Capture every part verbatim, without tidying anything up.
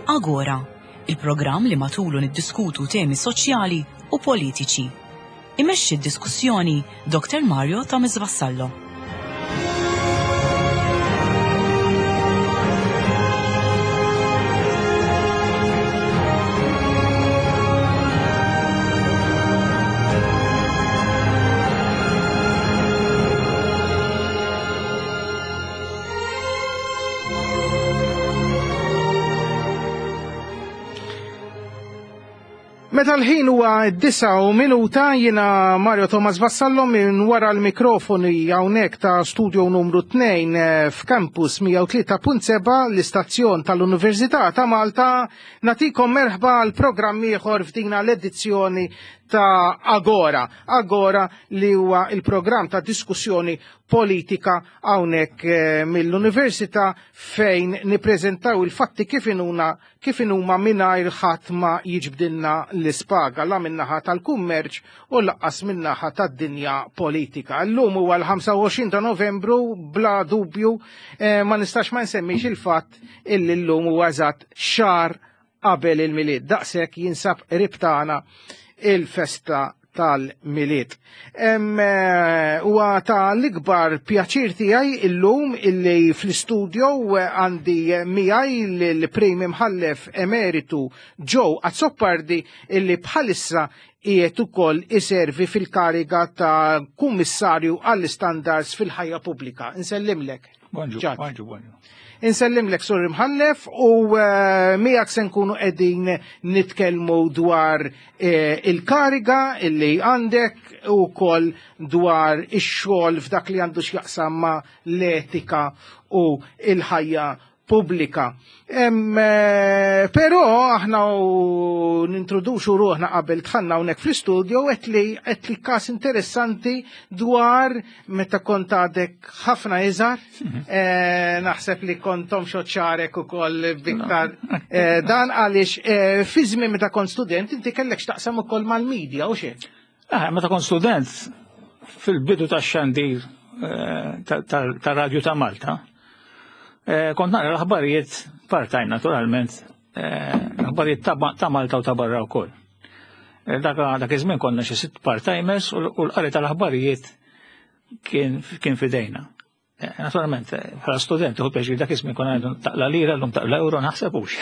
Agora, il-programm li matulu niddiskutu temi soċjali u politiċi. Imexxi d-diskussjoni Doktor Mario Thomas Vassallo. Meta l-ħin huwa d-disa u minuta, jiena Mario Thomas Vassallo minn wara l-mikrofoni hawnhekk ta' studio numru tnejn f'Campus mija u tlieta punt seba' l-istazzjon tal-Università ta' Malta, natikom merħba għal programm ieħor f'dina l-edizzjoni ta' Agora. Agora li huwa il-programm ta' diskussjoni politika hawnhekk, eh, mill-Università fejn nippreżentaw il-fatti kif inhuma, kif inhuma mingħajr ħadd ma jiġbdilna l-ispaga la min-naħa tal-kummerċ u lanqas min-naħa tad-dinja politika. Llum huwa l-ħamsa u għoxrin ta' Novembru, bla dubju, eh, ma nistax ma nsemmix il-fatt illi llum huwa eżatt xahar qabel il-Milied. Daqshekk jinsab qrib tagħna il-festa tal-Milied. Em, eh, huwa ta' l-ikbar pjaċir tiegħi illum illi fl-istudio għandi miegħi l-Prim Imħallef Emeritu Joe Azzopardi illi bħalissa qiegħed ukoll iservi fil-kariga ta' Kummissarju għall-Istandards fil-ħajja pubblika. Insellimlek. Bonġu, Ġad. bonġu, bonġu. Insellimlek, Sur Imħallef, u, eh, miegħek se nkunu qegħdin nitkellmu dwar, eh, il-kariga illi għandek u wkoll dwar ix-xogħol f'dak li għandu x'jaqsam ma' l-etika u l-ħajja pubblika. Em, eh, però aħna u nintroduċu ruħna qabel dħalna hawnhekk fl-istudio qed li, qed li każ interessanti dwar meta kont għadek ħafna iżgħar. Mhm. Eh, naħseb li kontom xoċarek ukoll biktar, eh, dan għaliex, eh, fi żmien meta kont student inti kellek x'taqsam ukoll mal-medja u xejn. Ah, meta kont student fil-bidu tax-xandir, eh, ta-, ta-, ta' Radju ta' Malta. Eh, kont naqra l-aħbarijiet part-time naturalment, eh, l-aħbarijiet ta' ma-, ta' Malta u ta' barra wkoll. Eh, dak, dak iż-żmien konna xi sitt part-timers u l-, u l-qari tal-aħbarijiet kien, kien fidejna. Eh, naturalment, eh, bħala student, uħu pjaċir dak iż-żmien konna ngħidu taqla lira, llum taqla euro, naħsebux.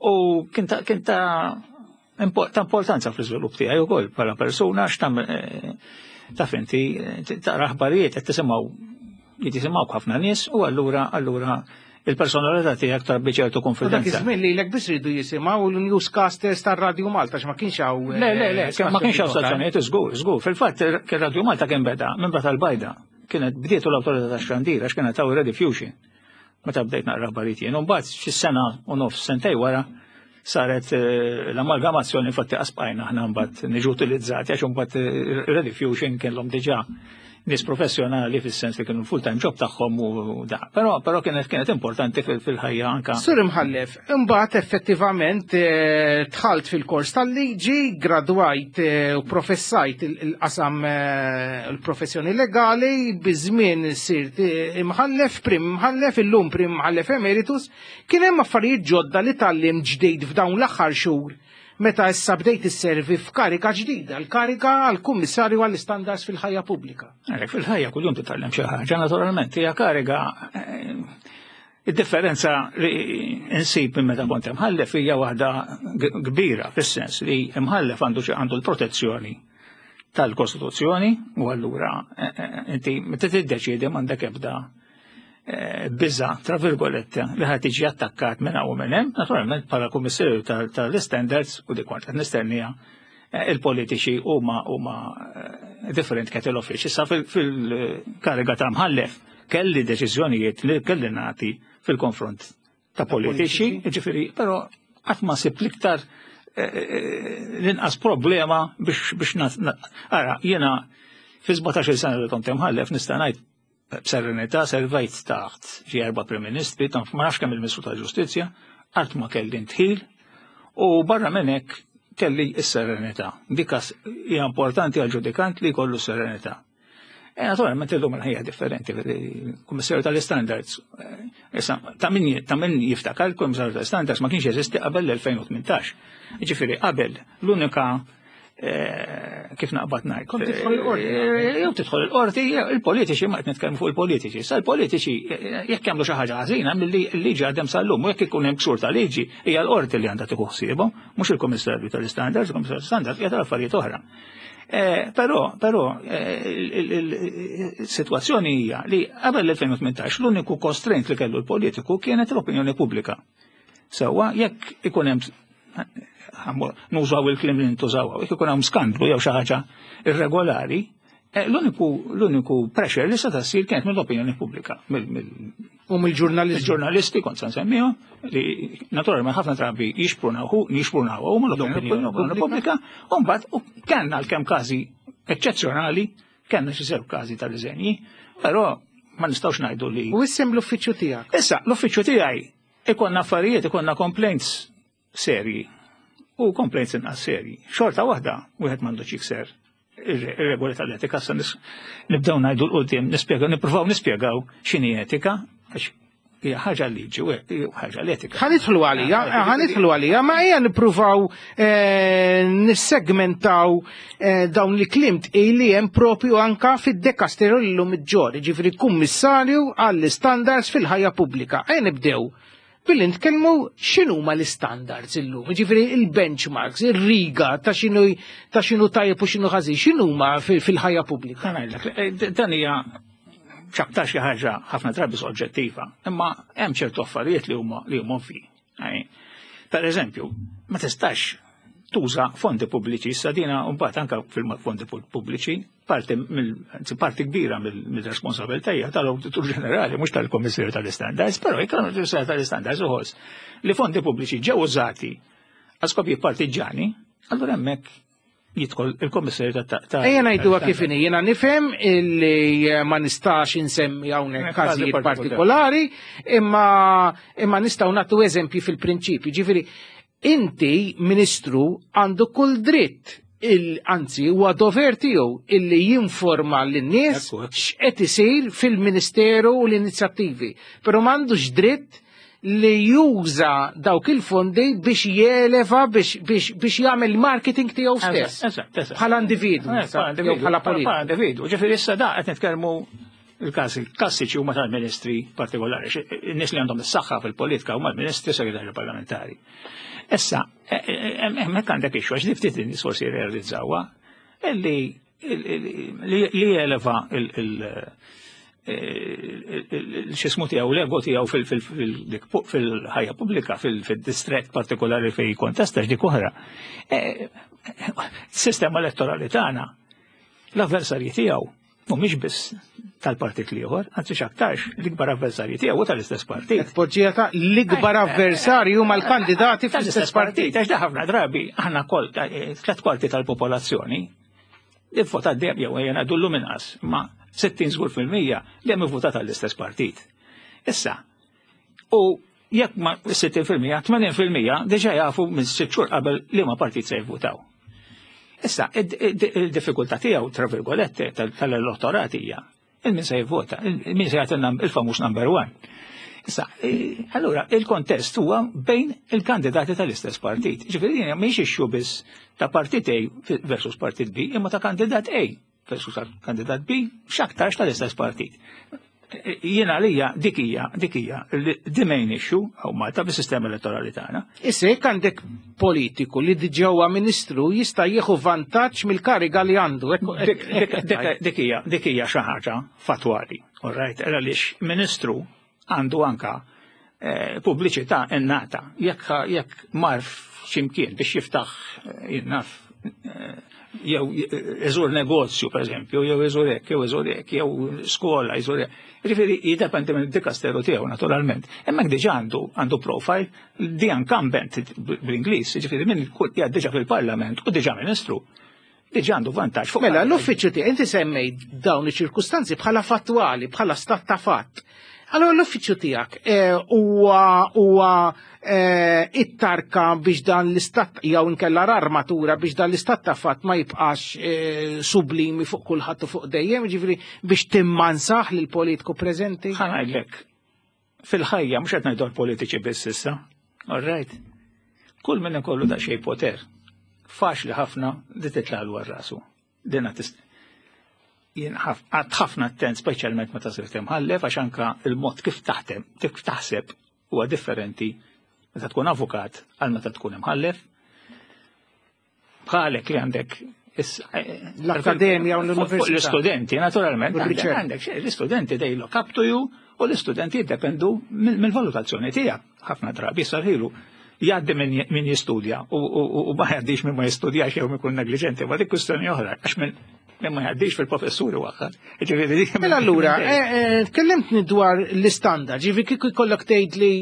U kien ta', kien ta' impo-, ta' importanza fl-iżvilupp tiegħi wkoll bħala persuna, x'tam, eh, taf inti, eh, taqra aħbarijiet qed tisimgħu jisimgħu ħafna nies u allura, allura il-personalità tiegħek tarbbi ċertu U dak konfidenza. iż-żmien lilek biss ridu jisimgħu l-newscasters tar-Radju Malta x'ma kienx hawn, Le, le, le, eh, ma kienx hawn stazzjonijiet oħrajn. stazzjonijiet, żgur, żgur. Fil-fatt kien Radju Malta kien beda minn Bata l-Bajda. Kienet bdietu l-awtorità tax-xandir għax kienet hawn Rediffusion. Meta bdejt naqra aħbarijiet jien. U mbagħad xi sena u nofs sentej wara saret, eh, l-amalgamazzjoni, infatti qasbajna aħna mbagħad niġu utilizzati għax imbagħad, eh, Rediffusion kellhom diġà nies professjonali fis-sens li kienu full-time job tagħhom u da. Però, però kienet, kienet importanti fil-, fil-ħajja anka. Sur Imħallef, imbagħad effettivament, eh, dħalt fil-kors tal-liġi, gradwajt, eh, u professajt il-, il-qasam, eh, il-professjoni legali, biż-żmien sirt, eh, imħallef, prim imħallef, illum prim imħallef emeritus, kien hemm affarijiet ġodda li tgħallim ġdid f'dawn l-aħħar xhur meta issa bdejt isservi f'karika ġdida, l-karika għall-Kummissarju għall-Istandards fil-ħajja pubblika. Għalhekk fil-ħajja kuljum titgħallem xi ħaġa, naturalment, hija kariga, eh, id-differenza li insib minn meta kont imħallef hija waħda g-, kbira, fis-sens li imħallef għandu xi-, għandu l-protezzjoni tal-Kostituzzjoni u allura, eh, eh, inti meta tiddeċiedi m'għandek ebda, eh, biża, tra virgolette, li ħad tiġi attakkat minn hawn u minn hemm, naturalment bħala kummissarju tal-, tal-standards u dik kont qed nistennija, eh, il-politiċi huma, huma, eh, different kettle of fish. Issa fil-, fil-kariga ta' mħallef kelli deċiżjonijiet li kelli nagħti fil-konfront ta' politiċi, Politiċi. jiġifieri, però Qatt ma sibt l-iktar l-inqas problema biex biex ara, jiena fi sbatax-il sena li kont imħallef nista' ngħid b'serenità servejt taħt xi erba' Prim Ministri, ma nafx kemm il-Ministru tal-Ġustizzja, qatt ma kelli ndħil u barra minn hekk kelli s-serenità. Dik hija importanti għal ġudikant li jkollu s-serenità. E naturalment illum il-ħajja differenti, il-Kummissarju tal-Standards, issa ta' min ta' min jiftakar, il-Kummissarju tal-Standards ma kienx jeżisti qabel l-elfejn u tmintax. Ġifieri qabel l-unika kif naqbad ngħid. Kont tidħol il-qorti. Jew tidħol il-qorti, il-politiċi, ma qed nitkellmu fuq il-politiċi. Sa l-politiċi jekk jagħmlu xi ħaġa ħażina mill-liġi għadhem sal-lum, u jekk ikun hemm ksur ta' liġi hija l-qorti li għandha tieħu ħsiebhom, mhux il-Kummissarju tal-Standards, il-Kummissarju tal-Standards hija tal-affarijiet oħra. Però, però, il-sitwazzjoni hija li qabel l-elfejn u tmintax l-uniku constraint li kellu l-politiku kienet l-opinjoni pubblika. Sewwa jekk ikun hemm, nużaw il-kliem li ntużaw, jekk ikun hemm skandlu jew xi ħaġa irregolari, l-uniku l-uniku pressure li seta' ssir kienet mill-opinjoni pubblika, u mill-ġurnalisti. Il-ġurnalisti kont se nsemmihom, li naturalment ħafna drabi jixprunaw jixprunaw u mill-opinjoni pubblika, u mbagħad kellna l-kemm każi eċċezzjonali, kellna xi sew każi ta' riżenji, però ma nistgħux ngħidu li. U issem l-uffiċċju tiegħek? Issa, l-uffiċċju tiegħi ikollna affarijiet, ikollna complaints serji u complaints inqas serji. Xorta waħda wieħed m'għandux jikser ir-regoli tal-etika, sa nibdew ngħidu l-qudiem, nispjegaw, nippruvaw nispjegaw x'inhi etika, għax hija ħaġa liġi u ħaġa l-etika. Ħa nidħlu għalija, ħa nidħlu għalija, ma hija nippruvaw nissegmentaw dawn li kliem tqil li hemm propju anka fid-dekasteru llum iġġor, jiġifieri kummissarju għall-istandards fil-ħajja pubblika. Ejja nibdew billi nitkellmu x'inhuma l-istandards illum, jiġifieri il-benchmarks, ir-riga ta' x'inhu ta' x'inhu tajjeb u x'inhu ħażin, x'inhuma fil-ħajja pubblika. Ħa ngħidlek, dan hija x'aktar xi ħaġa ħafna drabi soġġettiva, imma hemm ċertu affarijiet li huma li huma ovvi. Per eżempju, ma tistax tuża fondi pubbliċi, issa dina mbagħad anke fil-fondi pubbliċi, parti mill parti kbira mill-responsabilità hija tal-Awditur Ġenerali, mhux tal-Kummissarju tal-Istandards, però jekk l-Awditur tal-Istandards uħoss li fondi pubbliċi ġew użati għal skopijiet partiġġani, allura hemmhekk jidħol il-Kummissarju ta' Ejja ngħiduha kif inhi, jiena nifhem illi ma nistax insemmi hawnhekk każijiet partikolari, imma imma nistgħu nagħtu eżempji fil-prinċipju. Ġifieri inti ministru għandu kull dritt, anzi huwa dover tiegħu illi jinforma lin-nies x'qed isir fil-ministeru u l-inizjattivi, però m'għandux dritt li juża dawk il-fondi biex jeleva, biex, biex, biex jagħmel marketing tiegħu stess. Bħala individwu, jew bħala politiku. Bħala individwu. Ġifieri issa da qed nitkellmu il-każi klassiċi huma tal-ministri partikolari, in-nies li għandhom is-saħħa fil-politika huma l-ministri, segretarju parlamentari. Issa, hemmhekk għandek issue, għax ftit in-nies forsi jirrealizzawha, illi li jeleva x'ismu tiegħu, l-ego tiegħu fil-ħajja pubblika, fil-distret partikolari fejn jikkontesta x'dik oħra. Sistema elettorali tagħna, l-avversarji tiegħu mhumiex biss tal-partit l-ieħor, anzi x'aktarx l-ikbar avversarji tiegħu tal-istess partit. Poġġija ta' l-ikbar avversarju mal-kandidati fl-istess partit. Għax da ħafna drabi aħna kol tliet kwarti tal-popolazzjoni ivvotat dejjem, jew ejja ngħidu llum inqas, ma sittin żgur fil-mija dejjem ivvotat tal-istess partit. Issa, u jekk ma sittin fil-mija, tmenin fil-mija diġà jafu minn sitt xhur qabel liema partit se jivvutaw. Issa, il-diffikultà tiegħu, tra virgolette, tal-elettorat hija il-min se jivvota, il-min se jagħti il-famuż number one. Issa, allura, il-kontest huwa bejn il-kandidati tal-istess partit. Ġifieri din mhix issue biss ta' partit A versus partit B, imma ta' kandidat A versus kandidat B, x'aktarx tal-istess partit. Jiena għalija dik hija, dik hija the main issue hawn Malta bis-sistema elettorali tagħna. Issa jekk għandek politiku li diġà huwa ministru jista' jieħu vantaġġ mill-kariga li għandu. Dik hija, dik hija xi ħaġa fatwali, all right, għaliex ministru għandu anka pubbliċità innata. Jekk, jekk mar x'imkien biex jiftaħ, jinnaf, jew iżur negozju, per eżempju, jew iżur hekk, jew iżur hekk, jew skola, iżur hekk. Jiġifieri jiddependi minn dikasteru tiegħu naturalment. Hemmhekk diġà għandu għandu profile the incumbent bl-Ingliż, jiġifieri min qiegħed diġà fil-Parlament u diġà ministru. Diġà għandu vantaġġ fuq. Mela, l-uffiċċju tiegħek, inti semmejt dawn iċ-ċirkustanzi bħala fattwali, bħala stat ta' fatt. Allora l-uffiċċju tiegħek huwa huwa it-tarka biex dan l-istat jew inkella l-armatura biex dan l-istat ta' fatt ma jibqax sublimi fuq kulħadd u fuq dejjem, jiġifieri biex timmansaħ lil politiku preżenti. Ħa ngħidlek, fil-ħajja mhux qed ngħidu politiċi biss issa. All right. Kull min ikollu daqsxejn poter, faċli ħafna li titla' għal rasu. Dina tist jien għad ħafna attent, speċjalment meta sirt imħallef, għax anka il-mod kif taħdem, kif taħseb huwa differenti meta tkun avukat għal meta tkun imħallef. Bħalek li għandek l-akkademja u l-università. L-istudenti, naturalment, għandek l-istudenti they look up to you u l-istudenti jiddependu mill-valutazzjoni tiegħek. Ħafna drabi sarħilu jgħaddi min jistudja u ma jgħaddix min ma jistudjax jew ikun negliġenti, ma dik kwistjoni oħra, għax minn ma jgħaddix fil-professuri waħħar. Mela allura, tkellimtni dwar l-istandard, ġifieri kieku jkollok tgħid li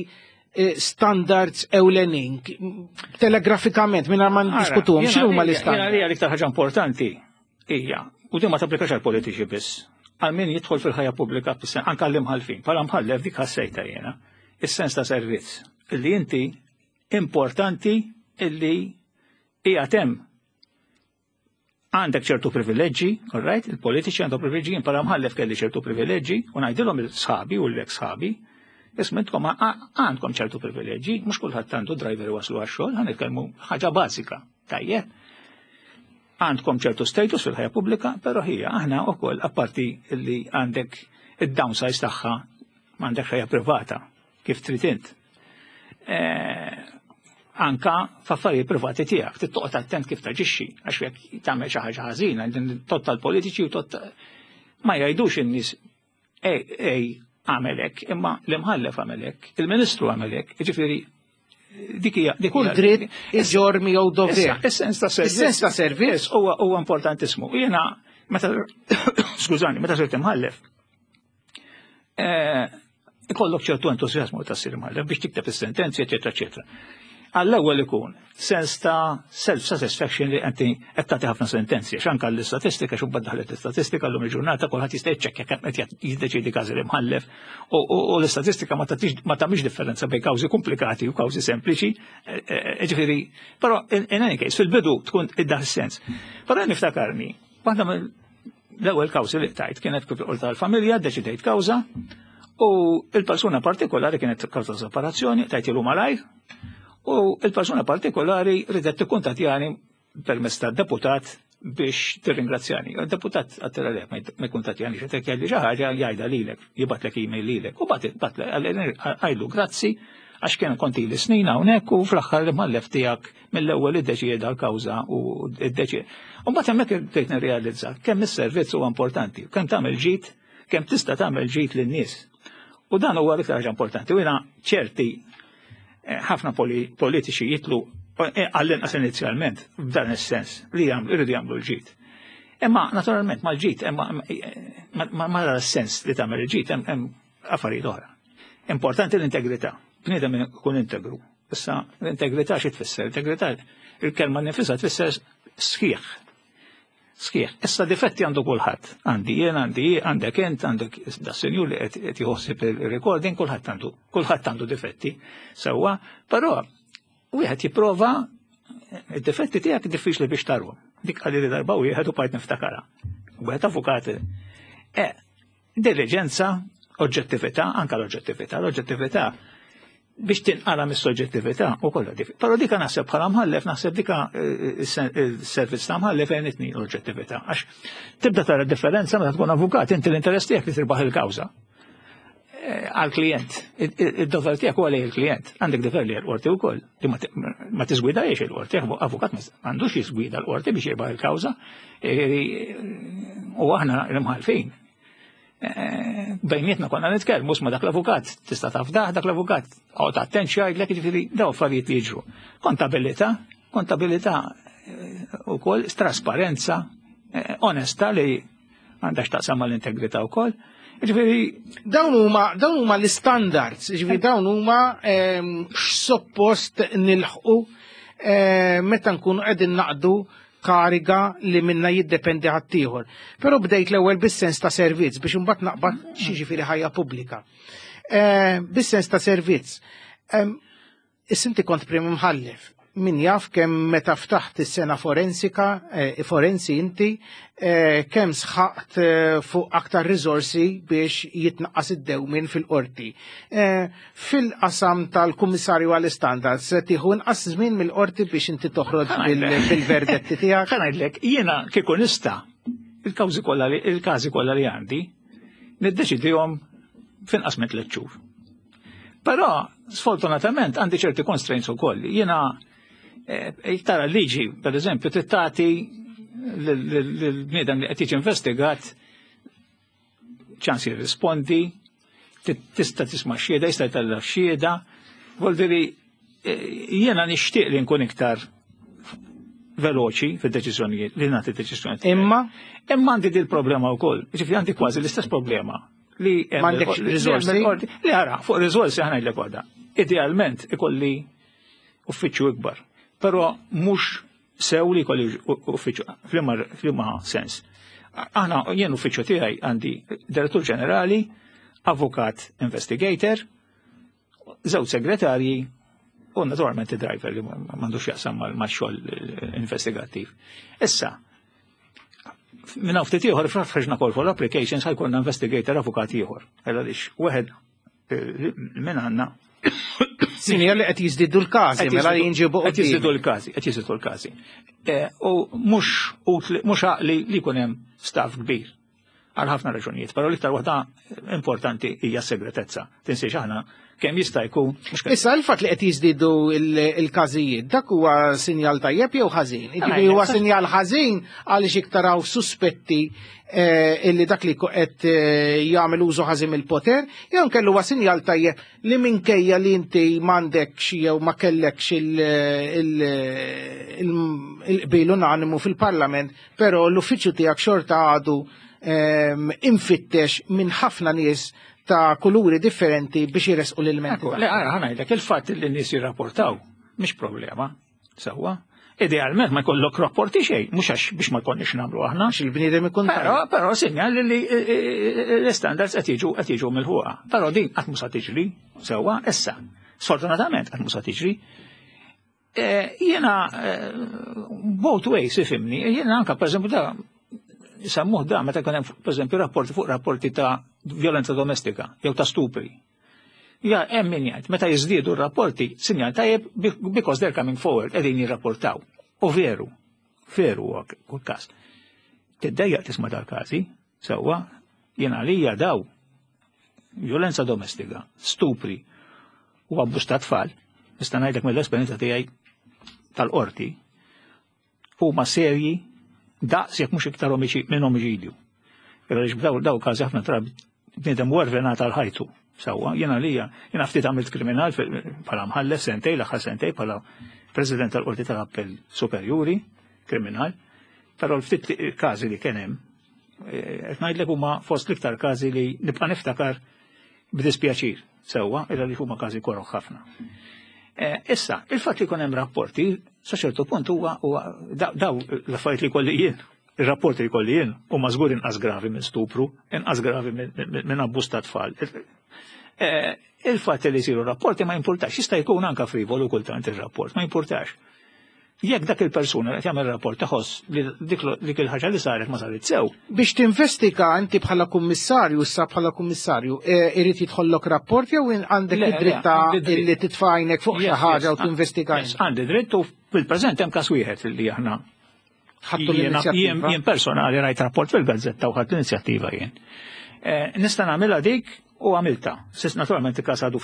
standards ewlenin, telegrafikament, minn ma ndiskutuhom, x'inhu huma l-istandard? Jiena l-iktar ħaġa importanti hija, u din ma tapplikax għal politiċi biss, għal min jidħol fil-ħajja pubblika, anke għall-imħallfin, bħala mħallef dik ħassejta jiena, is-sens ta' servizz, illi inti importanti illi hija hemm għandek ċertu privileġġi, all right, il-politiċi għandhom privileġġi, jien bħala mħallef kelli ċertu privileġġi, u ngħidilhom il-sħabi u l-ex sħabi, isma' intkom għandkom ċertu privileġġi, mhux kulħadd għandu driver waslu għax-xogħol, ħa nitkellmu ħaġa bażika, tajjeb. Għandkom ċertu status fil-ħajja pubblika, però hija aħna wkoll apparti li għandek id-downsize tagħha m'għandek ħajja privata kif trid int. Anka f'affarijiet privati tiegħek, trid toqgħod attent kif taġixxi, għax jekk tagħmel xi ħaġa ħażina, tot tal-politiċi u tot ma jgħidux in-nies ej ej għamel hekk, imma l-imħallef għamel hekk, il-ministru għamel hekk, jiġifieri dik hija dik kull dritt iġorr miegħu dover. Is-sens ta' servizz. Is-sens ta' servizz huwa huwa importantissimu. Jiena meta skużani, meta sirt imħallef, ikollok ċertu entużjażmu ta' ssir imħallef biex tikteb is-sentenzi, eċetera, eċetera. Għall-ewwel ikun sens ta' self-satisfaction li inti qed tagħti ħafna sentenzi, għax anke l-istatistika, xi mbagħad daħlet l-istatistika llum il-ġurnata kulħadd jista' jiċċekkja kemm qed jiddeċiedi każi l-imħallef u l-istatistika ma tagħmilx differenza bejn kawżi komplikati u kawżi sempliċi, ġifieri, però in any case fil-bidu tkun iddaħ is-sens. Però niftakarni, waħda mill-ewwel kawżi li tajt kienet kif qorti tal-familja, ddeċidejt kawża u il-persuna partikolari kienet kawża separazzjoni, tajtilu malajr. U il-persuna partikolari ridet tikkuntattjani permezz tad-deputat biex tirringrazzjani. Il-deputat għattela le, ma jkuntattjani, xi kelli xi ħaġa jgħidha lilek, jibgħatlek email lilek. U bat għajlu grazzi għax kien konti li snin hawnhekk u fl-aħħar l-imħallef tiegħek mill-ewwel iddeċieda l-kawża u iddeċieda. U mbagħad hemmhekk bdejt nirrealizza kemm is-servizz huwa importanti, kemm tagħmel ġid, kemm tista' tagħmel ġid lin-nies. U dan huwa l-iktar ħaġa importanti. U jiena ċerti ħafna politiċi jitlu għall-inqas inizjalment f'dan is-sens li jridu jagħmlu l-ġid. Imma naturalment mal-ġid, imma ma sens li tagħmel il-ġid hemm affarijiet oħra. Importanti l-integrità. Bniedem ikun integru. Issa l-integrità xi tfisser? L-integrità il-kelma nifisha tfisser sħiħ. Sħiħ. Issa difetti għandu kulħadd. Għandi jien, għandi għandek int, għandek da senjur li qed jħossib il-recording, kulħadd għandu, kulħadd għandu difetti. Sewwa, però wieħed jipprova id-difetti tiegħek diffiċli biex tarhom. Dik qalli li darba wieħed u bqajt niftakarha. Wieħed avukat. Eh, diligenza, oġġettività, anka l-oġġettività, l-oġġettività biex tinqara mis-soġġettività u kollha dik. Però dika naħseb bħala mħallef, naħseb dika il-servizz ta' mħallef għenitni l-oġġettività. Għax tibda tara differenza meta tkun avukat, inti l-interess tiegħek li tirbaħ il-kawża għal-klient. Id-dover tiegħek huwa lejn il-klient. Għandek dover li l-qorti wkoll. Li ma tiżgwidajiex il-qorti, avukat m'għandux jiżgwida l-qorti biex jirbaħ il-kawża. U aħna l-imħallfin. Bejnietna konna nitkellmu ma dak l-avukat, tista' tafdah dak l-avukat, għod attent x'jgħidlek, jiġifieri daw affarijiet li jiġru. Kontabilità, kontabilità Ukoll trasparenza, eh, onesta li għandha x'taqsam mal-integrità wkoll. Ġifieri Dawn huma dawn huma l-standards, ġifieri dawn huma ehm, x'suppost nilħqu eh, meta nkunu qegħdin naqdu kariga li minna jiddependi ħaddieħor. Però bdejt l-ewwel bis-sens ta' servizz biex imbagħad naqbad xi ħajja pubblika. Eh, bis-sens ta' servizz. Ehm, Is-inti kont prim imħallef. Min jaf kemm meta ftaħt is-sena forensika, eh, forensi inti, eh, kemm sħaqt eh, fuq aktar riżorsi biex jitnaqqas id-dewmin fil-qorti. Eh, Fil-qasam tal-Kummissarju għall-Standards, se tieħu inqas żmien mill-qorti biex inti toħroġ bil- bil-verdetti tiegħek. Ħa ngħidlek, jiena kieku nista' il-kawżi kollha li il-każi kollha li għandi, niddeċidihom finqas minn tliet xhur. Però sfortunatament għandi ċerti constraints ukoll. Jiena eh, tara liġi, per eżempju, trid tagħti lill-bniedem li qed jiġi investigat ċans jirrispondi, tista' tisma' xhieda, jista' jtella' xhieda. Vuol eh, jiena nixtieq li nkun iktar veloċi fid-deċiżjonijiet li nagħti deċiżjonijiet. Imma Imma għandi dil problema wkoll. Ġifieri għandi kważi l-istess problema li M'għandekx riżorsi? Li ara, fuq riżorsi ħa ngħidlek waħda. Idealment ikolli uffiċċju ikbar, però mhux sew li jkolli uffiċċju f'liema sens. Aħna jien uffiċċju tiegħi għandi direttur ġenerali, avukat investigator, żewġ segretarji u naturalment id-driver li m'għandux jaqsam mal-xogħol investigattiv. Issa, minn hawn ftit ieħor ħriġna call for applications ħa jkollna investigator avukat ieħor. Għaliex wieħed eh, minn għandna Sinjal li qed jiżdiedu l-każi, mela li jinġibu qed jiżdiedu l-każi, qed jiżdiedu l-każi. Eh, u mhux mhux għaqli li jkun hemm staff kbir għal ħafna raġunijiet, però l-iktar waħda importanti hija s-segretezza. Tinsiex aħna kemm jista' jkun. Issa il-fatt li qed jiżdiedu il-każijiet, dak huwa sinjal tajjeb jew ħażin? Jiġifieri huwa sinjal ħażin għaliex iktar hawn suspetti eh, illi dak li qed eh, jagħmel użu ħażin mill-poter, jew kellu huwa sinjal tajjeb li minkejja li inti m'għandekx jew ma kellekx il-qbil unanimu fil-Parlament, però l-uffiċċju tiegħek xorta għadu ehm, infittex minn ħafna nies ta' kuluri differenti biex jiresqu l-ilmenti. Le, għara, ħa ngħidlek, il-fatt li n-nies jirrapportaw, mhix problema, sewwa. Idealment ma jkollok rapporti xejn, mhux għax biex ma jkollniex nagħmlu aħna. Għax il-bniedem ikun Però, però sinjal li l-standards qed jiġu qed jiġu milħuqa. Però din qatt mhux tiġri, sewwa, issa. Sfortunatament qatt mhux tiġri. Eh, jiena eh, both ways ifhimni, jiena anka per eżempju da sammuh da meta jkun hemm pereżempju rapporti fuq rapporti ta' violenza domestika jew ta' stupri. Ja, hemm min jgħid, meta jiżdiedu r-rapporti, sinjal tajjeb because they're coming forward, qegħdin jirrapportaw. U veru, veru huwa kull każ. Tiddejjaq tisma' dal-każi, sewwa, jien għalija daw violenza domestika, stupri u abbuż ta' tfal, nista' ngħidlek mill-esperjenza tiegħi tal-qorti, huma serji daqs jekk mhux iktar minn omiċidju. Għaliex b'daw daw każi ħafna drabi bniedem wervenat għal ħajtu. Sewwa, jiena lija, jiena ftit għamilt kriminal bħala mħallef sentej, l-aħħar sentej bħala president tal-Qorti tal-Appell Superjuri, kriminal, però l-ftit każi li kien hemm, eh, qed ngħidlek huma fost l-iktar każi li nibqa' niftakar b'dispjaċir, sewwa, illa li huma każi koroh ħafna. Eh, issa, il-fatt li jkun hemm rapporti, sa ċertu punt huwa daw l-affarijiet li kolli jien, ir-rapporti li kolli jien huma żgur inqas gravi minn stupru, inqas gravi minn abbuż ta' tfal. Eh, il-fatt li jsiru rapporti ma jimpurtax, jista' jkun anka frivolu kultant ir-rapport, ma jimpurtax. Jekk dak il-persuna li qed jagħmel rapport taħoss li dik il-ħaġa li saret ma saret sew. Biex tinvestiga inti bħala kummissarju, issa bħala kummissarju, eh, irid jidħollok rapport jew għandek id-dritt li titfa' għajnek fuq xi ħaġa u tinvestiga? Għandi dritt u fil-preżent hemm każ wieħed li aħna ħadtu l-inizjattiva. Jien personali rajt rapport fil-gazzetta u ħadt l-inizjattiva jien. Eh, nista' nagħmilha dik u għamilta. Sis naturalment il-każ għadu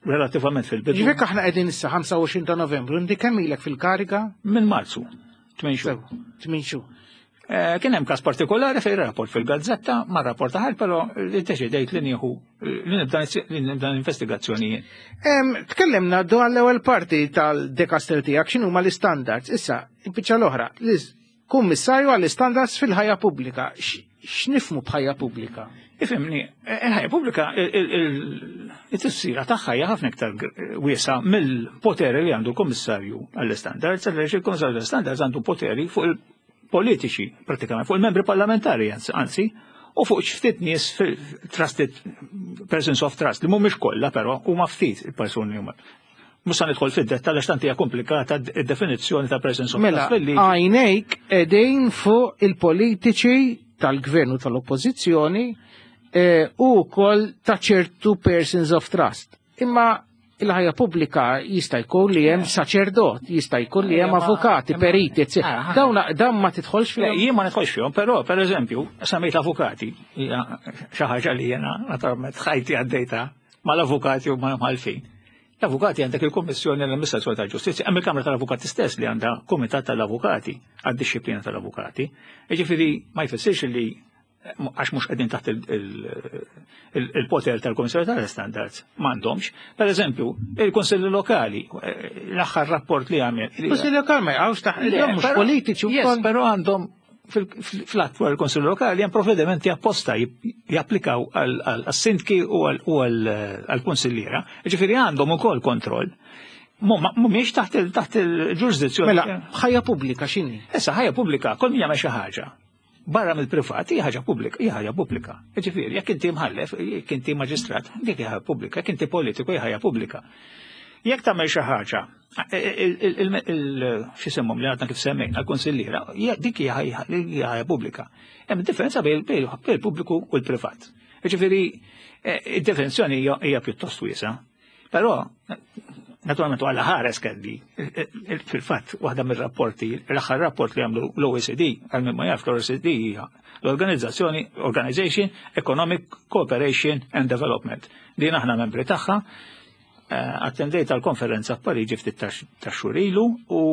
relativament fil-bidu. Ġifieri aħna qegħdin issa ħamsa u għoxrin ta' Novembru, inti kemm ilek fil-kariga? Minn Marzu, tmien xhur. Tmien xhur. Eh, kien hemm każ partikolari fejn rapport fil-gazzetta, ma rapport ħal, però li deċidejt li nieħu li nibda li nibda investigazzjoni jien. Tkellimna dwar l-ewwel parti tal-dekaster tiegħek x'inhuma l-istandards. Issa, il-biċċa l-oħra, Kummissarju għall-Istandards fil-ħajja pubblika. X'nifhmu b'ħajja pubblika? Ifhimni, il-ħajja pubblika it-tifsira tagħha hija ħafna iktar wiesgħa mill-poteri li għandu l-Kummissarju għall-Istandards, għaliex il-Kummissarju għall-Istandards għandu poteri fuq il-politiċi, pratikament, fuq il-membri parlamentari, anzi, u fuq ftit nies trusted persons of trust, li mhumiex kollha però huma ftit il-persuni huma. Mhux se nidħol fid-dettall għax tant hija komplikata d-definizzjoni ta' persons of Mela, trust. għajnejk qegħdin fuq il-politiċi tal-gvern u tal-oppożizzjoni u wkoll ta' ċertu persons of trust. Imma il-ħajja pubblika jista' jkun li hemm saċerdot, jista' jkun li hemm avukati, periti, eccetera. Dawn dawn ma tidħolx fihom. Jien ma nidħolx fihom, però pereżempju, semmejt avukati, hija xi ħaġa li jiena naturalment ħajti għaddejta mal-avukati u mal-mħallfin. L-avukati għandek il-Kommissjoni l-Amministrazzjoni tal-Ġustizzja, hemm il-Kamra tal-Avukati stess li għandha Kumitat tal-Avukati għad-dixxiplina tal-Avukati. Jiġifieri ma jfissirx li għax mhux qegħdin taħt il-poter tal-Kummissjoni tal-Standards m'għandhomx. Per eżempju, il-Kunsilli Lokali, l-aħħar rapport li għamel. Il-Kunsilli Lokali ma jaqgħux taħt mhux politiċi wkoll. Però għandhom fl-att dwar il-Kunsilli Lokali hemm provvedimenti apposta japplikaw għas-sindki u għall-kunsilliera. Ġifieri għandhom ukoll kontroll. Mhumiex taħt il-ġurisdizzjoni. Mela, ħajja pubblika x'inhi? Issa ħajja pubblika, kull min jagħmel xi ħaġa. Barra mill-privat hija ħaġa pubblika, hija ħaġa pubblika. Ġifieri, jekk inti mħallef, jekk inti maġistrat, dik hija ħaġa pubblika, jekk inti politiku hija ħaġa pubblika. Jekk tagħmel xi ħaġa, x'isimhom li għadna kif semmejna, l-kunsilliera, dik hija ħaġa pubblika. Hemm differenza bejn il-pubbliku u l-privat. Ġifieri, id-definizzjoni hija pjuttost wiesgħa. Però naturalment għalla ħares kelli, fil-fatt, waħda mir-rapporti, l-aħħar rapport li għamlu l-O E C D, għal min ma jaf l-O E C D hija l-Organizzazzjoni Organization Economic Cooperation and Development. Din aħna membri tagħha, attendejt għal konferenza f'Pariġi ftit ta' xhur ilu u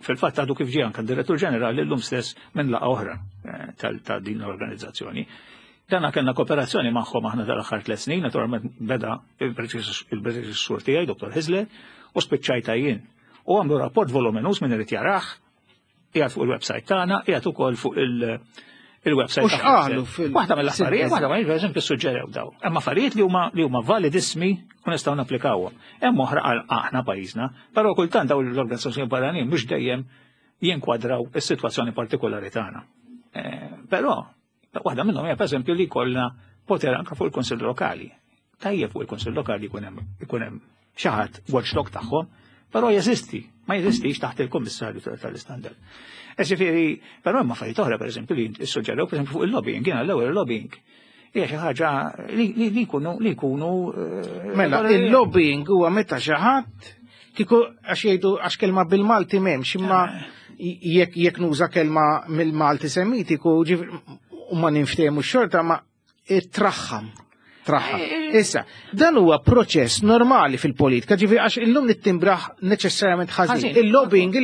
fil-fatt għadu kif ġie anke d-Direttur Ġenerali llum stess minn laqgħa oħra ta' din l-organizzazzjoni. Dana kellna kooperazzjoni magħhom aħna tal-aħħar tliet snin, naturalment beda il-predeċessur tiegħi, Dottor Hyzler, u spiċċajta jien. U għamlu rapport voluminus minn irid jarah, qiegħed fuq il-website tagħna, qiegħed ukoll fuq il-website. U x'qalu fil- Waħda mill-affarijiet, waħda mill pereżempju suġġerew daw. Hemm affarijiet li huma li huma validissimi u nistgħu napplikawhom. Hemm oħra għal aħna pajjiżna, però kultant dawn l-organizzazzjoni barranin mhux dejjem jinkwadraw is-sitwazzjoni partikolari tagħna. Però waħda minnhom hija pereżempju li jkollna poter anke fuq il-Kunsill Lokali. Tajjeb fuq il-Kunsill Lokali jkun hemm ikun hemm xi ħadd watchdog tagħhom, però jeżisti, ma jeżistix taħt il-Kummissarju tal-Istandard. Ġifieri, però hemm affarijiet oħra pereżempju li ssuġġerew pereżempju fuq il-lobbying, jiena l-ewwel il-lobbying. Hija xi ħaġa li jkunu li jkunu Mela, il-lobbying huwa meta xi ħadd kieku għax jgħidu għax kelma bil-Malti m'hemmx, imma jekk jekk nuża kelma mill-Malti Semitiku, u ma ninftehmu x-xorta ma traħħam. Traħħam. Issa, dan huwa proċess normali fil-politika, ġifieri għax illum nittimbraħ neċessarjament ħażin. Il-lobbying,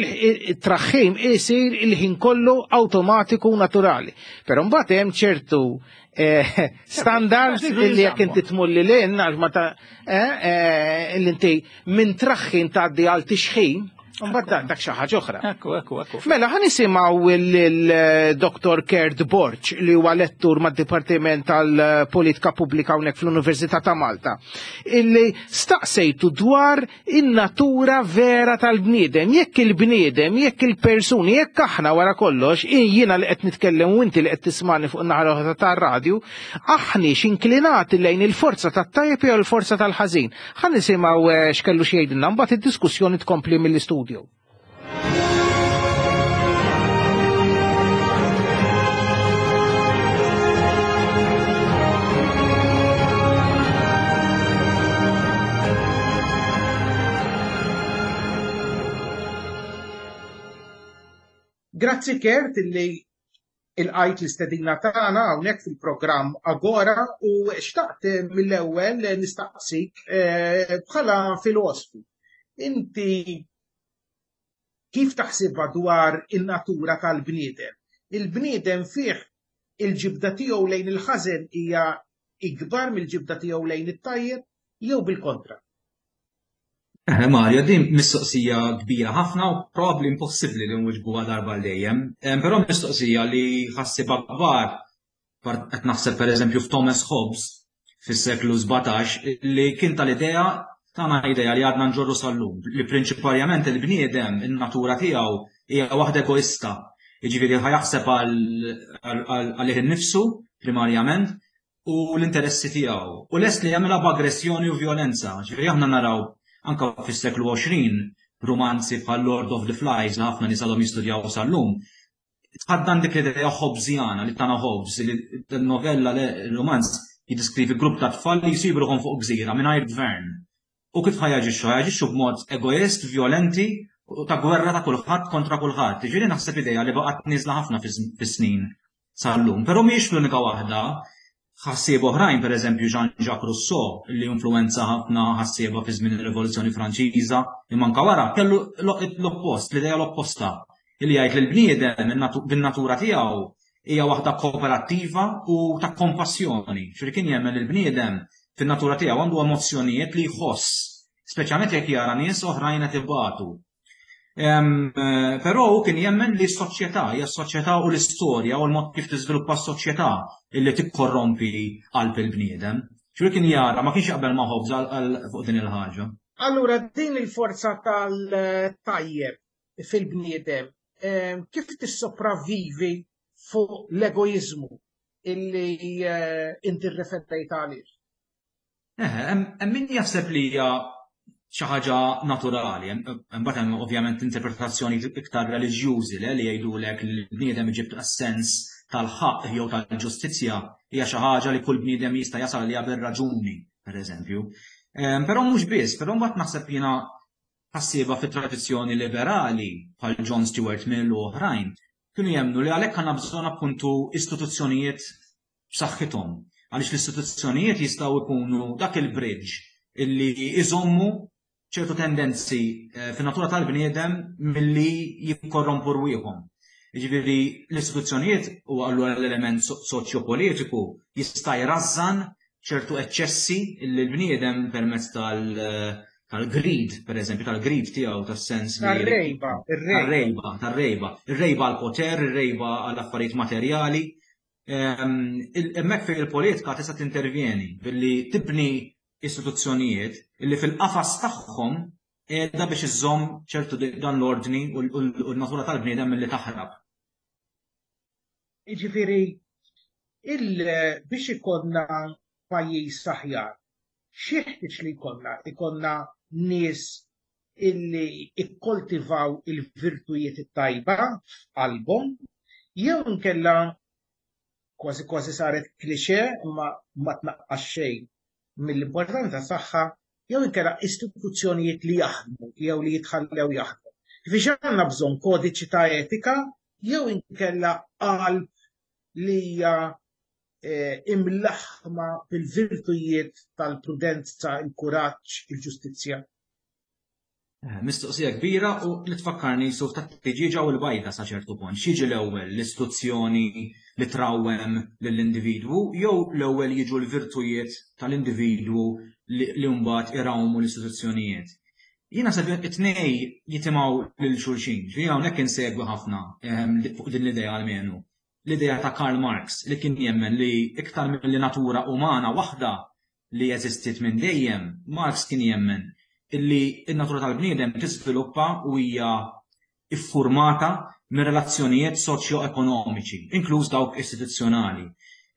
il-traħħim isir il-ħin kollu awtomatiku naturali. Però mbagħad hemm ċertu standards li jekk inti tmur lil hinn għax ma ta' li inti minn traħħin tgħaddi għal tixħin, mbagħad dak xi ħaġa oħra. Ekku, ekku, ekku. Mela ħa nisimgħu il-Dottor Kurt Borg li huwa lettur mad-Dipartiment tal-Politika Pubblika hawnhekk fl-Università ta' Malta, illi staqsejtu dwar in-natura vera tal-bniedem, jekk il-bniedem, jekk il-persuni, jekk aħna wara kollox, jiena li qed nitkellem u inti li qed tismani fuq in-naħa l-oħra tar-radju, aħniex inklinati lejn il-forza tat-tajjeb jew il-forza tal-ħażin. Ħa nisimgħu x'kellu xi jgħidilna mbagħad id-diskussjoni tkompli mill-istudju. Grazzi Kurt illi il-qajt l-istedina tagħna hawnhekk fil-programm Agora u xtaqt mill-ewwel nistaqsik bħala filosfu. Inti kif taħsibha dwar in-natura tal-bniedem? Il-bniedem fih il-ġibda tiegħu lejn il-ħażen hija ikbar mill-ġibda tiegħu lejn it-tajjeb jew bil-kontra? Eh, Mario, din mistoqsija kbira ħafna u probabbli impossibbli li nwiġbuha darba għal dejjem. Però mistoqsija li ħassieba kbar, qed naħseb pereżempju f'Thomas Hobbes fis-seklu sbatax, li kien tal-idea tana idea li għadna nġorru sal-lum, li prinċipalment il-bniedem, in-natura tiegħu hija waħda egoista. Jiġifieri ħa jaħseb għalih innifsu primarjament u l-interessi tiegħu. U lest li jagħmilha b'aggressjoni u violenza. Ġifieri aħna naraw anka fis-seklu għoxrin romanzi bħal Lord of the Flies li ħafna nies għadhom jistudjaw sal-lum. Tħaddan dik l-idea Hobbesiana li tana Hobbes, li novella, romanz jiddiskrivi grupp ta' tfal li jsibu ruħhom fuq gżira mingħajr gvern. U kif ħa jaġixxu? Ħa jaġixxu b'mod egoist, violenti, u ta' gwerra ta' kulħadd kontra kulħadd. Ġifieri naħseb idea li baqgħet nieżla ħafna fis-snin sal-lum. Però mhijiex l-unika waħda. Ħassieb oħrajn, per eżempju Jean-Jacques Rousseau, li influenza ħafna ħassieba fi żmien ir-Rivoluzzjoni Franċiża, imma anka wara kellu l-oppost, l-idea l-opposta, li jgħid li l-bniedem bin-natura tiegħu hija waħda kooperattiva u ta' kompassjoni. Ġifieri kien jemmen li l-bniedem fin-natura tiegħu għandu emozzjonijiet li jħoss, speċjalment jekk jara nies oħrajn qed ibatu. Però hu kien jemmen li s-soċjetà, hija s-soċjetà u l-istorja u l-mod kif tiżviluppa s-soċjetà illi tikkorrompi qalb il-bniedem. Ġifieri kien jara, ma kienx jaqbel ma' Hobbes għal fuq din il-ħaġa. Allura din il-forza tal-tajjeb fil-bniedem, kif tissopravvivi fuq l-egoizmu illi inti rreferejt għalih? Eh, hemm min jaħseb li hija xi ħaġa naturali, imbagħad hemm ovvjament interpretazzjoni iktar reliġjużi le li jgħidulek li l-bniedem iġib sens tal-ħaqq jew tal-ġustizzja hija xi ħaġa li kull bniedem jista' jasal għaliha bir-raġuni, pereżempju. Però mhux biss, però mbagħad naħseb jiena ħassieba fit-tradizzjoni liberali bħal John Stuart Mill u oħrajn kienu jemmnu li għalhekk għandna bżonn appuntu istituzzjonijiet b'saħħithom, għaliex l-istituzzjonijiet jistgħu jkunu dak il-bridge illi iżommu ċertu tendenzi fin-natura tal-bniedem milli jikkorrompu rwieħhom. Jiġifieri l-istituzzjonijiet u allura l-element soċjopolitiku jista' jrażżan ċertu eċċessi li l-bniedem permezz tal-greed, per eżempju, tal-greed tiegħu, tas-sens li Tar-rejba, ir-rejba. Tar-rejba, tar-rejba. Ir-rejba għall-poter, ir-rejba għall-affarijiet materjali. Hemmhekk fejn il-politika tista' tintervjeni billi tibni istituzzjonijiet illi fil-qafas tagħhom qiegħda biex iżżomm ċertu dan l-ordni u l-natura tal-bniedem milli taħrab. Jiġifieri biex ikollna pajjiż aħjar, x'jeħtieġ li jkollna? Ikollna nies illi ikkoltivaw il-virtujiet it-tajba f'qalbhom, jew inkella kważi kważi saret klixe imma ma tnaqqas xejn mill-importanza tagħha, jew inkella istituzzjonijiet li jaħdmu jew li jitħallew jaħdmu. Biex għandna bżonn kodiċi ta' etika jew inkella qalb li hija imlaħma bil-virtujiet tal-prudenza, il-kuraġġ, il-ġustizzja. Mistoqsija kbira u li tfakkarni suf ta' tiġiġa u l-bajda sa ċertu punt. X'jiġi l-ewwel, l-istituzzjoni li trawwem lill-individwu jew l-ewwel jiġu l-virtujiet tal-individwu li mbagħad irawmu l-istituzzjonijiet? Jiena naħseb it-tnej jitimgħu lil xulxin. Ġifieri hawnhekk insegwi ħafna fuq din l-idea almenu. L-idea ta' Karl Marx li kien jemmen li iktar mill natura umana waħda li jeżistit minn dejjem, Marx kien jemmen illi n-natura tal-bniedem tiżviluppa u hija iffurmata minn relazzjonijiet soċjo-ekonomiċi, inkluż dawk istituzzjonali.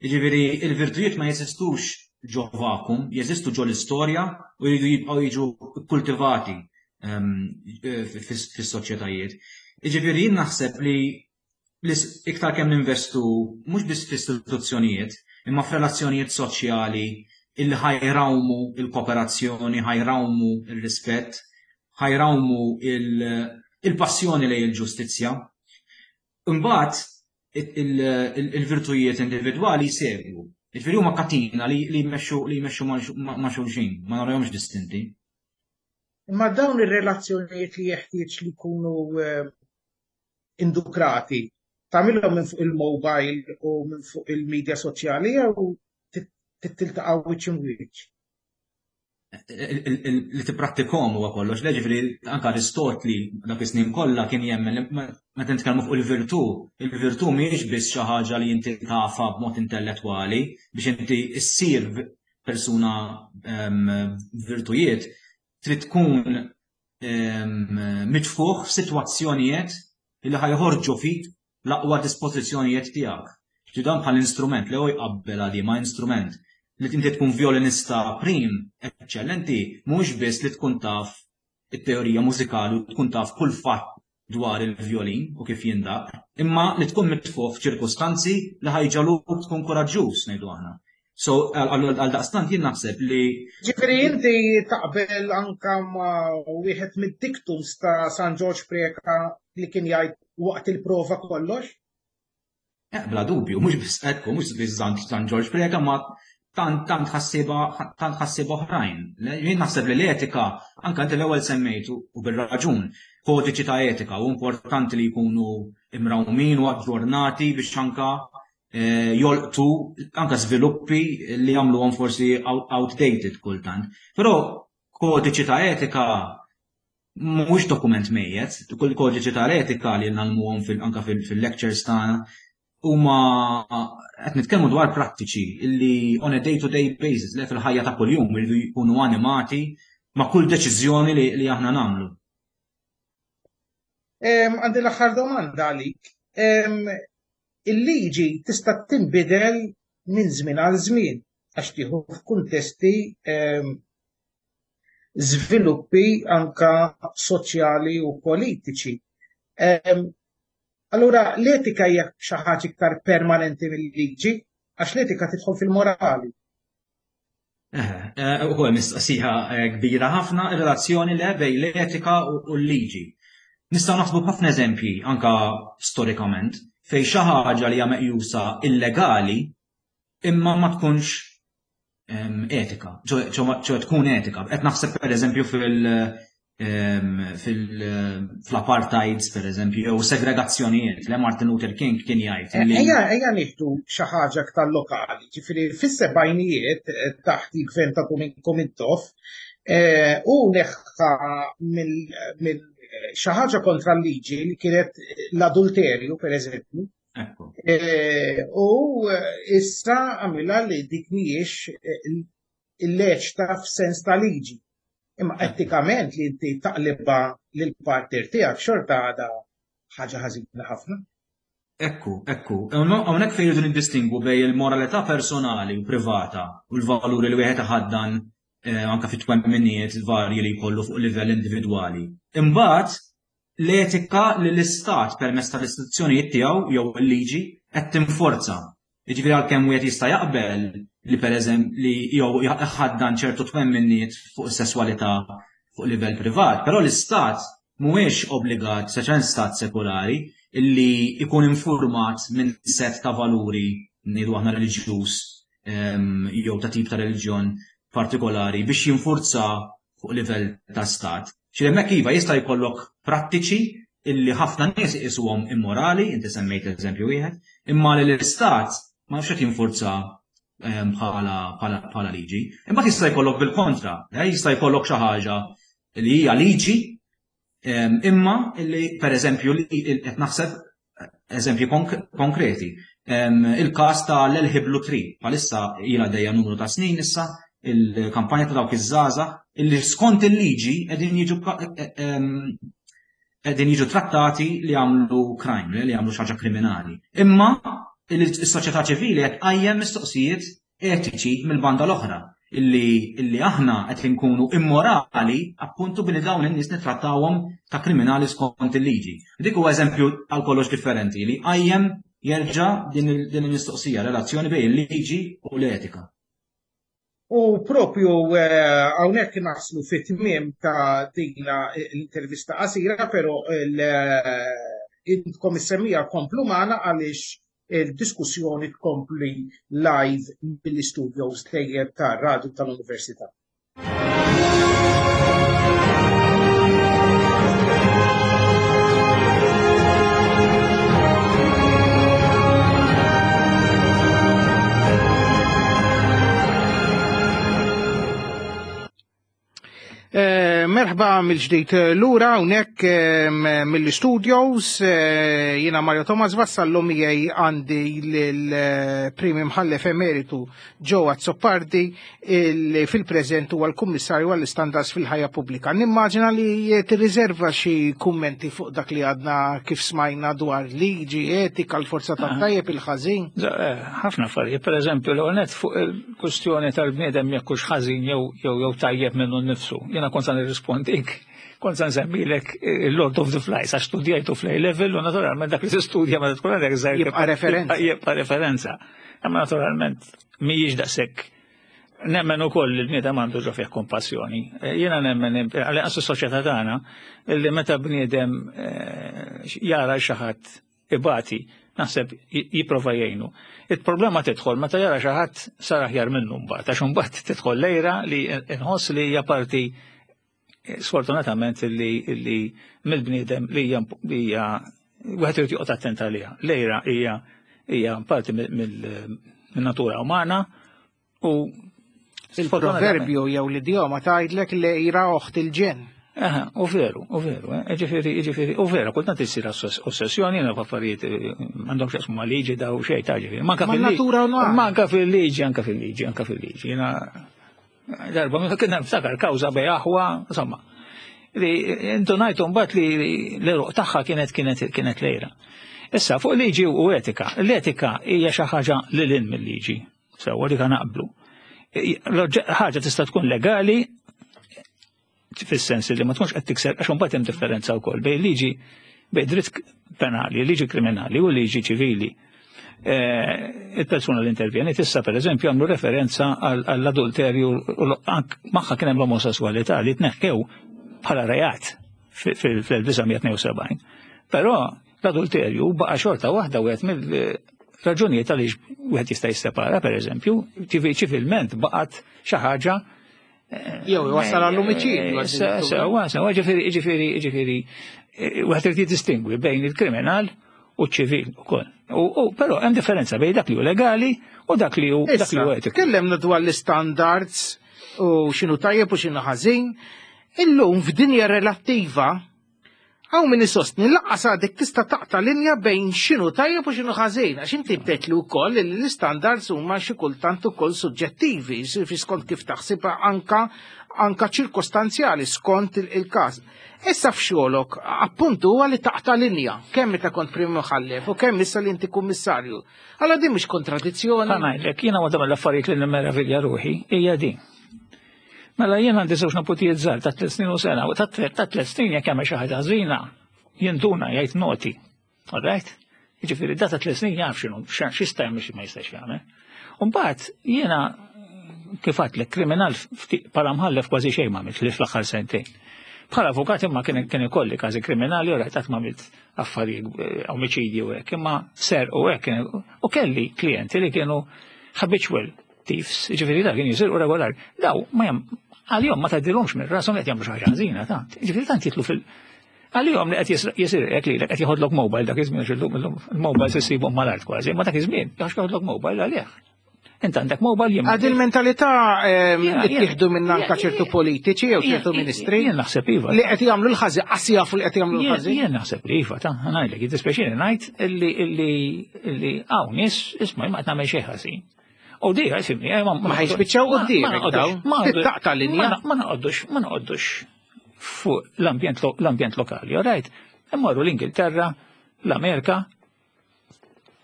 Jiġifieri il-virtujiet ma jeżistux ġo vakum, jeżistu ġo l-istorja u jridu jibqgħu jiġu kultivati fis-soċjetajiet. Jiġifieri jien naħseb li iktar kemm ninvestu mhux biss fl-istituzzjonijiet, imma f'relazzjonijiet soċjali illi ħajrawmu il-kooperazzjoni, ħajrawmu il-rispett, ħajrawmu il-passjoni lejn il-ġustizzja. Imbagħad il-virtujiet individwali jsegwu. Jiġifieri huma katina li jmexxu li jmexxu ma' xulxin, ma narahomx distinti. Imma dawn ir-relazzjonijiet li jeħtieġ li jkunu indukrati, tagħmilhom minn fuq il-mobile u minn fuq il-medja soċjali jew tiltaqa' wiċċ imwiċċ? Li tipprattikhom huwa kollox. Le, ġifieri anke Aristotli dak is-snin kollha kien jemmen li meta nitkellmu fuq il-virtù, il-virtù mhijiex biss xi ħaġa li inti tafha b'mod intellettwali. Biex inti ssir persuna virtujiet, trid tkun mitfugħ f'sitwazzjonijiet li ħa joħorġu fik l-aqwa dispożizzjonijiet tiegħek. Ġi dan bħal instrument li hu jqabbel għali ma' instrument, li inti tkun violinista prim, eccellenti, mhux biss li tkun taf it-teorija mużikali u tkun taf kull fatt dwar il-violin u kif jindaq, imma li tkun mitfugħ f'ċirkustanzi li ħa jġagħluk tkun koraġġuż, ngħidu aħna. So, għal daqstant jien naħseb li. Ġifieri inti taqbel anka ma' wieħed mid-dictums ta' San Ġorġ Preca li kien jgħid "waqt il-prova kollox"? Eh, bla dubju, mhux biss ekku, mhux biss San Ġorġ Preca, ma tant tant ħassieba tant ħassieba oħrajn. Jien naħseb li l-etika, anka inti l-ewwel semmejtu u bir-raġun, kodiċi ta' etika u importanti li jkunu imrawmin u aġġornati biex anka eh, jolqtu anka sviluppi li jagħmluhom forsi outdated kultant. Però kodiċi ta' etika mhuwiex dokument mejjet, kull kodiċi ta' etika li nagħmluhom anka fil-lectures tagħna huma qed nitkellmu dwar prattiċi illi on a day-to-day basis, li fil-ħajja ta' kuljum iridu jkunu animati ma' kull deċiżjoni li, li aħna nagħmlu. Għandi l-aħħar domanda għalik. Il-liġi tista' tinbidel minn żmien għal żmien għax tieħu f'kuntesti żviluppi anka soċjali u politiċi. Allura l-etika hija xi ħaġa iktar permanenti mill-liġi, għax l-etika tidħol fil-morali. Eh, ukoll mistoqsija eh, kbira ħafna, ir-relazzjoni li bejn l-etika u l-liġi. Nistgħu naħsbu ħafna eżempji anka storikament fejn xi ħaġa li hija meqjusa illegali imma ma tkunx etika, ċoè tkun etika. Qed naħseb pereżempju fil- fil-apartheids, per eżempju, jew segregazzjonijiet, li Martin Luther King kien jgħid. Ejja, ejja nieħdu xi ħaġa aktar lokali, ġifieri fis-sebgħinijiet eh, taħt il-gvern ta' Dom Mintoff eh, u neħħa mill xi ħaġa kontra l-liġi li kienet l-adulterju, per eżempju. Eh, u issa għamilha li dik mhijiex illeċta f'sens ta' liġi. Imma etikament li inti taqlibha lil partner tiegħek xorta għadha ħaġa ħażina ħafna. Ekku, ekku. Hawnhekk fejn jridu niddistingwu bejn il-moralità personali u privata u l-valuri li wieħed iħaddan eh, anka fit twemminijiet varji li jkollu fuq livell individwali. Imbagħad l-etika li l-istat permezz tal-istituzzjonijiet tiegħu jew il-liġi qed tinforza. Jiġifieri għalkemm wieħed jista' jaqbel li pereżempju li jew iħaddan ċertu twemminijiet fuq is-sesswalità fuq livell privat, però l-istat mhuwiex obbligat, speċjalment stat sekulari, illi ikun infurmat minn set ta' valuri, ngħidu aħna reliġjuż jew ta' tip ta' reliġjon partikolari, biex jinfurza fuq livell ta' stat. Ġifieri hemmhekk iva jista' jkollok prattiċi illi ħafna nies iqisuhom immorali, inti semmejt eżempju wieħed, imma li l-istat ma nafx qed jinfurza bħala bħala liġi. Imma jista' jkollok bil-kontra, eh, jista' jkollok xi ħaġa li hija liġi imma illi pereżempju li qed naħseb eżempji konkreti. Il-każ ta' l-L Blue Tree, bħalissa ilha dejja numru ta' snin issa il-kampanja ta' dawk iż-żgħażagħ illi skont il-liġi qegħdin jiġu qegħdin jiġu trattati li għamlu crime, li għamlu xi ħaġa kriminali. Imma is-soċjetà ċivili qed tqajjem mistoqsijiet etiċi mill-banda l-oħra illi illi aħna qed inkunu immorali appuntu billi dawn in-nies nittrattawhom ta' kriminali skont il-liġi. Dik huwa eżempju għal kollox differenti li qajjem jerġa' din il-mistoqsija, relazzjoni bejn il-liġi u l-etika. U propju eh, hawnhekk naslu fit-tmiem ta' dina l-intervista qasira, però eh, intkom is-semmiegħa komplu magħna għaliex il-diskussjoni tkompli live mill-studios dejjem ta' Radio tal-Università. Merħba mill-ġdid lura hawnhekk mill-studios, jiena Mario Thomas Vassallo, miegħi għandi lill-Prim Imħallef Emeritu Joe Azzopardi, li fil-preżent huwa l-Kummissarju għall-Istandards fil-Ħajja Pubblika. Nimmaġina li tirriserva xi kummenti fuq dak li għadna kif smajna dwar liġi, etika, l-forza tat-tajjeb, il-ħażin. Ħafna affarijiet, pereżempju l-ewwel fuq il-kwistjoni tal-bniedem jekk hux ħażin jew jew tajjeb minnu nnifsu. Jiena kont sa nirrispondik, kont sa nsemmilek il-Lord of the Flies, għax studjajtu fl level u naturalment dak li tistudja meta tkun għandek żgħir jibqa' referenza. Jibqa' referenza. Imma naturalment mhijiex daqshekk. Nemmen ukoll li l-bniedem għandu ġo fih kompassjoni. Jiena nemmen għal inqas is-soċjetà tagħna li meta bniedem jara xi ħadd ibati, naħseb jipprova jgħinu. Il-problema tidħol meta jara xi ħadd sar aħjar minnu mbagħad, għax imbagħad tidħol lejra li nħoss li hija parti sfortunatament li mill-bniedem li hija wieħed irid joqgħod attent għaliha. Lejra hija hija parti min-natura umana u il-proverbju jew l-idjoma tgħidlek lejra oħt il-ġenn. Aha, u veru, u veru, ġifieri, ġifieri, u vera, kultant issir ossessjoni, jiena f'affarijiet m'għandhomx x'jaqsmu ma' liġi daw xejn ta' ġifieri. Manka fil-natura Manka fil-liġi, anka fil-liġi, anka fil-liġi. Jiena darba meta kien niftakar kawża bej aħwa, insomma. Li intunajtu mbagħad li l-eruq tagħha kienet kienet kienet lejra. Issa fuq liġi u etika. L-etika hija xi ħaġa lil hinn mill-liġi. Sewwa dik naqblu. Ħaġa tista' tkun legali fis-sens li ma tkunx qed tikser, għax imbagħad hemm differenza wkoll bejn liġi, bejn dritt penali, liġi kriminali u liġi ċivili. Il-persuna li intervjeni issa pereżempju għamlu referenza għall-adulterju u magħha kien hemm l-omosessualità li tneħħew bħala reat fl-elf disa' mija tnejn u sebgħin. Però l-adulterju baqa' xorta waħda wieħed mill-raġunijiet għaliex wieħed jista' jissepara pereżempju, ċivilment baqgħet xi ħaġa jew iwassal għall-omiċidju. Sewa, sewa, ġifieri, ġifieri, ġifieri, wieħed irid jiddistingwi bejn il-kriminal u ċ-ċivil ukoll. U però hemm differenza bejn dak li hu legali u dak li hu dak li hu etiku. Tkellemna dwar l-istandards u x'inhu tajjeb u x'inhu ħażin. Illum f'dinja relattiva hawn min isostni lanqas għadek tista' taqta' linja bejn x'inhu tajjeb u x'inhu ħażin, għax inti bdejtli wkoll li l-istandards huma xi kultant ukoll suġġettivi, fi skont kif taħsibha anka anka ċirkostanzjali skont il-każ. Issa f'xogħolok appuntu huwa li taqta' linja, kemm meta kont prim imħallef u kemm issa li inti kummissarju. Allora din mhix kontradizzjoni. Ħa ngħidlek, jiena waħda mill-affarijiet li nimmeravilja ruħi hija din. Mela jien għandi żewġ neputijiet żgħar ta' tliet snin u sena, u ta' tliet snin jekk jagħmel xi ħaġa ħażina, jinduna jgħid noti. All right? Jiġifieri da ta' tliet snin jaf x'inhu, x'jista' jagħmel xi ma jistax jagħmel. U mbagħad jiena kif għedtlek kriminal bħala mħallef kważi xejn ma għamilt li fl-aħħar sentejn. Bħala avukat imma kien kien ikolli każi kriminali u rajt qatt ma għamilt affarijiet omiċidji u hekk, imma ser u hekk u kelli klijenti li kienu habitual thieves, ġifieri da kien jisirqu regolari. Daw ma jam għalihom ma tgħaddilhomx minn rashom li qed jagħmlu xi ħaġa ħażina ta' ġifieri tant jitlu fil għalihom li qed jisirqek lilek qed jieħodlok mobile dak iż-żmien għax illum il-mobile se ssibhom mal-art kważi, imma dak iż-żmien għax jieħodlok mobile għalih. Int għandek mobile jien. Għad il-mentalità ittieħdu minn anka ċertu politiċi jew ċertu ministri. Jien naħseb iva. Li qed jagħmlu l-ħażin, qas jafu li qed jagħmlu l-ħażin. Jien naħseb li iva, ta' ngħidlek, jiddispjaċini ngħid illi illi illi hawn nies isma' ma qed nagħmel xejn ħażin. U di, fimni, ma Ma ħajspiċċaw quddiemek daw. Taqta' linja. Ma noqgħodux, ma noqgħodux fuq l-ambjent l-ambjent lokali, all right? Immorru l-Ingilterra, l-Amerika,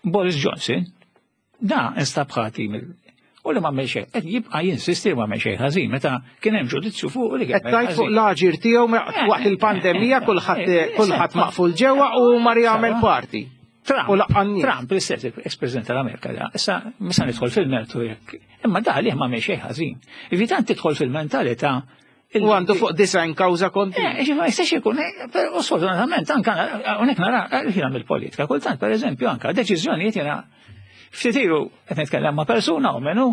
Boris Johnson, da instab ħati mill u li ma għamel xejn, qed jibqa' jinsisti li ma għamel xejn ħażin meta kien hemm ġudizzju fuq li kien. Qed tgħid fuq l-aġir tiegħu waqt il-pandemija kulħadd kulħadd maqful ġewwa u mar jagħmel parti. Trump, Trump, l-istess ex-president tal-Amerika, da, issa misa nidħol fil-mertu jekk, imma da għalih ma għamel xejn ħażin. Evitant tidħol fil-mentalità. U għandu fuq design kawża konti. Eh, ma jistax ikun, u sfortunatament anka hawnhekk nara jiena mill-politika, kultant pereżempju anka deċiżjonijiet jiena ftit ilu qed nitkellem ma' persuna u minnu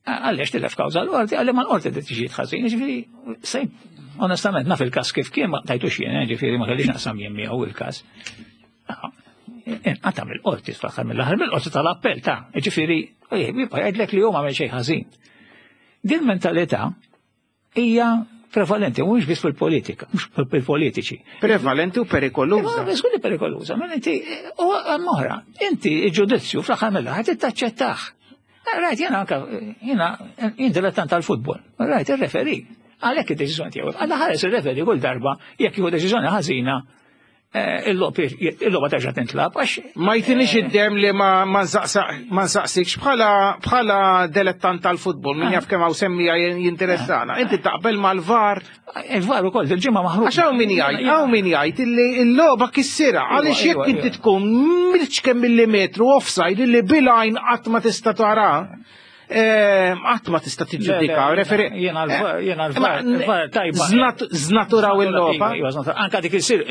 għaliex tilef kawża l-qorti, għalli ma l-qorti deċiżijiet ħażin, jiġifieri sejn onestament naf il-każ kif kien ma tajtux jien, ġifieri ma kellix naqsam jien miegħu il-każ. Inqata' mill-qorti fl-aħħar mill-aħħar mill-qorti tal-appell ta' ġifieri jibqa' jgħidlek li hu ma għamel xejn ħażin. Din mentalità hija prevalenti, mhux biss fil-politika, mhux fil-politiċi. Prevalenti u perikoluża. Żgur li perikoluża, ma inti u oħra, inti il-ġudizzju fl-aħħar mill-aħħar taċċettah. Rajt, jena anka, jena, jien dilettant tal-futbol, rajt, il-referee, għalhekk id-deċiżjoni tiegħu, għalla ħares il-referee kull darba, jekk jieħu deċiżjoni ħażina, eh, il-logħba terġa' tintlab għax Ma jtinix id-dem li ma ma nsaqsa- ma nsaqsikx bħala bħala dilettant tal-futbol, min jaf kemm hawn semmija jinteressana. Inti taqbel mal-VAR, il-VAR ukoll il-ġimgħa maħruġ. għax hawn min jgħid, hawn min jgħid illi l-logħba kissira, għaliex Iva, jekk iva, inti iva. tkun milċ millimetru offside illi bil-għajn qatt ma tista' tara, eh, qatt ma tista' tiġġudika. Referee. Jena l-VAR, jena Ma- l-VAR, il-VAR tajba. Znat- Znaturaw il-logħba. Iva, znatura. Anka dik isir,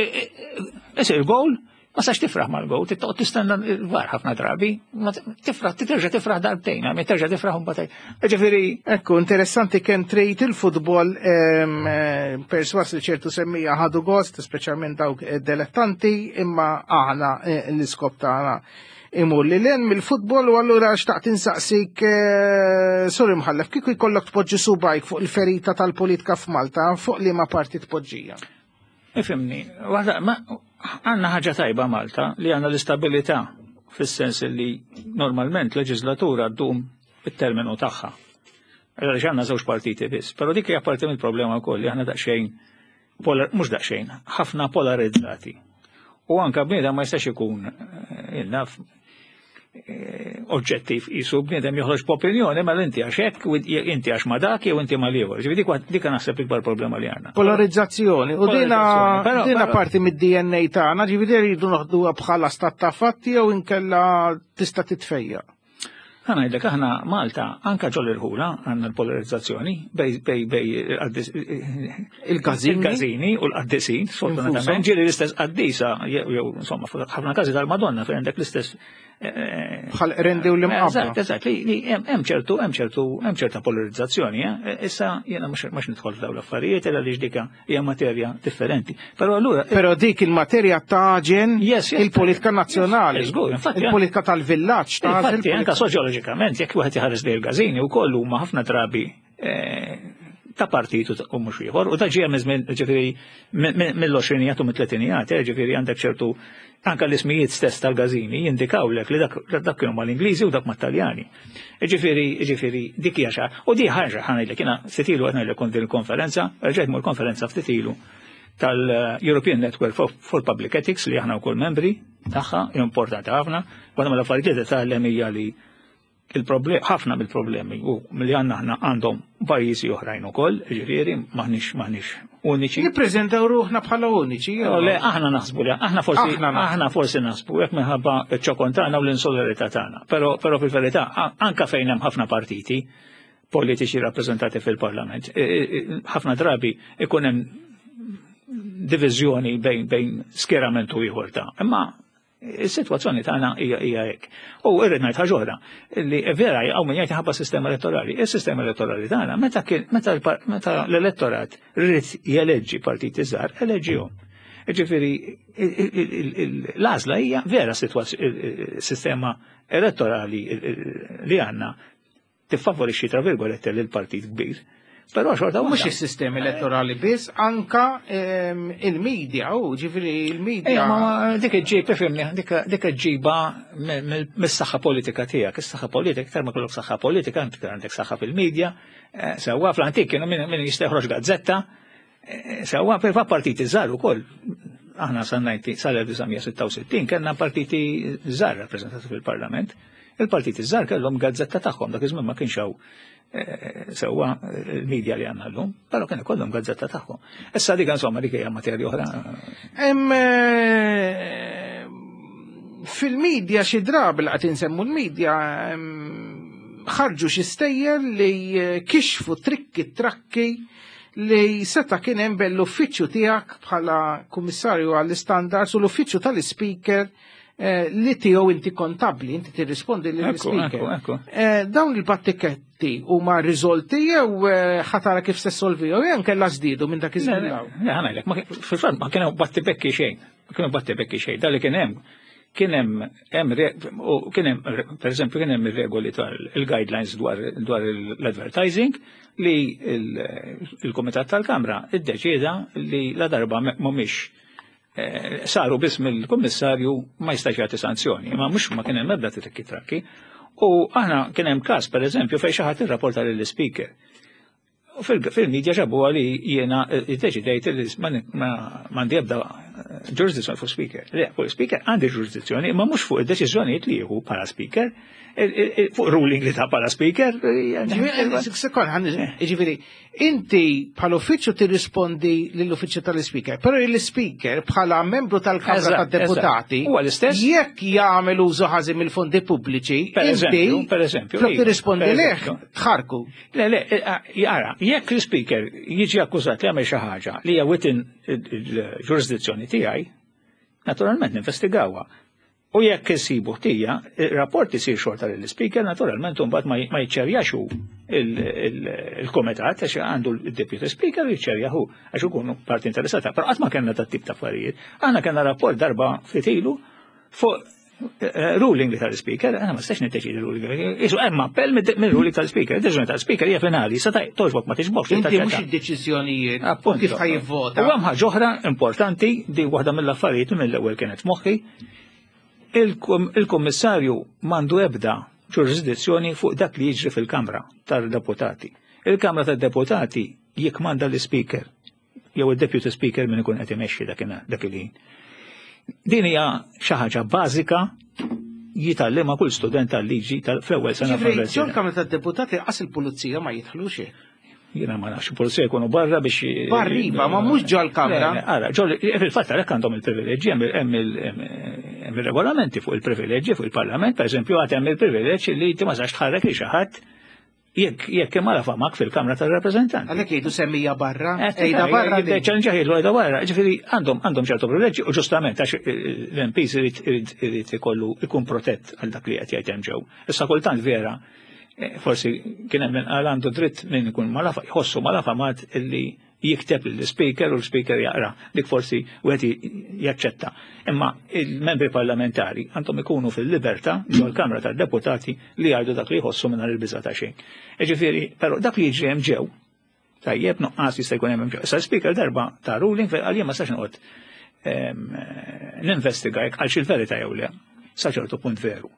isir gol, ma sax tifraħ mal-gol, tittoq tistenna il-VAR ħafna drabi, ma tifraħ, terġa' tifraħ darbtejn, għami terġa' tifraħ un Ġifieri, Ekku, interessanti kemm trid il-futbol em, eh, perswas li ċertu semmija ħadu gost, speċjalment dawk eh, dilettanti, imma aħna eh, l-iskop tagħna imur li len mill-futbol u allura xtaqt insaqsik eh, sorry mħallef, kieku jkollok tpoġġi subajk fuq il-ferita tal-politika f'Malta, fuq liema parti tpoġġija? ifhimni, waħda, ma għandna ħaġa tajba Malta li għandna l-istabilità fis-sens li normalment leġislatura ddum it-terminu tagħha. Għaliex għandna żewġ partiti biss, però dik hija parti mill-problema wkoll li aħna daqsxejn polar, mhux daqsxejn, ħafna polarizzati. U anka bniedem ma jistax ikun eh, naf eh, oġġettiv jisu bniedem joħroġ b'opinjoni ma inti għax hekk u inti għax ma dak jew inti ma l-ieħor. Ġifieri dik dik naħseb ikbar problema li għandna. Polarizzazzjoni. U dina, Polarizzazzjoni, però- dina però- parti mid-D N A tagħna, ġifieri rridu noħduha bħala stat ta' fatti jew inkella tista' titfejja. Ħa ngħidlek aħna Malta anka ġol irħula għandna l-polarizzazzjoni bej bej bej qaddis- Il-każini. il-każini u l-qaddisin, sfortunatament Infushom. ġieli l-istess qaddisa jew jew, insomma ħafna każi tal-Madonna fejn għandek l-istess eh, Bħal Qrendi u l-Imqabba. Eżatt, eżatt, li li hemm hemm ċertu hemm ċertu hemm ċerta polarizzazzjoni, eh? Issa jiena mhux mhux nidħol f'dawn l-affarijiet illa li dik hija materja differenti. Però allura Però dik il-materja taġen Yes, yes. il-politika nazzjonali, Yes, żgur, infatti, il-politika tal-villaġġ taġen. Infatti, anka soċjoloġikament, jekk wieħed iħares lejn il-każini wkoll huma ħafna drabi eh, ta' partitu u mhux ieħor, u ta' ġija minn ġifieri mill-għoxrinijat u mit-tletinijat, eh, ġifieri għandek ċertu anka l-ismijiet stess tal-każini jindikawlek li dak dak kienu mal-Ingliżi u dak mat-Taljani. Ġifieri, ġifieri dik hija xa. U di ħaġa ħa ngħidlek jiena ftit ilu qed ngħidlek kont din il-konferenza, rġajt mur konferenza ftit ilu tal-European Network for, for Public Ethics li aħna wkoll membri tagħha, importanti ħafna, waħda mill-affarijiet li tgħallem hija li il-problem, ħafna mill-problemi u milli għandna aħna għandhom pajjiżi oħrajn ukoll, ġifieri maħniex maħniex uniċi. Nippreżentaw ruħna bħala uniċi. jew? Le, aħna naħsbu li, aħna forsi, Aħna naħsbu. aħna forsi naħsbu, jekk minħabba ċ-ċokon tagħna u l-insularità tagħna. Però però fil-verità, a- anka fejn hemm ħafna partiti politiċi rappreżentati fil-Parlament, e- e- e- ħafna drabi ikun hemm diviżjoni bejn bejn skjerament u ieħor ta'. Imma is-sitwazzjoni tagħna hija hija hekk. U irrid ngħid ħaġa oħra, li vera hawn min jgħid ħabba sistema elettorali. Is-sistema elettorali tagħna meta kien meta l-par- meta l-elettorat ried jeleġġi partiti żgħar, eleġġihom. Ġifieri l-għażla hija vera sistema elettorali li għandna tiffavorixxi tra virgolette lil partit kbir. Però xorta Mhux waħda. is-sistema elettorali biss, anka ehm, il-medja, u ġifieri il-medja. Ejja, ma ma dik iġġib, ifhimni, dik dik iġġiba mis-saħħa politika tiegħek. Is-saħħa politika, iktar ma kollok saħħa politika, inti għandek saħħa fil-medja, eh, sewwa fl-antik kienu min min jista' joħroġ gazzetta, eh, sewwa per partiti żgħar ukoll. Aħna sa sal-elf disa' mija sitta u sittin kellna partiti żgħar rappreżentati fil-Parlament. Il-partiti żgħar kellhom gazzetta tagħhom, dak iż-żmien ma kienx hawn eh, sewwa il-medja li għandna llum, però kien ikollhom gazzetta tagħhom. Issa dik insomma dik hija materja oħra. Hemm eh, fil-medja xi drabi li qed insemmu l-medja em, ħarġu xi stejjer li eh, kixfu trikki trakki li seta kien hemm bejn l-uffiċċju tiegħek bħala kummissarju għall-standards u l-uffiċċju tal-speaker eh, li tiegħu inti kontabli, inti tirrispondi Ekku, lill-speaker. ekku, ekku. Eh, Dawn il-battiketti huma riżolti jew eh, ħa tara kif se solvihom jew nkella żdiedu minn dak iż-żmien hawn? Le, ħa ngħidlek, ma kien- fil-fatt ma kienu battibekki xejn, ma kienu battibekki xejn, dak li kien hemm Kien hemm hemm kien hemm pereżempju kien hemm ir-regoli tal-guidelines dwar dwar l-advertising li il-Kumitat tal-Kamra iddeċieda li la darba mhumiex saru biss mill-kummissarju ma jistax jagħti sanzjoni, imma mhux ma kien hemm ebda trikki trakki. U aħna kien hemm każ pereżempju fejn xi ħadd irrapporta lill-ispeaker. U fil-medja ġabu li jiena iddeċidejt li m'għandi ebda ġurisdizzjoni fuq speaker. Le, fuq speaker għandi ġurisdizzjoni, imma mhux fuq id-deċiżjonijiet li jieħu bħala speaker, fuq ruling li ta bħala speaker. Sekond, ġifieri, inti bħala uffiċċju tirrispondi lill-uffiċċju tal-speaker, però l-speaker bħala membru tal-Kamra tad-Deputati, Huwa l-istess. jekk jagħmel użu ħażin mill-fondi pubbliċi, Per inti eżempju, per eżempju, flok iva, tirrispondi per leh, eżempju. tħarku. Le, le, jara, jekk l-speaker jiġi akkużat li għamel xi ħaġa li hija within il-ġurisdizzjoni tiegħi, naturalment ninvestigawha. U jekk isibu ħtija, il-rapport isir xorta lill-speaker, naturalment mbagħad ma jiċċerjax hu il-komitat għax għandu l-deputy speaker jiċċerja hu għax ikunu parti interessata. Però qatt ma kellna dat tip ta' affarijiet. Aħna kellna rapport darba ftit ilu fuq ruling li tal-speaker, għana ma stax niddeċidi ruling. Isu hemm appell minn ruling tal-speaker. Deċiżjoni tal-speaker hija finali, sa togħġbok ma togħġbokx. Inti mhux id-deċiżjonijiet Appunto. kif ħa jivvota. U hemm ħaġa oħra importanti, di waħda mill-affarijiet mill-ewwel kienet moħħi, il-kommissarju m'għandu ebda ġurisdizzjoni fuq dak li jiġri fil-Kamra tal-Deputati. Il-Kamra tad-Deputati jikmanda l-Speaker, jew il-Deputy Speaker min ikun qed imexxi dak il-ħin. Din hija xi ħaġa bażika jitgħallimha kull student tal-liġi fl-ewwel sena. Ġifieri, ġol-Kamra tad-Deputati qas il-pulizija ma jidħlux. Jiena ma nafx, pulizija jkunu barra biex. Barra iva, ma mhux ġol-kamra. Ara, ġol, fil-fatt għalhekk għandhom il-privileġġi, hemm il-regolamenti fuq il-privileġġi fuq il-Parlament, per eżempju, għad hemm il-privileġġ li inti ma sax tħarrek li xi ħadd jekk jekk imma famak fil-Kamra tal-Rappreżentanti. Għalhekk jgħidu semmija barra, ejda barra. Ċanġa jgħidu ejda barra, ġifieri għandhom għandhom ċertu privileġġi u ġustament għax l-M Ps irid ikollu ikun protett għal dak li qed jgħid hemm ġew. Issa kultant vera, forsi kien hemm min qal għandu dritt min ikun malafa, jħossu malafamat illi jikteb l-speaker u l-speaker jaqra. Dik forsi wieħed jaċċetta. Imma il-membri parlamentari għandhom ikunu fil-libertà ġol-Kamra tad-Deputati li jgħidu dak li jħossu mingħajr il-biża' ta' xejn. Ġifieri, però dak li jiġri hemm ġew, tajjeb, nuqqas jista' jkun hemm ġew. Issa l-speaker darba ta ruling fejn qal jien ma sax noqgħod ninvestiga jekk għal il-verità jew le. Sa ċertu punt veru.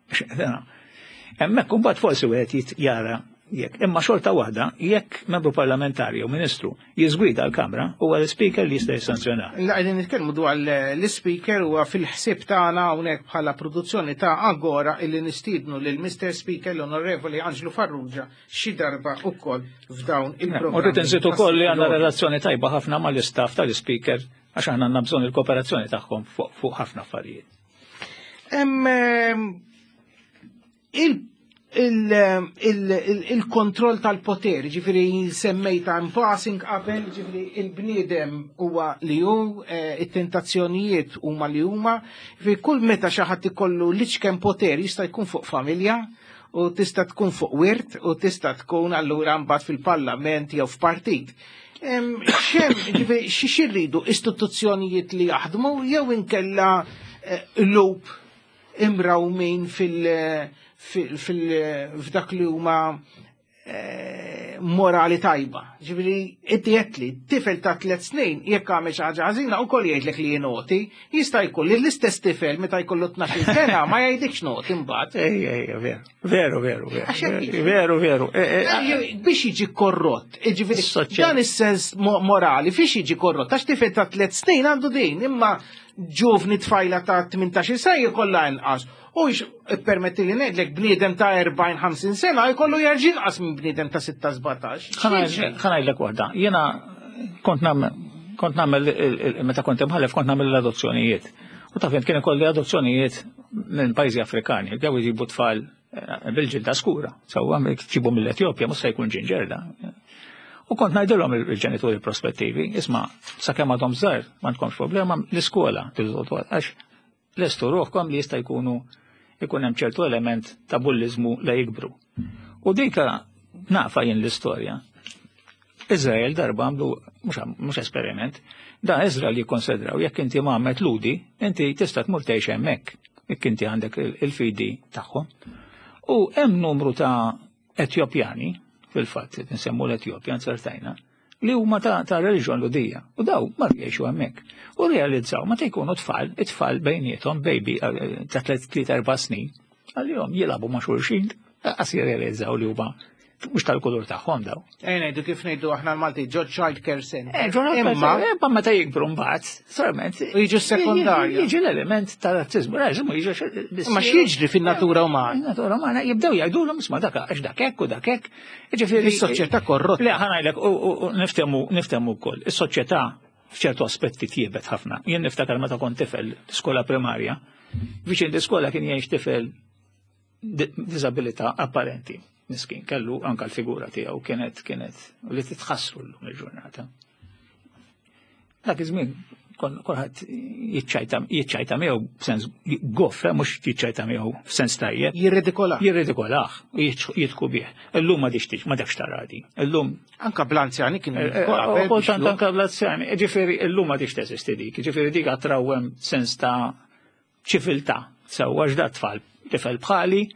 Hemmhekk imbagħad forsi wieħed jara jekk. Imma xorta waħda, jekk membru parlamentari jew ministru jiżgwida l-Kamra, huwa l-speaker li jista' jissanzjona. La qegħdin nitkellmu dwar l-speaker huwa fil-ħsieb tagħna hawnhekk bħala produzzjoni ta' Agora illi nistiednu lil Mister Speaker l-Onorevoli Angelo Farrugia xi darba ukoll f'dawn il-programmi. U rrid inżid ukoll li għandna relazzjoni tajba ħafna mal-istaff tal-speaker għax aħna għandna bżonn il-kooperazzjoni tagħhom fuq ħafna affarijiet. Il il-kontroll tal-poter, ġifiri semmejta in passing qabel, ġifiri il-bniedem huwa li hu, eh, it-tentazzjonijiet huma li huma, ġifiri kull meta xi ħadd ikollu l-iċken poter jista' jkun fuq familja, u tista' tkun fuq wirt, u tista' tkun allura mbagħad fil-parlament jew f'partit. Xem, ġifiri, xi rridu istituzzjonijiet li jaħdmu jew inkella eh, loop imrawmin fil- f'dak li huma eh, morali tajba. Ġifieri, inti li tifel ta' tliet snin jekk għamel xi ħaġa ħażina wkoll jgħidlek li naughty, jista' jkun li l-istess tifel meta jkollu tnax-il sena ma jgħidlikx naughty imbagħad. Ej, ej, veru, veru, veru, veru, veru. Eh, eh, biex jiġi korrott, ġifieri, dan is-sens morali fiex jiġi korrott, għax tifel ta' tliet snin għandu din, imma ġuvni tfajla ta' tmintax-il sena jkollha inqas. U permetti li ngħidlek bniedem ta' erbgħin ħamsin sena jkollu jerġa' inqas minn bniedem ta' sitta sbatax. Ħa ngħidlek waħda. Jiena kont nagħmel kont nagħmel meta kont imħallef kont nagħmel l-adozzjonijiet. U taf kien ikolli adozzjonijiet minn pajjiżi Afrikani, ġew jġibu tfal eh, bil-ġilda skura. Sewwa ġibu mill-Etjopja mhux se jkun ginger da. U kont ngħidilhom il-ġenituri prospettivi, isma' sakemm għadhom żgħar m'għandkomx problema l-iskola għax lestu ruħkom li jista' jkunu ikun hemm ċertu element ta' bulliżmu la jikbru. U dika nafa jien l-istorja. Izrael darba għamlu, mhux esperiment, da Izrael jikkonsidraw jekk inti mgħammed Lhudi, inti tista' tmur tgħix hemmhekk. Jekk inti għandek il-fidi tagħhom. U hemm numru ta' Etjopjani, fil-fatt, nsemmu l-Etjopja, nsertajna, li huma ta', ta' reliġjon Lhudija. U daw mar jgħixu hemmhekk. U realizzaw meta jkunu tfal, it-tfal bejniethom baby eh, ta' tliet erba' snin, għalihom jilagħbu ma' xulxin, qas jirrealizzaw li huma mhux tal-kulur tagħhom daw. Ej ngħidu kif ngħidu aħna l-Malti ġo child care center. Eh, ġo Imma imma meta jikbru mbagħad, solament. U jiġu sekondarja. Jiġi l-element tal-razzizmu. Razzizmu jiġi. Imma x'jiġri fin-natura umana? Natura umana jibdew jgħidulhom isma' dak għax dak hekk u dak hekk. Jiġifieri Is-soċjetà korrotta. Le ħa ngħidlek u niftehmu niftehmu wkoll. Is-soċjetà f'ċertu aspetti tjiebet ħafna. Jien niftakar meta kont tifel skola primarja, viċin l-iskola kien jgħix tifel disabilità apparenti. Miskin, kellu anka l-figura tiegħu kienet kienet li titħassru llum il-ġurnata. Dak iż-żmien kulħadd jiċċajta jiċċajta miegħu b'sens goff, eh, mhux jiċċajta miegħu f'sens tajjeb. Jirridikolah. Jirridikolah u jidħku bih. Illum ma dixtix, ma dakx taradi. Illum Anka bl-anzjani kienu Eh, eh, Kultant anka bl-anzjani. Ġifieri illum ma dix teżisti dik. Ġifieri dik għatrawem sens ta' ċiviltà. Sewwa x'da tfal, tifel bħali,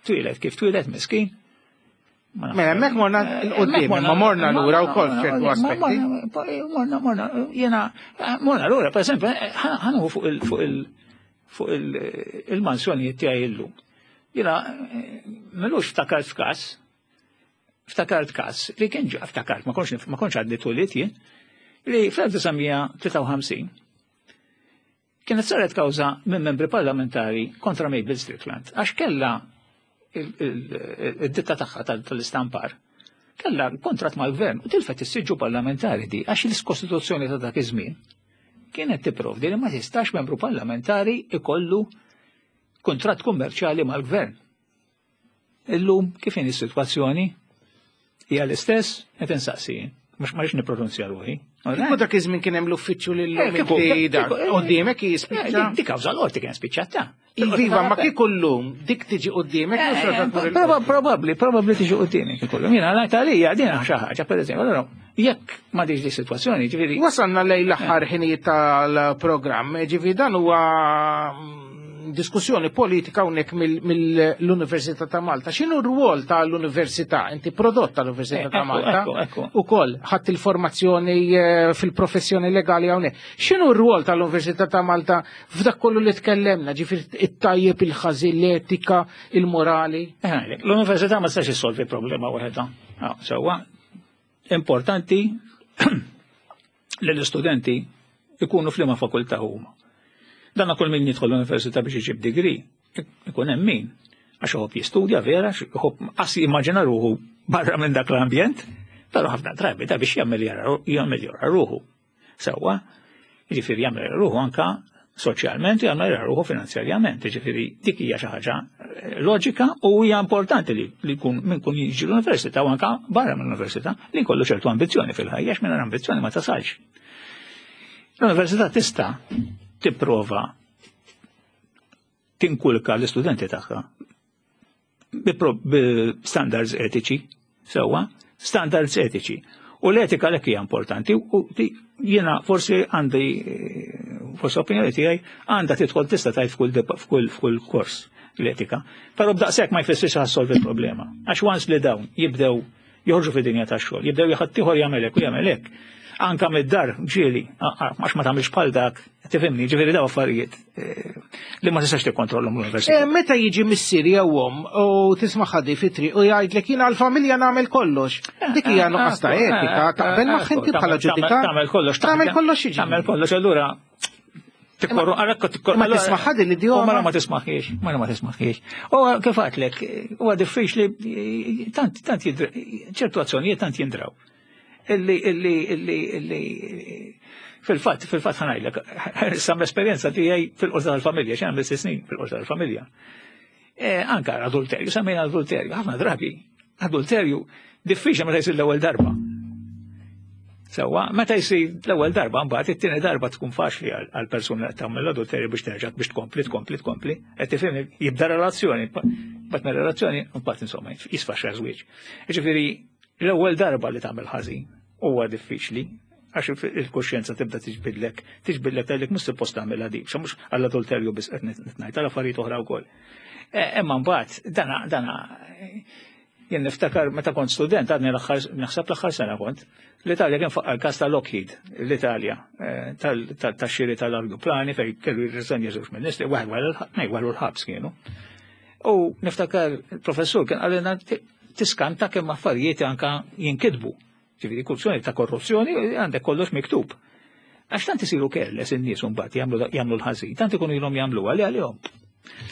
twieled kif twieled miskin. Mela, hemmhekk morna 'l quddiem, imma morna lura wkoll f'ċertu aspetti. Morna, morna, jena, morna lura, per esempio, ħa nieħu fuq il- fuq il- fuq il-mansjonijiet tiegħi illum. Jena, m'ilux ftakart f'każ, ftakart każ li kien ġa ftakart, ma kontx ma kontx għadni twelidt jien, li fl-elf disa' mija tlieta u ħamsin kienet saret kawża minn membri parlamentari kontra Mabel Strickland, għax kella id-ditta tagħha tal-istampar kella kontrat mal-gvern u tilfet is-siġġu parlamentari di għax il-Kostituzzjoni ta' dak iż-żmien kienet tipprovdi li ma tistax membru parlamentari ikollu kontratt kummerċjali mal-gvern. Illum kif inhi is-sitwazzjoni? Hija l-istess qed insaqsi. Mhux ma rridx nippronunzja ruħi. Kieku dak iż-żmien kien hemm l-uffiċċju lil Eh, kieku- kieku- eh, Quddiemek jispiċċa. Dik kawża l-qorti kien spiċċata. Iva, ma kieku llum dik tiġi quddiemek mhux Eh, tmur il- Probabbli, probabbli tiġi quddiemi kieku. Jiena ngħid għalija din xi ħaġa, pereżempju, allora jekk ma diġ di sitwazzjoni, ġifieri. Wasalna lejn l-aħħar ħinijiet tal-programm, ġifi dan huwa mm, diskussjoni politika hawnhekk mill-Università ta' Malta. X'inhu r-rwol tal-Università? Inti prodott tal-Università Eh, ta' ekku, Malta. ekku, ekku. Ukoll ħadd il-formazzjoni eh, fil-professjoni legali hawnhekk. X'inhu r-rwol tal-Università ta' Malta f'dak kollu li tkellemna, ġifieri it-tajjeb, il-ħażin, l-etika, il-morali? Eh, ngħidlek, l-università ma tistax issolvi problema waħedha. Ah, sewwa, importanti li l-istudenti ikunu f'liema fakultà huma. Dan kull min jidħol l-università biex iġib degree, ikun hemm min. Għax iħobb jistudja vera, iħobb qas jimmaġina ruħu barra minn dak l-ambjent, però ħafna drabi da biex jammeljora ruħu. Sewwa, jiġifieri jagħmel ruħu anka soċjalment u jagħmel ruħu finanzjarjament. Jiġifieri dik hija xi ħaġa eh, loġika u hija importanti li li jkun min kun jiġi l-università u anka barra mill-università li jkollu ċertu ambizzjoni fil-ħajja, għax mingħajr ambizzjoni ma tasalx. L-università tista' tipprova tinkulka l-istudenti tagħha bi pro- bi standards etiċi, sewwa, standards etiċi. U l-etika l hija importanti u di- jiena forsi għandi eh, forsi opinjoni tiegħi għandha tidħol tista' tgħid f'kull dep- f'kull f'kull kors l-etika. Però b'daqshekk ma jfissirx ħa ssolvi l-problema. Għax once li dawn jibdew joħorġu fid-dinja tax-xogħol, jibdew ħaddieħor jagħmel hekk u jagħmel hekk. Anka mid-dar ġieli, għax ma tagħmilx bħal dak, tifhimni, ġifieri daw affarijiet eh, li ma tistax tikkontrollhom l-università. Eh, Meta jiġi missier jew omm u tisma' ħaddi fit-triq u jgħidlek jiena għall-familja nagħmel kollox. Dik hija nuqqas ta' etika, taqbel magħha inti bħala ġudikant. Tagħmel kollox. Tagħmel kollox jiġi. Tagħmel kollox, allura tikkorru, għarakka tikkorru. Ma tismaħħa din l-idjoma? U mara ma tismaħħiex, mara ma tismaħħiex. U kif għatlek, huwa diffiċli, tant, tant jidra, ċertu azzjonijiet tant jindraw. Illi, illi, illi, illi, fil-fatt, fil-fatt ħa ngħidlek, sam l-esperjenza tiegħi fil-qorti tal-familja, x'għamil sitt snin fil-qorti tal-familja. Eh, Anka adulterju, semmejna adulterju, ħafna drabi, adulterju diffiċli meta jsir l-ewwel darba. Sewwa, meta jsir l-ewwel darba, mbagħad it-tieni darba tkun faċli għal persuna li tagħmel l-adulterju biex terġa' biex tkompli, tkompli, tkompli. Qed tifhimni, jibda relazzjoni, mbagħad mir relazzjoni, mbagħad insomma jisfaxxa żwieġ. Jiġifieri l-ewwel darba li tagħmel ħażin huwa diffiċli Għax il-kuxjenza tibda tiġbidlek, tiġbidlek tgħidlek mhux suppost tagħmilha dik, mhux għall-adulterju biss qed ngħid, għal affarijiet oħra wkoll. Imma mbagħad dana dana jien niftakar meta kont student, għadni l-aħħar naħseb l-aħħar sena kont, l-Italja kien faqqa l-każ ta' Lockheed, l-Italja, tax-xiri tal-ajruplani fejn kellu jirriżenja żewġ ministri, waħed wara l-ħabs kienu. U niftakar il-professur kien qalilna tiskanta kemm affarijiet anka jinkitbu. Ġifieri korruzzjoni ta' korruzzjoni għandek kollox miktub. Għax tant isiru careless in-nies mbagħad jagħmlu l-ħażin, tant ikunu ilhom jagħmluha li għalihom.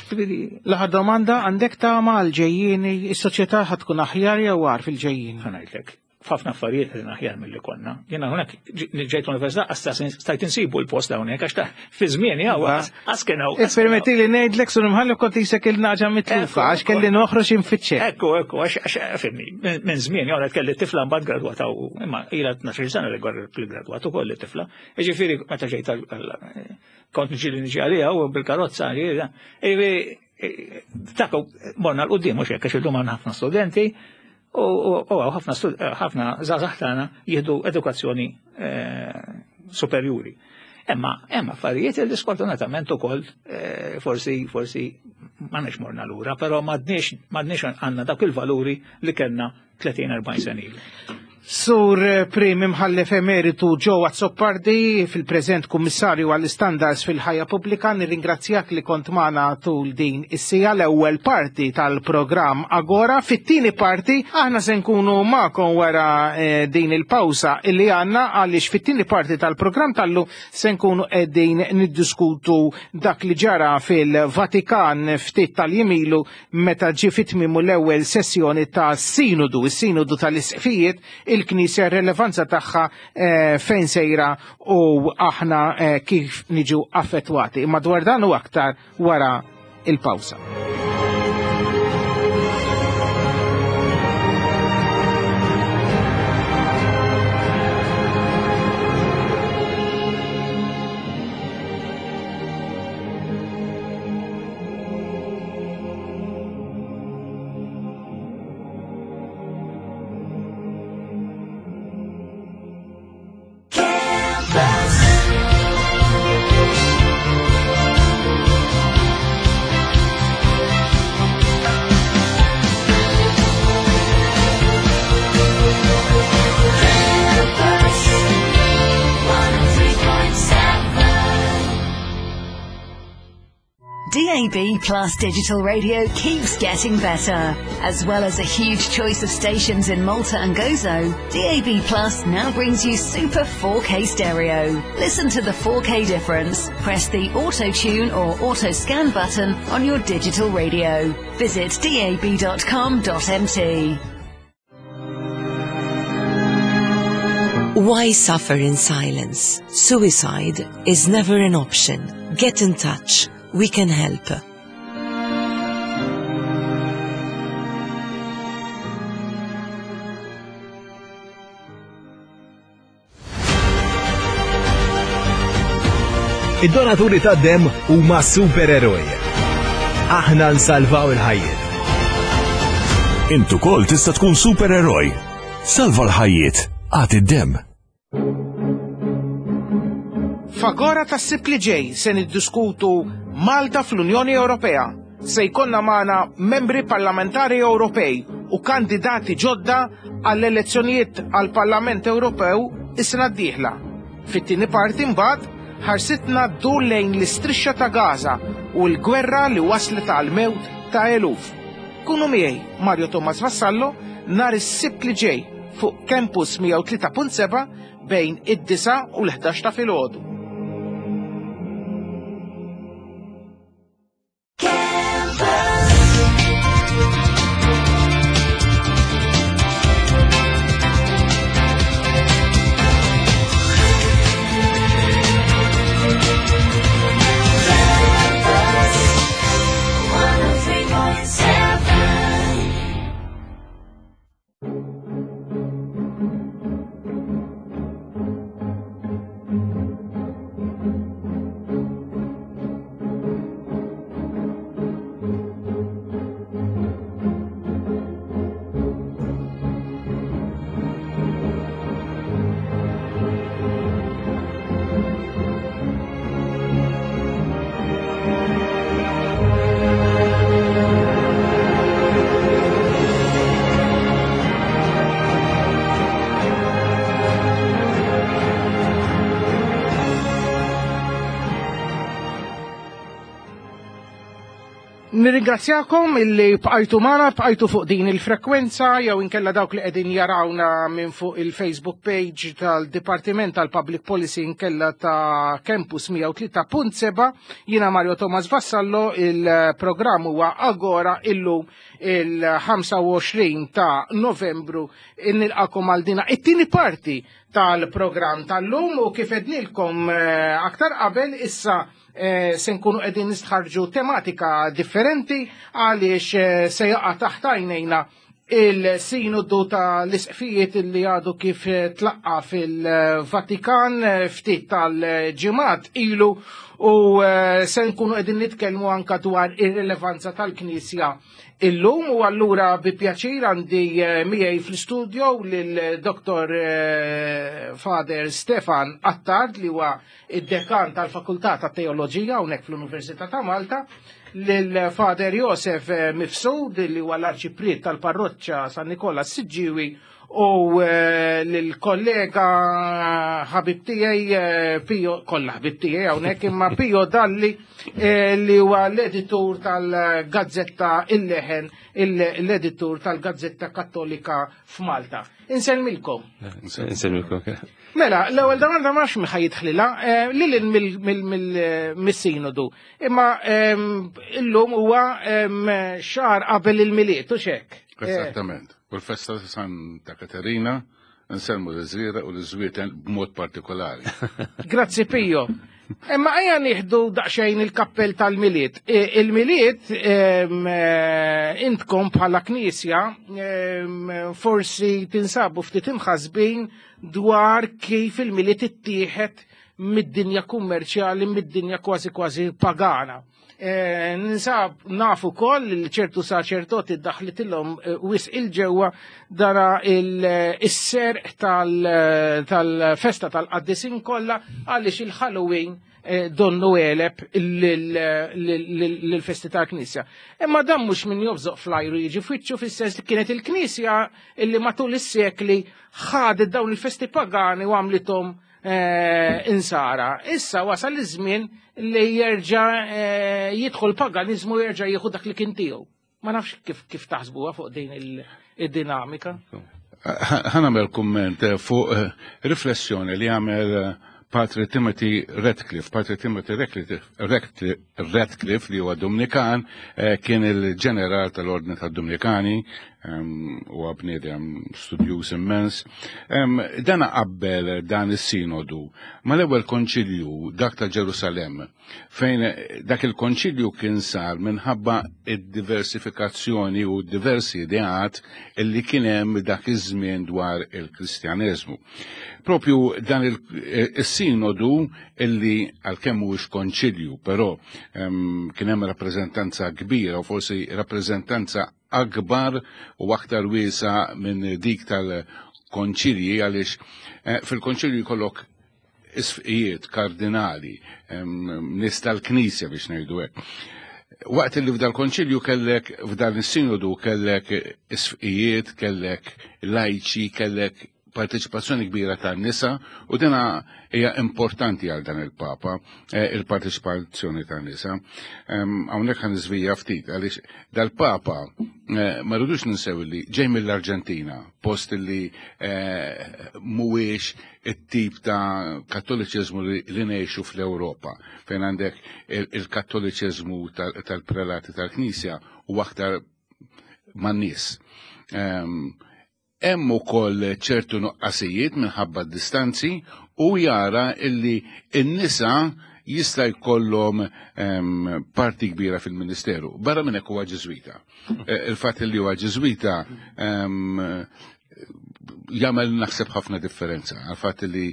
Ġifieri L-aħħar domanda, għandek tama għal-ġejjieni, is-soċjetà ħa tkun aħjar jew agħar fil-ġejjieni? Ħa ngħidlek, f'ħafna affarijiet qegħdin aħjar milli konna. Jiena hawnhekk ġejt l-università qas stajt insibu l-post hawnhekk għax ta' fi żmieni hawn qas kien hawn. Ippermetti li ngħidlek sur imħallef kont isek il-naġa mitlufa għax kelli noħroġ infittxek. Ekku, ekku, għax fimni, minn żmien jew kelli tifla mbagħad gradwata u imma ilha tnax-il sena li gradwat ukoll it-tifla. Jiġifieri meta ġejt kont niġi li niġi għaliha u bil-karozza, jiġifieri dak morna 'l quddiem mhux hekk għax illum għandna ħafna studenti u ħafna ħafna żgħażagħ tagħna jieħdu edukazzjoni superjuri. Imma hemm affarijiet li sfortunatament ukoll forsi forsi m'għandniex morna lura, però m'għadniex m'għadniex għandna dawk il-valuri li kellna tletin erbgħin sena ilu. Sur Prim Imħallef Emeritu Joe Azzopardi, fil-preżent Kummissarju għall-Istandards fil-Ħajja Pubblika, nirringrazzjak li kont magħna tul din is-sija l-ewwel parti tal-programm Agora. Fit-tieni parti aħna se nkunu magħkom wara din il-pawsa illi għandna, għaliex fit-tieni parti tal-programm tal-lum se nkunu qegħdin niddiskutu dak li ġara fil-Vatikan ftit tal-jiem ilu meta ġie fi tmiemu l-ewwel sessjoni ta' sinodu, is-sinodu tal-isqfijiet, il-Knisja, r-relevanza tagħha fejn sejra u aħna kif niġu affettwati. Imma dwar dan u aktar wara il-pawsa. D A B Plus Digital Radio keeps getting better. As well as a huge choice of stations in Malta and Gozo, D A B Plus now brings you Super four K stereo. Listen to the four K difference. Press the Auto Tune or Auto Scan button on your digital radio. Visit d a b dot com dot m t. Why suffer in silence? Suicide is never an option. Get in touch. We can help. Id-donaturi tad-demm huma supereroj. Aħna nsalvaw il-ħajjiet. Int ukoll tista' tkun supereroj. Salva l-ħajjiet, agħti d-demm. F'Agora tas-Sibt li ġej se niddiskutu Malta fl-Unjoni Ewropea. Se jkollna magħna membri parlamentari Ewropej u kandidati ġodda għall-elezzjonijiet għall-Parlament Ewropew is-sena d-dieħla. Fit-tieni parti mbagħad ħarsitna ddur lejn l-istrixxa ta' Gaza u l-gwerra li waslet għal mewt ta' eluf. Kunu miegħi Mario Thomas Vassallo nhar is-Sibt li ġej fuq Campus mija u tlieta punt seba' bejn id-disa' u l-ħdax ta' filgħodu. Nirringrazzjakom illi bqajtu magħna, bqajtu fuq din il-frekwenza jew inkella dawk li qegħdin jarawna minn fuq il-Facebook page tal-Dipartiment tal-Public Policy inkella ta' Campus mija u tlieta punt seba'. Jiena Mario Thomas Vassallo, il-programm huwa Agora, illum il-ħamsa u għoxrin ta' Novembru. Nilqakom għal dina it-tieni parti tal-programm tal-lum u kif għednilkom eh, aktar qabel issa eh, se nkunu qegħdin nistħarġu tematika differenti għaliex eh, se jaqa' taħt għajnejna il-sinodu ta' l-isqfijiet li għadu kif tlaqqa fil-Vatikan ftit tal-ġimgħat ilu u se nkunu qegħdin nitkellmu anka dwar ir-rilevanza tal-Knisja illum. U allura bi pjaċir għandi miegħi fl-studio lil Doktor Father Stefan Attard, li huwa id-dekan tal-Fakultà ta' Teoloġija hawnhekk fl-Università ta' Malta, lil Father Josef Mifsud, li huwa l-arċipriet tal-Parroċċa San Nikola Siġġiwi, u l-kollega ħabib tiegħi Pio, kollha ħabib tiegħi hawnhekk, imma Pio Dalli, li huwa l-editur tal-Gazzetta Il-Leħen, l-editur tal-Gazzetta Kattolika f'Malta. Insellmilkom. Insellmilkom. Mela, l-ewwel domanda ma nafx min jidħlilha, lil mis-sinodu. Imma illum huwa xahar qabel il-Milied, u hekk? Esattament. U l-festa ta' Santa Katerina, nsellmu l-Żrieraq u l-Żwieten b'mod partikolari. Grazzi, Pio. Imma ejja nieħdu daqsxejn il-kappell tal-Milied. Il-Milied, intkom bħala knisja forsi tinsabu ftit imħasbin dwar kif il-Milied ittieħed mid-dinja kummerċjali, mid-dinja kważi kważi pagana. Eh, ninsab nafu koll li ċertu saċerdoti daħlitilhom eh, wisq 'il ġewwa dara il-serq tal-festa tal-qaddisin kollha, għaliex il-Halloween eh, donnu għeleb l-festi tal-Knisja. Imma dan mhux min jobżoq flajru jiġi fwiċċu, fis-sens li kienet il-Knisja illi matul is-sekli ħadet dawn il-festi pagani u għamlithom insara. Issa wasal iż-żmien li jerġa' jidħol paganizmu, jerġa' jieħu dak li kien tiegħu. Ma nafx kif kif taħsbuha fuq din il-dinamika. Ħa nagħmel kumment fuq riflessjoni li għamel Patri Timothy Radcliffe. Patri Timothy Radcliffe, li huwa Dominikan, kien il-ġeneral tal-Ordni tad-Dominikani, u bniedem studjuż immens. Dan qabbel dan is-sinodu mal-ewwel konċilju, dak ta' Ġerusalem, fejn dak il-konċilju kien sar minħabba id-diversifikazzjoni u diversi ideat illi kien hemm dak iż-żmien dwar il-Kristjaneżmu. Propju dan il-sinodu, illi għalkemm mhuwiex konċilju, però kien hemm rappreżentanza kbira u forsi rappreżentanza akbar u aktar wiesa minn dik tal-konċilji, għaliex fil-konċilju jkollok isqfijiet, kardinali, nies tal-Knisja, biex ngħidu hekk. Waqt li f'dal konċilju kellek, f'dan is-sinodu kellek isqfijiet, kellek lajċi, kellek parteċipazzjoni kbira tan-nisa, u dina hija importanti għal dan il-Papa, il-parteċipazzjoni tan-nisa. Hawnhekk ħa niżvija ftit għaliex dal-Papa ma rridux ninsew li ġej mill-Arġentina, post li mhuwiex it-tip ta' kattoliċiżmu li ngħixu fl-Ewropa, fejn għandek il-kattoliċiżmu tal-prelati tal-Knisja u aktar man-nies. Hemm ukoll ċertu nuqqasijiet minħabba d-distanzi u jara illi n-nisa jista' jkollhom parti kbira fil-ministeru. Barra minn hekk huwa Ġiżwita. Il-fatt li huwa Ġiżwita jagħmel, naħseb, ħafna differenza għal fatt li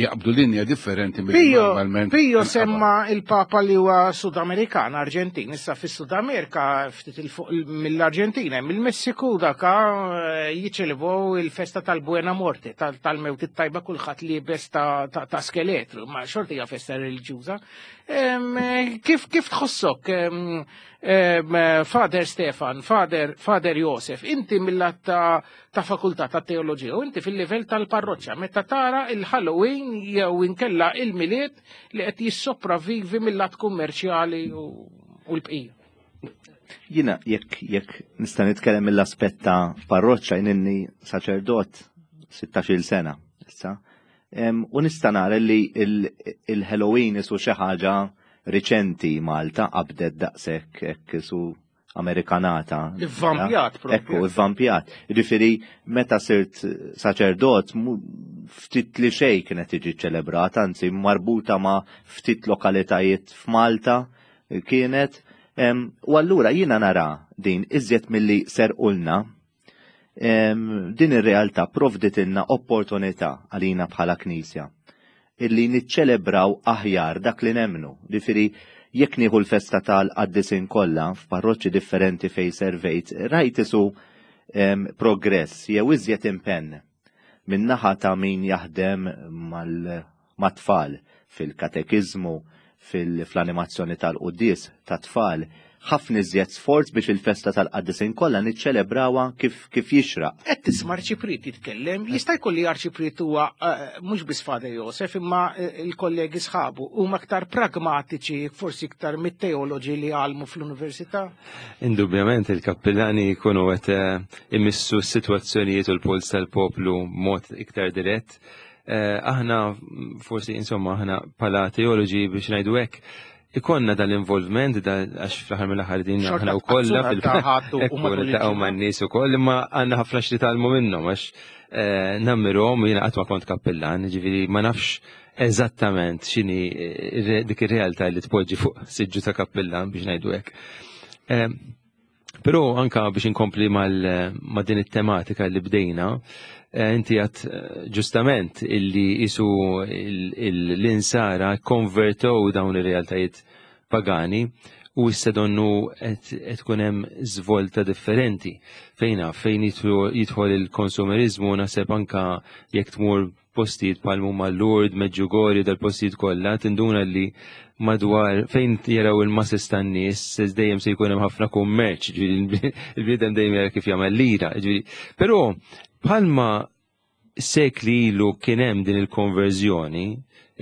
jaqbdu linja differenti mill normalment. Pio semma il-Papa li huwa Sudamerikan, Arġentin. Issa fis-Sud Amerika, ftit il-fuq mill-Arġentina, mill-Messiku, daka jiċċelebraw il-festa tal-Buena Morte, tal-mewt it-tajba, kulħadd liebes ta' skeletru, ma xorta hija festa reliġjuża. Kif kif tħossok, Father Stefan, Father, Father Josef, inti mill-lat ta', ta' fakultà ta' teoloġija u inti fil-livell tal-parroċċa, meta tara il-Halloween jew inkella il-Milied li qed jissopravvivi mill-lat kummerċjali u, u l-bqija? Jiena jekk jekk nista' nitkellem mill-aspett ta' parroċċa, jien ili saċerdot sittax-il sena issa. U nista' nara li il-Halloween isu xi ħaġa riċenti Malta qabdet daqshekk hekk isu Amerikanata. Ivvampjat propju. Ekku, ivvampjat. Ġifieri meta sirt saċerdot ftit li xejn kienet tiġi ċelebrata, anzi marbuta ma' ftit lokalitajiet f'Malta kienet. U allura jiena nara din iżjed milli serqulna, din ir-realtà provditilna opportunità għalina bħala Knisja illi niċċelebraw aħjar dak li nemmnu. Ġifieri jekk nieħu l-festa tal-qaddisin kollha f'parroċċi differenti fej servejt, rajt isu progress jew iżjed impenn min-naħa ta' min jaħdem mat-tfal fil-katekiżmu, fil-animazzjoni tal-quddies tat-tfal, ħafna iżjed sforz biex il-festa tal-qaddisin kollha niċċelebrawha kif kif jixraq. Qed tisma' arċipriet jitkellem, jista' jkun li arċipriet huwa eh, mhux biss Father Josef imma eh, il-kollegi sħabu huma aktar pragmatiċi, forsi iktar mit-teoloġi li għallmu fl-università. Indubjament il-kappillani jkunu qed eh, imissu s-sitwazzjonijiet u l-puls tal-poplu mod iktar dirett. Aħna forsi, insomma, aħna bħala teoloġi, biex ngħidu hekk, ikonna dal-involvement, għax fl-aħħar mill-aħħar din aħna wkoll fil u man-nies ukoll, imma għandna ħafna x'nitgħallmu minnhom għax eh, nammirhom. Jiena qatt ma kont kappillan, ġifieri ma nafx eżattament x'inhi eh, dik ir-realtà li tpoġġi fuq siġġu ta' kappillan, biex ngħidu hekk. Eh, però anka biex inkompli ma' din it-tematika li bdejna, inti għedt ġustament illi isu l-insara konvertow dawn ir-realtajiet pagani u issa donnu qed tkun hemm żvolta differenti. Fejna fejn jidħol il-konsumerizmu, naħseb anka jekk tmur postijiet bħal huma Lourdes, Medjugorje, dal-postijiet kollha, tinduna li madwar fejn jaraw il-masses tan-nies dejjem se jkun hemm ħafna kummerċ, il-bniedem dejjem jara kif jagħmel lira. Però bħalma sekli ilu kien hemm din il-konverżjoni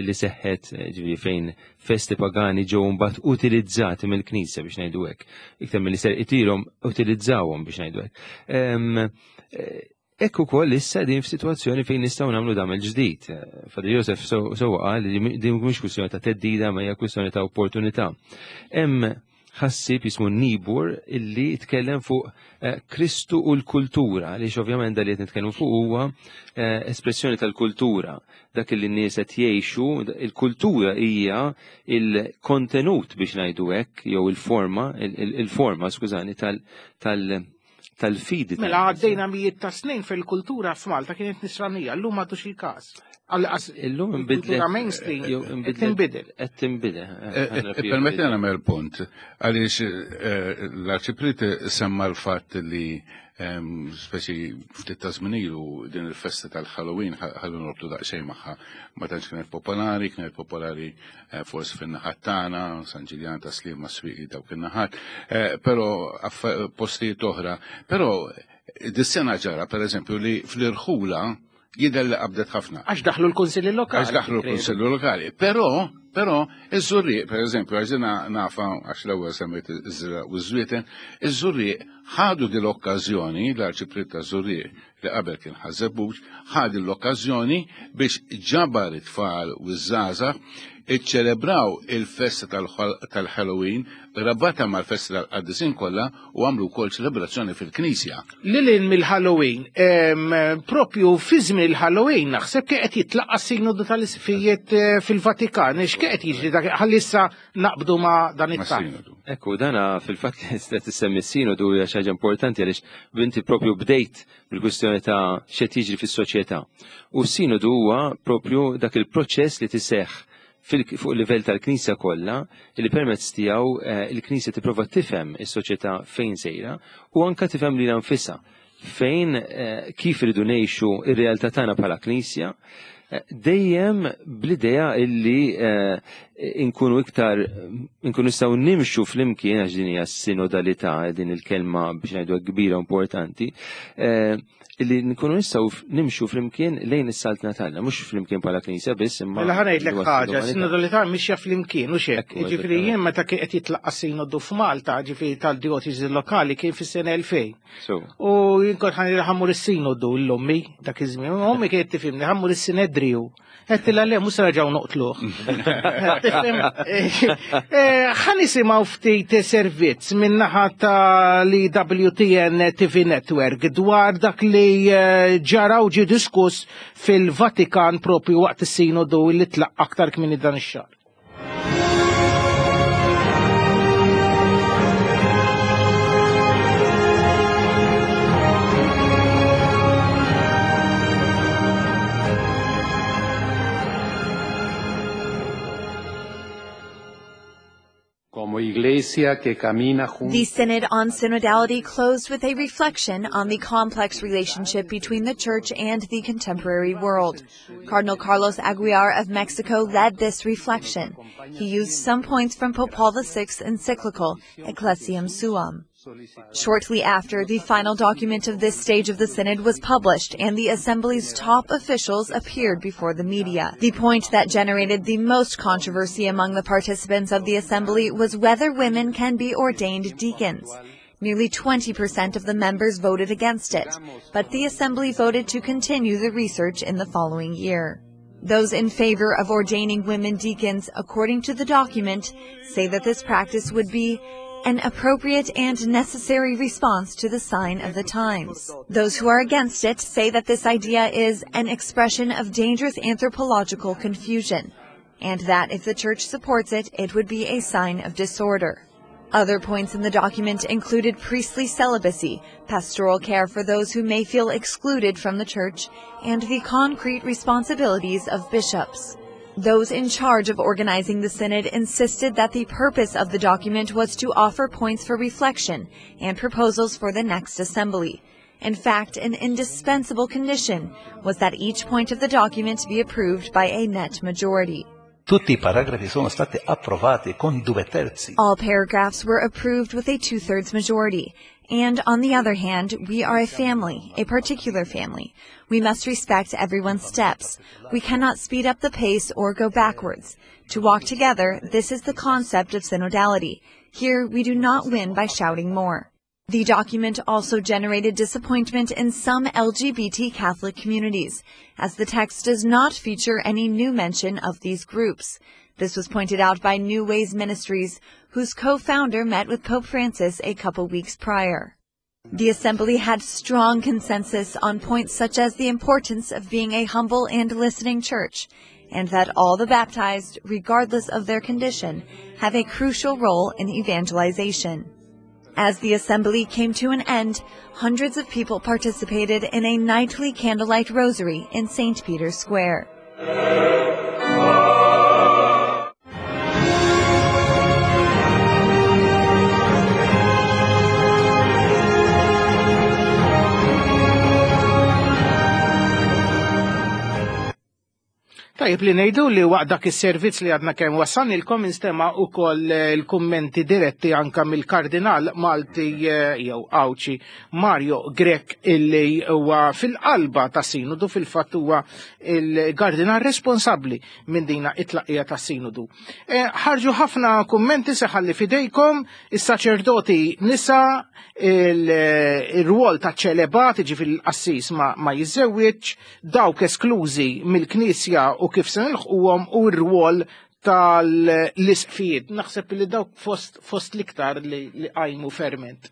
illi seħħet, ġifieri fejn festi pagani ġew mbagħad utilizzati mill-Knisja, biex ngħidu hekk. Iktar milli serqitilhom, utilizzawhom, biex ngħidu hekk. Ekku ukoll issa din f'sitwazzjoni fejn nistgħu nagħmlu dam il-ġdid. Father Joseph sewwa qal li din mhux kwistjoni ta' theddida ma hija kwistjoni ta' opportunità. Hemm ħassib jismu Niebuhr illi tkellem fuq eh, Kristu u l-kultura, li ovvjament dal li qed nitkellmu fuq huwa eh, espressjoni tal-kultura, dak li n-nies qed jgħixu. Il-kultura hija il-kontenut, biex ngħidu hekk, jew il-forma, il-forma, skużani, tal- tal- tal-fidi. Mela għaddejna mijiet ta' snin fil-kultura f'Malta kienet nisranija, llum m'għadux il-każ. Illum inbidlet. Kultura mainstream tinbidel. Qed tinbidel. Permetti nagħmel punt, għaliex l-arċipriet semma l-fatt li speċi ftit ta' żmien ilu din il-festa tal-Halloween, ħallu norbtu daqsxejn magħha, ma tantx kienet popolari, kienet popolari forsi fin-naħat tagħna, San Ġiljan, ta' Sliema, Swieqi, dawk in-naħat, però postijiet oħra. Però dis-sena ġara, pereżempju, li fl-irħula jidher li qabdet ħafna. Għax daħlu l-kunsilli lokali. Għax daħlu l-kunsilli lokali. Però, però, iż-Żurrieq, per eżempju, għax dina nafa, għax l-ewwel semmejt iż-Żrieraq u ż-Żwieten, iż-Żurrieq ħadu din l-okkażjoni, l-arċipriet ta' Żurrieq li qabel kien Ħaż-Żebbuġ, ħadu l-okkażjoni biex ġabar it-tfal u ż-żgħażagħ, iċċelebraw il-festa tal-Halloween, rabata mal-festa tal-qaddisin kollha, u għamlu wkoll ċelebrazzjoni fil-Knisja. Lil hinn mill-Halloween, propju fi żmien il-Halloween naħseb kien qed jitlaqqa s-sinodu tal-isqfijiet eh, fil-Vatikan, x'kien qed jiġri dak ħalli issa naqbdu ma' dan it-tarf. Ekku, dana fil-fatt li qed tissemmi s-sinodu hija xi ħaġa importanti għaliex inti propju bdejt bil-kwistjoni ta' x'qed jiġri fis-soċjetà. U s-sinodu huwa propju dak il-proċess li tiseħħ fuq livell tal-Knisja kollha li permezz tiegħu eh, il-Knisja tipprova tifhem is-soċjetà fejn sejra u anka tifhem lilha nfisha fejn eh, kif iridu ngħixu ir-realtà tagħna bħala Knisja. Dejjem bl-idea illi inkunu iktar, inkunu nistgħu nimxu flimkien, għax din hija sinodalità, din il-kelma biex ngħidu kbira importanti, illi nkunu nistgħu nimxu flimkien lejn is-saltna tagħna, mhux flimkien bħala Knisja biss, imma. Mela ħa ngħidlek ħaġa, sinodalità mixja flimkien u xek. Jiġifieri jien meta kien qed jitlaqqa' sinodu f'Malta, ġifieri tal-dioċesi lokali kien fis-sena elfejn. U jien kont ħa mmur is-sinodu l-ommi dak iż-żmien, ommi kienet tifhimni ħa mmur is-Sinedriju. Għedtilha le, mhux se nerġgħu noqtluh. Ħa nisimgħu ftit servizz min-naħa tal-E W T N T V Network dwar dak li ġara u ġie diskuss fil-Vatikan propju waqt is-sinodu li tlaq aktar kmieni dan ix-xahar. Como iglesia que camina junto. The Synod on Synodality closed with a reflection on the complex relationship between the Church and the contemporary world. Cardinal Carlos Aguiar of Mexico led this reflection. He used some points from Pope Paul the sixth's encyclical, Ecclesiam Suam. Shortly after, the final document of this stage of the Synod was published and the Assembly's top officials appeared before the media. The point that generated the most controversy among the participants of the Assembly was whether women can be ordained deacons. Nearly twenty percent of the members voted against it, but the Assembly voted to continue the research in the following year. Those in favor of ordaining women deacons, according to the document, say that this practice would be an appropriate and necessary response to the sign of the times. Those who are against it say that this idea is an expression of dangerous anthropological confusion, and that if the Church supports it, it would be a sign of disorder. Other points in the document included priestly celibacy, pastoral care for those who may feel excluded from the Church, and the concrete responsibilities of bishops. Those in charge of organizing the synod insisted that the purpose of the document was to offer points for reflection and proposals for the next assembly. In fact, an indispensable condition was that each point of the document be approved by a net majority. Tutti i paragrafi sono stati approvati con due terzi. All paragraphs were approved with a two-thirds majority. And on the other hand, we are a family, a particular family. We must respect everyone's steps. We cannot speed up the pace or go backwards. To walk together, this is the concept of synodality. Here, we do not win by shouting more. The document also generated disappointment in some L G B T Catholic communities, as the text does not feature any new mention of these groups. This was pointed out by New Ways Ministries, whose co-founder met with Pope Francis a couple weeks prior. The assembly had strong consensus on points such as the importance of being a humble and listening church, and that all the baptized, regardless of their condition, have a crucial role in evangelization. As the assembly came to an end, hundreds of people participated in a nightly candlelight rosary in Saint Peter's Square. Tajjeb li ngħidu li waqt dak is-servizz li għadna kemm wassalnilkom instema' ukoll il-kummenti diretti anka mill-Kardinal Malti jew Għawdxi Mario Grech, illi huwa fil-qalba ta' sinodu, fil-fatt huwa il-kardinal responsabbli minn dina it-tlaqqija ta' sinodu. Ħarġu ħafna kummenti se ħalli fidejkom, is-saċerdoti nisa, il-rwol ta' ċelebat, jiġifieri l-qassis ma, ma jiżżewwiġ, dawk esklużi mill-Knisja u kif se nilħquhom, u r-rwol tal-isqfijiet. Naħseb li dawk fost, fost l-iktar li, li qajmu ferment.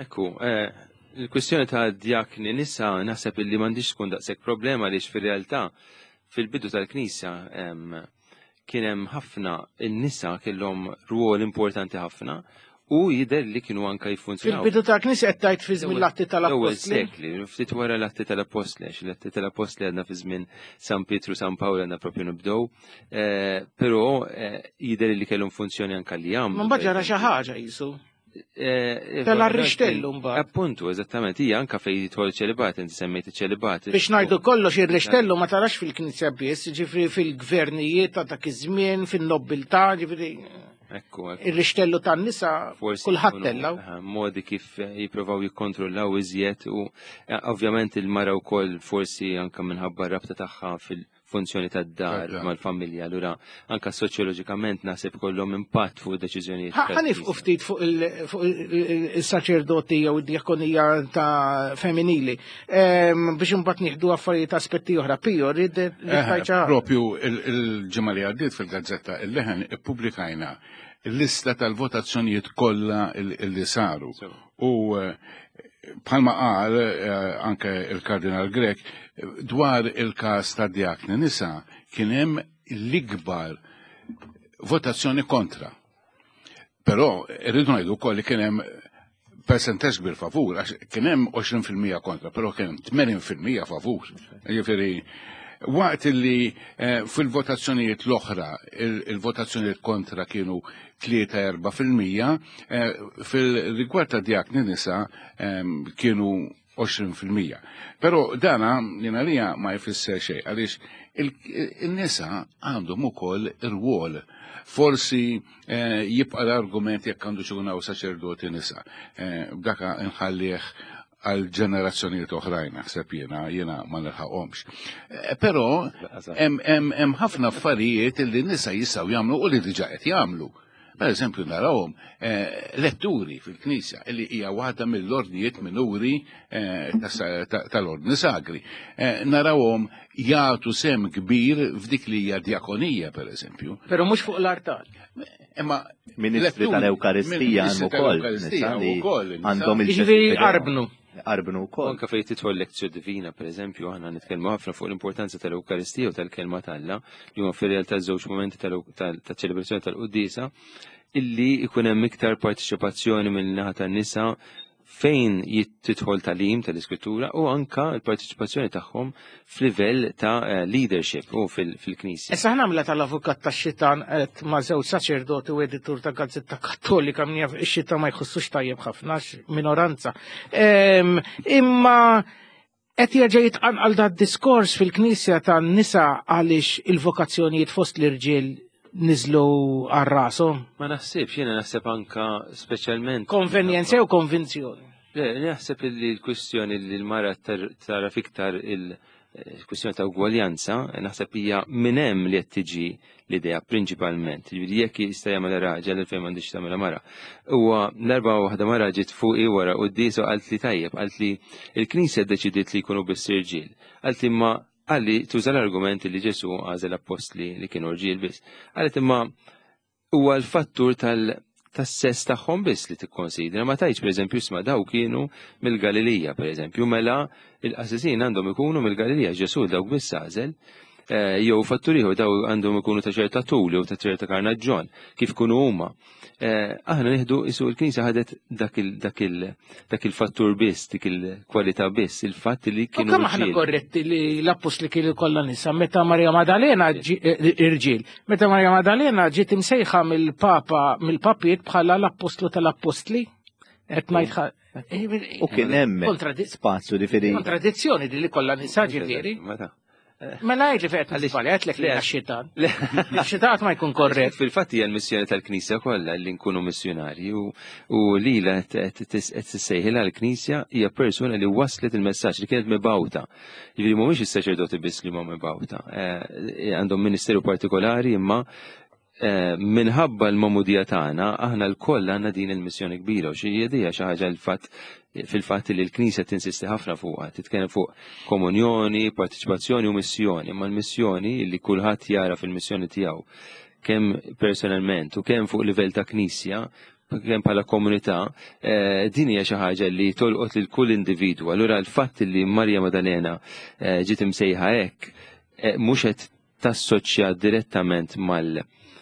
Ekku, eh, il-kwistjoni ta' djakni nisa naħseb li m'għandix tkun daqshekk problema, għaliex fir-realtà fil-bidu tal-Knisja kien hemm ħafna in-nisa kellhom rwol importanti ħafna u jidher li kienu anka jiffunzjonaw. Fil-bidu tal-Knisja qed tgħid fi żmien l-Atti tal-Appostli? L-ewwel sekli, ftit wara l-Atti tal-Appostli, għax l-Atti tal-Appostli għadna fi żmien San Pietru, San Pawl għadna propju nibdew, però jidher li kellhom funzjoni anka li jagħmlu. Ma mbagħad ġara xi ħaġa qisu. Eh, Tella r-rixtellu mbagħad. Appuntu, eżattament, hija anka fejn jidħol ċelibat, inti semmejt iċ-ċelibat. Biex ngħidu kollox ir-rixtellu ma tarax fil-Knisja biss, ġifri fil-gvernijiet ta' dak iż-żmien, fin-nobbiltà, ġifri Ekku, ekku. ir-rixtellu tan-nisa Forsi kulħadd jkunu, tellaw. eh, modi kif eh, jipprovaw jikkontrollaw iżjed u eh, ovvjament il-mara wkoll forsi anka minħabba r-rabta tagħha fil-funzjoni tad-dar Tad-dar. mal-familja, allura anka soċjoloġikament naħseb kollhom impatt fuq deċiżjonijiet. Ħa nifqu ftit fuq il- fuq il- il-saċerdoti jew id-djakonija ta' femminili Em, biex imbagħad nieħdu affarijiet aspetti oħra. Pio, rrid Eh, rrid Propju il- il-ġimgħa li għaddiet fil-gazzetta Il-Leħen ippubblikajna l-lista tal-votazzjonijiet kollha il- li saru. U eh, bħalma qal eh, anke il-Kardinal Grech dwar il-każ ta' djakni nisa kien hemm l-ikbar votazzjoni kontra. Però irridu ngħidu wkoll li kien hemm percentaġġ kbir favur, għax kien hemm għoxrin fil-mija kontra, però kien hemm tmenin fil-mija favur. Jiġifieri waqt li eh, fil-votazzjonijiet l-oħra, il- il-votazzjonijiet kontra kienu tlieta-erbgħa fil-mija, eh, fil-rigward ta' djakni nisa em, kienu għoxrin fil-mija. Però dana jiena lija ma jfisser xejn għaliex il-nisa għandhom ukoll ir-rwol. Forsi eh, jibqa l-argument jekk għandu xi hawn saċerdoti nisa. Eh, Daka nħallih għal ġenerazzjonijiet oħrajn, naħseb jiena, jiena ma nilħaqhomx. Eh, Però hemm hemm hemm ħafna affarijiet li n-nisa jistgħu jagħmlu u li diġà qed jagħmlu. Per eżempju, narawhom eh, letturi fil-Knisja, li hija waħda mill-ordnijiet minuri eh, tas- ta- tal-ordni sagri. Eh, Narawhom jagħtu sem kbir f'dik li hija djakonija, per eżempju. Però mhux fuq l-artal. Imma Ministri letturi- tal-Ewkaristija ministri hemm ukoll tal-Ewkaristija nisa li wkoll, nisa. għandhom Jiġifieri il-ġesti qarbnu. Qarbnu wkoll. Anka fejn tidħol lectio divina, per eżempju, aħna nitkellmu ħafna fuq l-importanza tal-Ewkaristija u tal-kelma t'Alla, li huma fir-realtà żewġ momenti tal-ċelebrazzjoni tal-Quddiesa, illi ikun hemm iktar partiċipazzjoni mill-naħa tan-nisa fejn tidħol tagħlim tal-Iskrittura u anka l-partiċipazzjoni tagħhom f'livell ta' eh, leadership u fil-Knisja. Issa ħa nagħmilha tal-avukat tax-xitan qed ma' żewġ saċerdoti u editur ta' gazzetta Kattolika, min jaf ix-xitan ma jħossux tajjeb ħafna għax minoranza. Em, Imma qed jerġa' jitqanqal da diskors fil-Knisja tan-nisa għaliex il-vokazzjonijiet fost l-irġiel niżlu għal rashom. Ma naħsibx, jiena naħseb anka speċjalment Konvenjenza jew konvinzjoni. Le, naħseb li l-kwistjoni li l-mara tar- tara fiktar il-kwistjoni ta' ugwaljanza, naħseb hija minn hemm li qed tiġi l-idea prinċipalment. Ġifieri jekk jista' jagħmel raġel, għalfejn m'għandix tagħmel mara. Huwa darba waħda mara ġiet fuqi wara quddies u qalt li tajjeb, qalt li il-Knisja ddeċidiet li jkunu biss irġiel. Qalt li imma għalli tuża l-argument li Ġesu għażel appostli li kienu rġiel biss. Qalet imma huwa l-fattur tal tas-sess tagħhom biss li tikkonsidra. Ma tajtx, pereżempju, isma' daw kienu mill-Galilija, pereżempju, mela il-qassisin għandhom ikunu mill-Galilija, Ġesu dawk biss għażel. Eh, Jew fattur ieħor, daw għandhom ikunu ta' ċerta tul jew ta' ċerta karnaġġon, kif kunu huma. Eh, Aħna nieħdu isu l-Knisja ħadet dak il- dak il- dak il-fattur biss, dik il-kwalità biss, il-fatt li U kienu kemm aħna rġiel. korretti li l-appostli kienu kollha nisa meta Maria Maddalena ġi- eh, irġiel, meta Maria Maddalena ġiet imsejħa mill-Papa mill-papiet bħala l-appostlu tal-appostli? Qed ngħid U kien hemm Kontradi- spazju ġifieri kontradizzjoni di li kollha nisa, ġifieri. Meta? Mela għid li fejn qed nisbalja, għedtlek li xitan. Xitan ma jkun korrett. Fil-fatt hija l-missjoni tal-Knisja kollha li nkunu missjonarji u, u lila qed tissejħilha l-Knisja hija persuna li waslet il-messaġġ, li kienet mibgħuta. Jiġifieri mhumiex is-saċerdoti biss li huma mibgħuta. Eh, Għandhom ministeru partikolari, imma eh, minħabba l-magħmudija tagħna aħna lkoll għandna din il-missjoni kbira u xi hija xi ħaġa l-fatt fil-fatt li l-Knisja tinsisti ħafna fuqha, titkellem fuq komunjoni, partiċipazzjoni u missjoni, imma l-missjoni li kulħadd jara fil-missjoni tiegħu kemm personalment u kemm fuq livell ta' Knisja, kemm bħala komunità, eh, din hija xi ħaġa li tolqot lil kull individwu. Allura l-fatt li Marja Maddalena eh, ġiet imsejħa hekk eh, mhux qed tassoċja direttament mal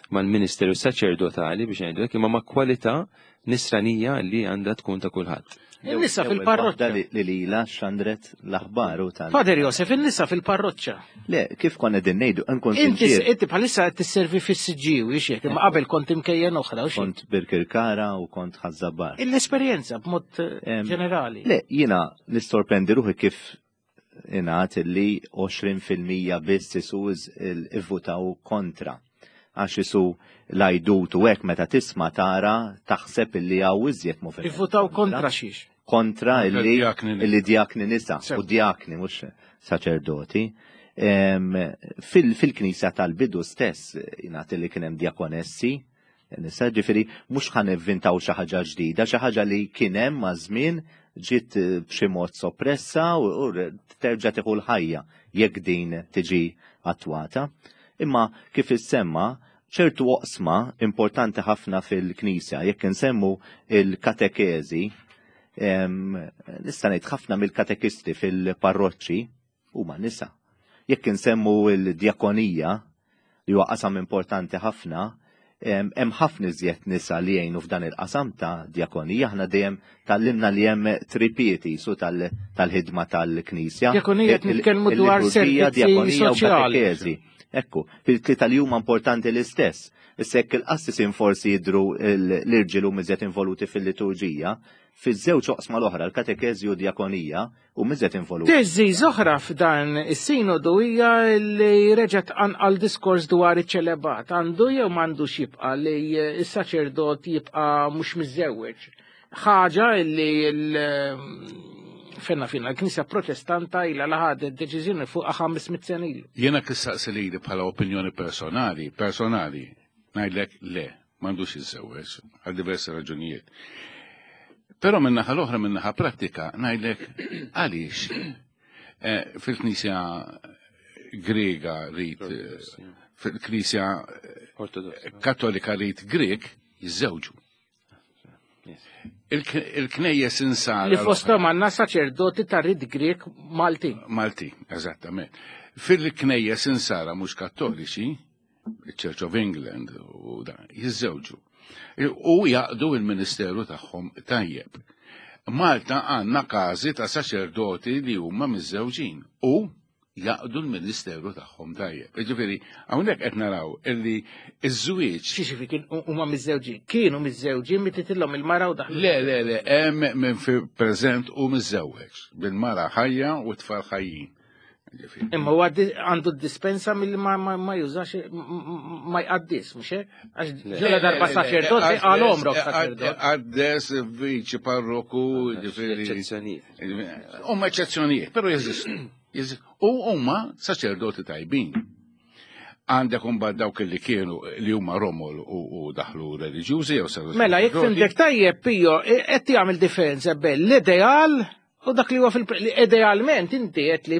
mal-ministeru saċerdotali biex ngħidu hekk, imma ma' kwalità nisranija li għandha tkun ta' kulħadd. In-nisa fil-parroċċa. Li lila xandret l-aħbar u tal. Fader Josef, in-nisa fil-parroċċa. Le, kif konna din ngħidu, nkun Inti inti bħalissa qed tisservi fis-Siġġiewi x'hekk, imma qabel kont imkejjen oħra u xi. Kont Birkirkara u kont Ħaż-Żabbar. L-esperjenza b'mod eh, ġenerali. Le, jiena nissorprendi ruħi kif ingħad li għoxrin fil-mija biss isu ivvutaw kontra. Għax isu l-ajdut u hekk meta tisma' tara taħseb illi hawn iżjed moviment. Ivvutaw kontra xiex? Kontra illi illi djakni nisa u djakni mhux saċerdoti. Fil-knisja tal-bidu stess jingħad li kien hemm djakonessi nisa, ġifieri mhux ħa nivvintaw xi ħaġa ġdida, xi ħaġa li kien hemm maż-żmien ġiet b'xi mod soppressa u terġa' tieħu l-ħajja jekk din tiġi attwata. Imma kif issemma ċertu oqsma importanti ħafna fil-Knisja, jekk insemmu il-katekeżi, nista' ngħid ħafna mill-katekisti fil-parroċċi huma nisa. Jekk insemmu il-djakonija, li huwa qasam importanti ħafna, hemm ħafna iżjed nisa li jgħinu f'dan il-qasam ta' djakonija. Aħna dejjem tallimna li hemm tripieti su tal-ħidma tal-Knisja. Djakonija qed nitkellmu dwar servizzi soċjali. Ekku, fil-tlieta li huma importanti l-istess. Issa jekk il-qassisin forsi jidhru l-irġiel huma iżjed involuti fil-liturġija, fiż-żewġ oqsma l-oħra, l-katekeżi u djakonija, u iżjed involuti. Teżi oħra f'dan is-sinodu hija li reġgħet anqal diskors dwar iċ-ċelebat. Għandu jew m'għandux jibqa' li s-saċerdot jibqa' mhux miżżewweġ. Ħaġa li fenna fina, l-Knisja Protestanta ilha la ħadet deċiżjoni fuq ħames mitt sena ilu. Jiena kissaqsi lili bħala opinjoni personali, personali, ngħidlek le, m'għandux jiżżewweġ għal diversi raġunijiet. Però min-naħa l-oħra, min-naħa prattika, ngħidlek għaliex fil-Knisja Grega rit, fil-Knisja Kattolika rit Grek jiżżewġu. Il-knejjes insara. Li fosthom għandna saċerdoti ta' rit Grek Malti. Malti, eżattament. Fil-knejjes insara mhux kattoliċi, il-Church of England u dan, jiżżewġu. U jaqdu il-ministeru tagħhom tajjeb. Malta għandna każi ta' saċerdoti li huma miżżewġin u jaqdu l-ministeru tagħhom tajjeb. Jiġifieri hawnhekk qed naraw illi ż-żwieġ. Xi kien huma miżżewġin? Kienu miżżewġin mititilhom il-mara u daħlu. Le, le, le, hemm minn fi preżent u miżżewweġ bil-mara ħajja u tfal ħajjin. Imma huwa għandu d-dispensa milli ma jużax ma jqaddis, mhux hekk? Għax ġela darba saċerdot għal omrok saċerdot. Qaddes viċi parroku, ġifieri. Eċċezzjonijiet. Huma eċċezzjonijiet, però jeżistu. U huma saċerdoti tajbin. Għandek imbagħad dawk li kienu li huma romol u daħlu reliġjużi jew saru. Mela jekk fimtek tajjeb Pio, qed jagħmel differenza bejn l-ideal u dak li huwa fil-idealment inti qed li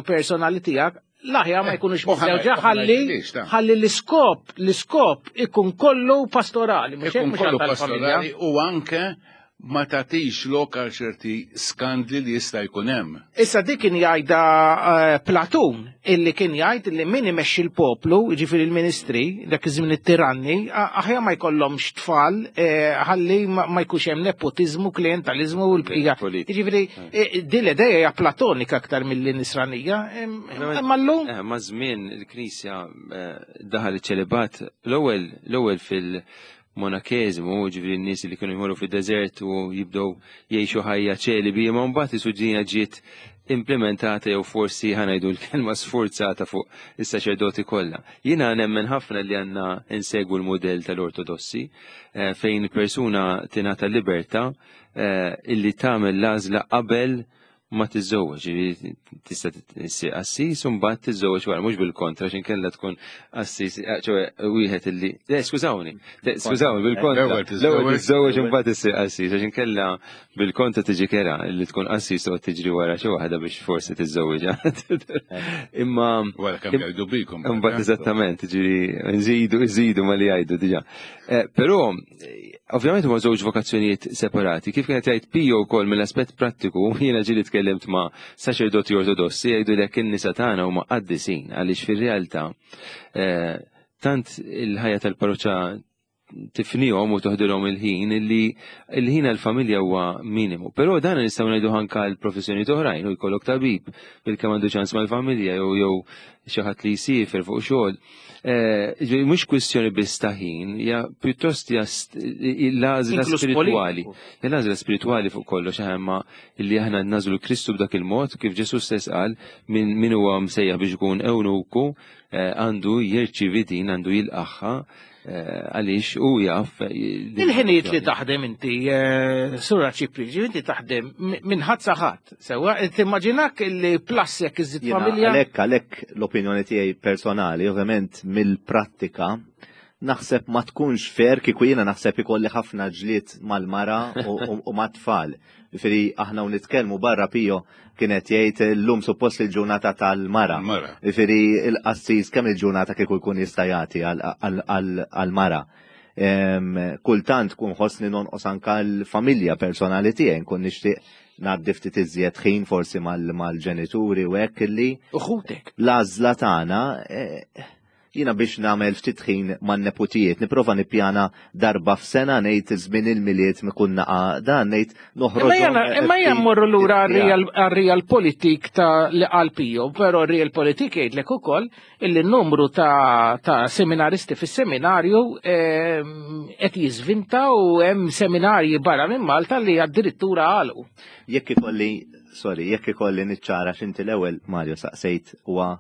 personali tiegħek l-aħjar ma jkunux miżewġa ħalli ħalli l-iskop l-iskop ikun kollu pastorali, mhux hekk kollu pastorali u anke ma tagħtix lok għal ċerti skandli li jista' jkun hemm. Issa dik kien jgħidha Platun, illi kien jgħid li min imexxi l-poplu, jiġifieri l-ministri, dak iż-żmien it-tiranni, aħjar ma jkollhomx tfal ħalli ma jkunx hemm nepotiżmu, klientaliżmu u l-bqija. Jiġifieri din l-idea hija platonika aktar milli nisranija. Imma llum ma' żmien il-Knisja daħal iċ-ċelibat l-ewwel l-ewwel fil- monakeżmu, ġifieri n-nies li kienu jmorru fid-deżert u jibdew jgħixu ħajja ċelibi, imma mbagħad isu ġdina ġiet implementata jew forsi ħanajdu l-kelma sforzata fuq is-saċerdoti kollha. Jiena nemmen ħafna li għandna insegwu l-mudell tal-Ortodossi fejn persuna tingħata libertà illi tagħmel l-għażla qabel ma tiżżewweġ, tista' issir qassis u mbagħad tiżżewweġ wara, mhux bil-kontra x'in kellha tkun qassis, ċoe wieħed illi, le skużawni, skużawni bil-kontra. L-ewwel tiżżewweġ u mbagħad issir qassis, għax inkella bil-kontra tiġi kera li tkun qassis u tiġri wara xi waħda biex forsi tiżżewweġha. Imma wara kemm jgħidu bikom. Imbagħad eżattament, ġifieri nżidu nżidu ma li jgħidu diġà. Però ovvjament huma żewġ vokazzjonijiet separati. Kif kienet jgħid Pio wkoll mill-aspett prattiku, jiena ġieli tkellimt ma' saċerdoti ortodossi jgħidu li jekk in-nisa tagħna huma qaddisin għaliex fir-realtà tant il-ħajja tal-parroċċa tifnihom u toħdilhom il-ħin, illi il-ħin għal-familja huwa minimu. Però dan nistgħu ngħidu anke l-professjoni oħrajn, u jkollok tabib bil-kemm għandu ċans mal-familja jew jew xi ħadd li jsiefer fuq xogħol. Eh, mhux kwistjoni biss ta' ħin, hija pjuttost hija l-għażla spiritwali. L-għażla spiritwali fuq kollox, imma illi aħna nagħżlu Kristu b'dak il-mod kif Ġesu stess qal min min huwa msejjaħ biex ikun ewnuku eh, għandu jirċievi din, għandu jilqagħha eh, għaliex u jaf. Il-ħinijiet li taħdem inti, Sur Arċipriet, inti taħdem minn ħadd sa ħadd, sewwa, timmaġinak li plus jekk iżid familja. Għalhekk għalhekk l-opinjoni tiegħi personali, ovvjament mill-prattika, naħseb ma tkunx fair kieku jiena naħseb ikolli ħafna ġlied mal-mara u mat-tfal. Ġifieri aħna u nitkellmu barra, Pio kienet jgħid llum suppost il-ġurnata tal-mara. Ġifieri il-qassis kemm il-ġurnata kieku jkun jista' jagħti għal-mara? Kultant kun ħossni nonqos anka l-familja personali tiegħi, nkun nixtieq ngħaddi ftit iżjed ħin forsi mal-ġenituri u hekk illi. Uħutek. L-għażla tagħna, eh, jiena biex nagħmel ftit ħin man-neputijiet, nipprova nippjana darba f'sena, ngħid żmien il-Milied mikun naqa dan, ngħid noħroġ. Imma jien mmorru lura għar-real politik ta' li qal Pio, però real politik jgħidlek ukoll illi n-numru ta', ta seminaristi fis-seminarju ehm, qed jiżvinta u hemm seminarji barra minn Malta li addirittura għalqu. Jekk ikolli, sorry, jekk ikolli niċċara x'inti l-ewwel, Mario, saqsejt, huwa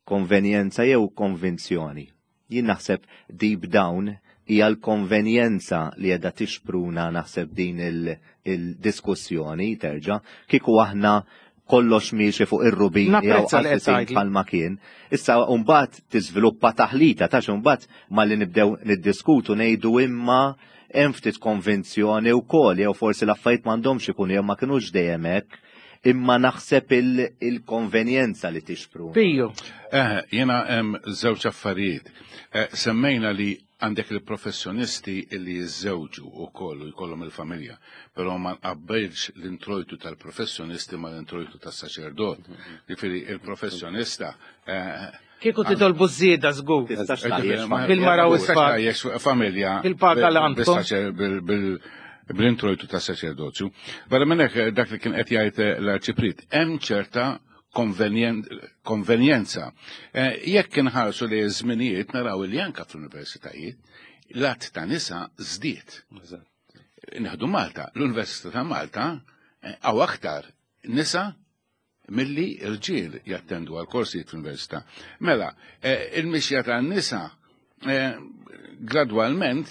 konvenjenza jew konvinzjoni. Jien naħseb deep down hija l-konvenjenza li qiegħda tixpruna naħseb din il-diskussjoni terġa'. Kieku aħna kollox miexi fuq ir-rubini jew bħalma kien. Issa mbagħad tiżviluppa taħlita ta' mbagħad malli nibdew niddiskutu ngħidu imma hemm ftit konvinzjoni wkoll jew forsi l-affarijiet m'għandhomx ikunu jew ma kinux dejjem hekk, imma naħseb il-konvenjenza li tixpru. Pio. Eh, jena hemm żewġ affarijiet. Eh, semmejna li għandek il-professjonisti li jiżżewġu u kollu jkollhom il-familja, però ma nqabbelx l-introjtu tal-professjonisti ma l-introjtu tas-saċerdot. Ġifieri il-professjonista eh, Kieku titolbu żieda żgur. Bil-mara u s-tfal. Familja. Bil-paga l għandkom. Bl-introjtu ta' saċerdozju. Barra minn hekk, dak li kien qed jgħid l-Arċipriet, hemm ċerta konvenjenza. Eh, jekk inħarsu li żminijiet naraw li anka fl-universitajiet l-għadd ta' nisa żdied. Nieħdu Malta, l-Università ta' Malta hawn eh, aktar nisa milli rġiel jattendu għal korsijiet fl-università. Mela, eh, il-mixja ta' nisa gradwalment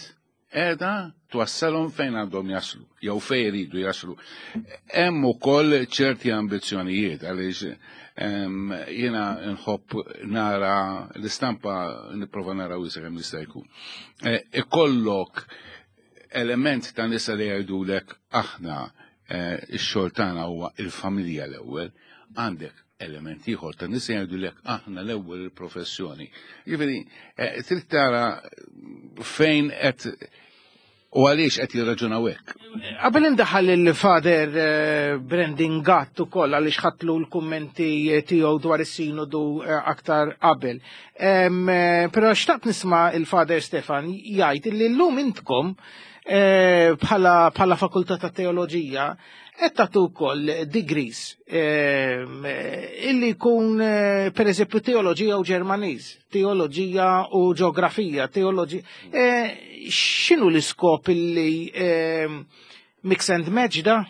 qiegħda twassalhom fejn għandhom jaslu, jew fejn jridu jaslu. Hemm ukoll ċerti ambizzjonijiet għaliex jiena nħobb nara l-istampa, nipprova nara wiesa' kemm jista' jkun. E, ikollok element ta' nisa li jgħidulek aħna e, ix-xogħol tagħna huwa il-familja l-ewwel, għandek element ieħor ta' nisa jgħidulek aħna l-ewwel il-professjoni. Jiġifieri e, trid tara fejn qed u għaliex qed jirraġunaw hekk. Qabel indaħal il-Father eh, Brandon Gatt ukoll, għaliex ħadtlu l-kummenti tiegħu dwar is-sinodu eh, aktar qabel. Eh, però xtaqt nisma' il-Father Stefan jgħid li llum intkom bħala bħala fakultà ta' teoloġija qed tagħtu wkoll degrees illi jkun, pereżempju, teoloġija u Ġermaniż, teoloġija u ġeografija, teoloġija. X'inhu l-iskop illi mix and match da?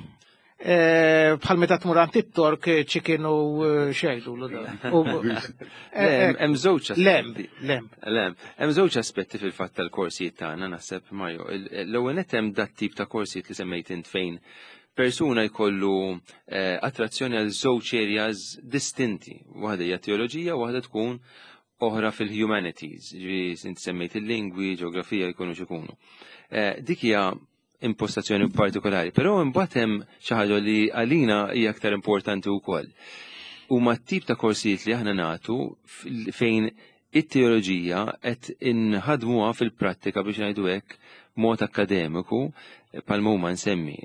Bħal meta tmur għand it-Tork, chicken u xejdu. Hemm żewġ Lem, lem. Lem. Hemm żewġ aspetti fil-fatt tal-korsijiet tagħna, naħseb, Mario. L-ewwel nett hemm dat tip ta' korsijiet li semmejt int fejn persuna jkollu attrazzjoni għal żewġ areas distinti. Waħda hija teoloġija, waħda tkun oħra fil-humanities, ġifieri inti semmejt il-lingwi, ġeografija, jkunu x'ikunu. Dik hija impostazzjoni partikolari, però imbagħad hemm xi ħaġa li għalina hija aktar importanti wkoll. Huma tip ta' korsijiet li aħna nagħtu fejn it-teoloġija qed inħadmuha fil-prattika, biex ngħidu hekk, mod akademiku, bħalma huma nsemmi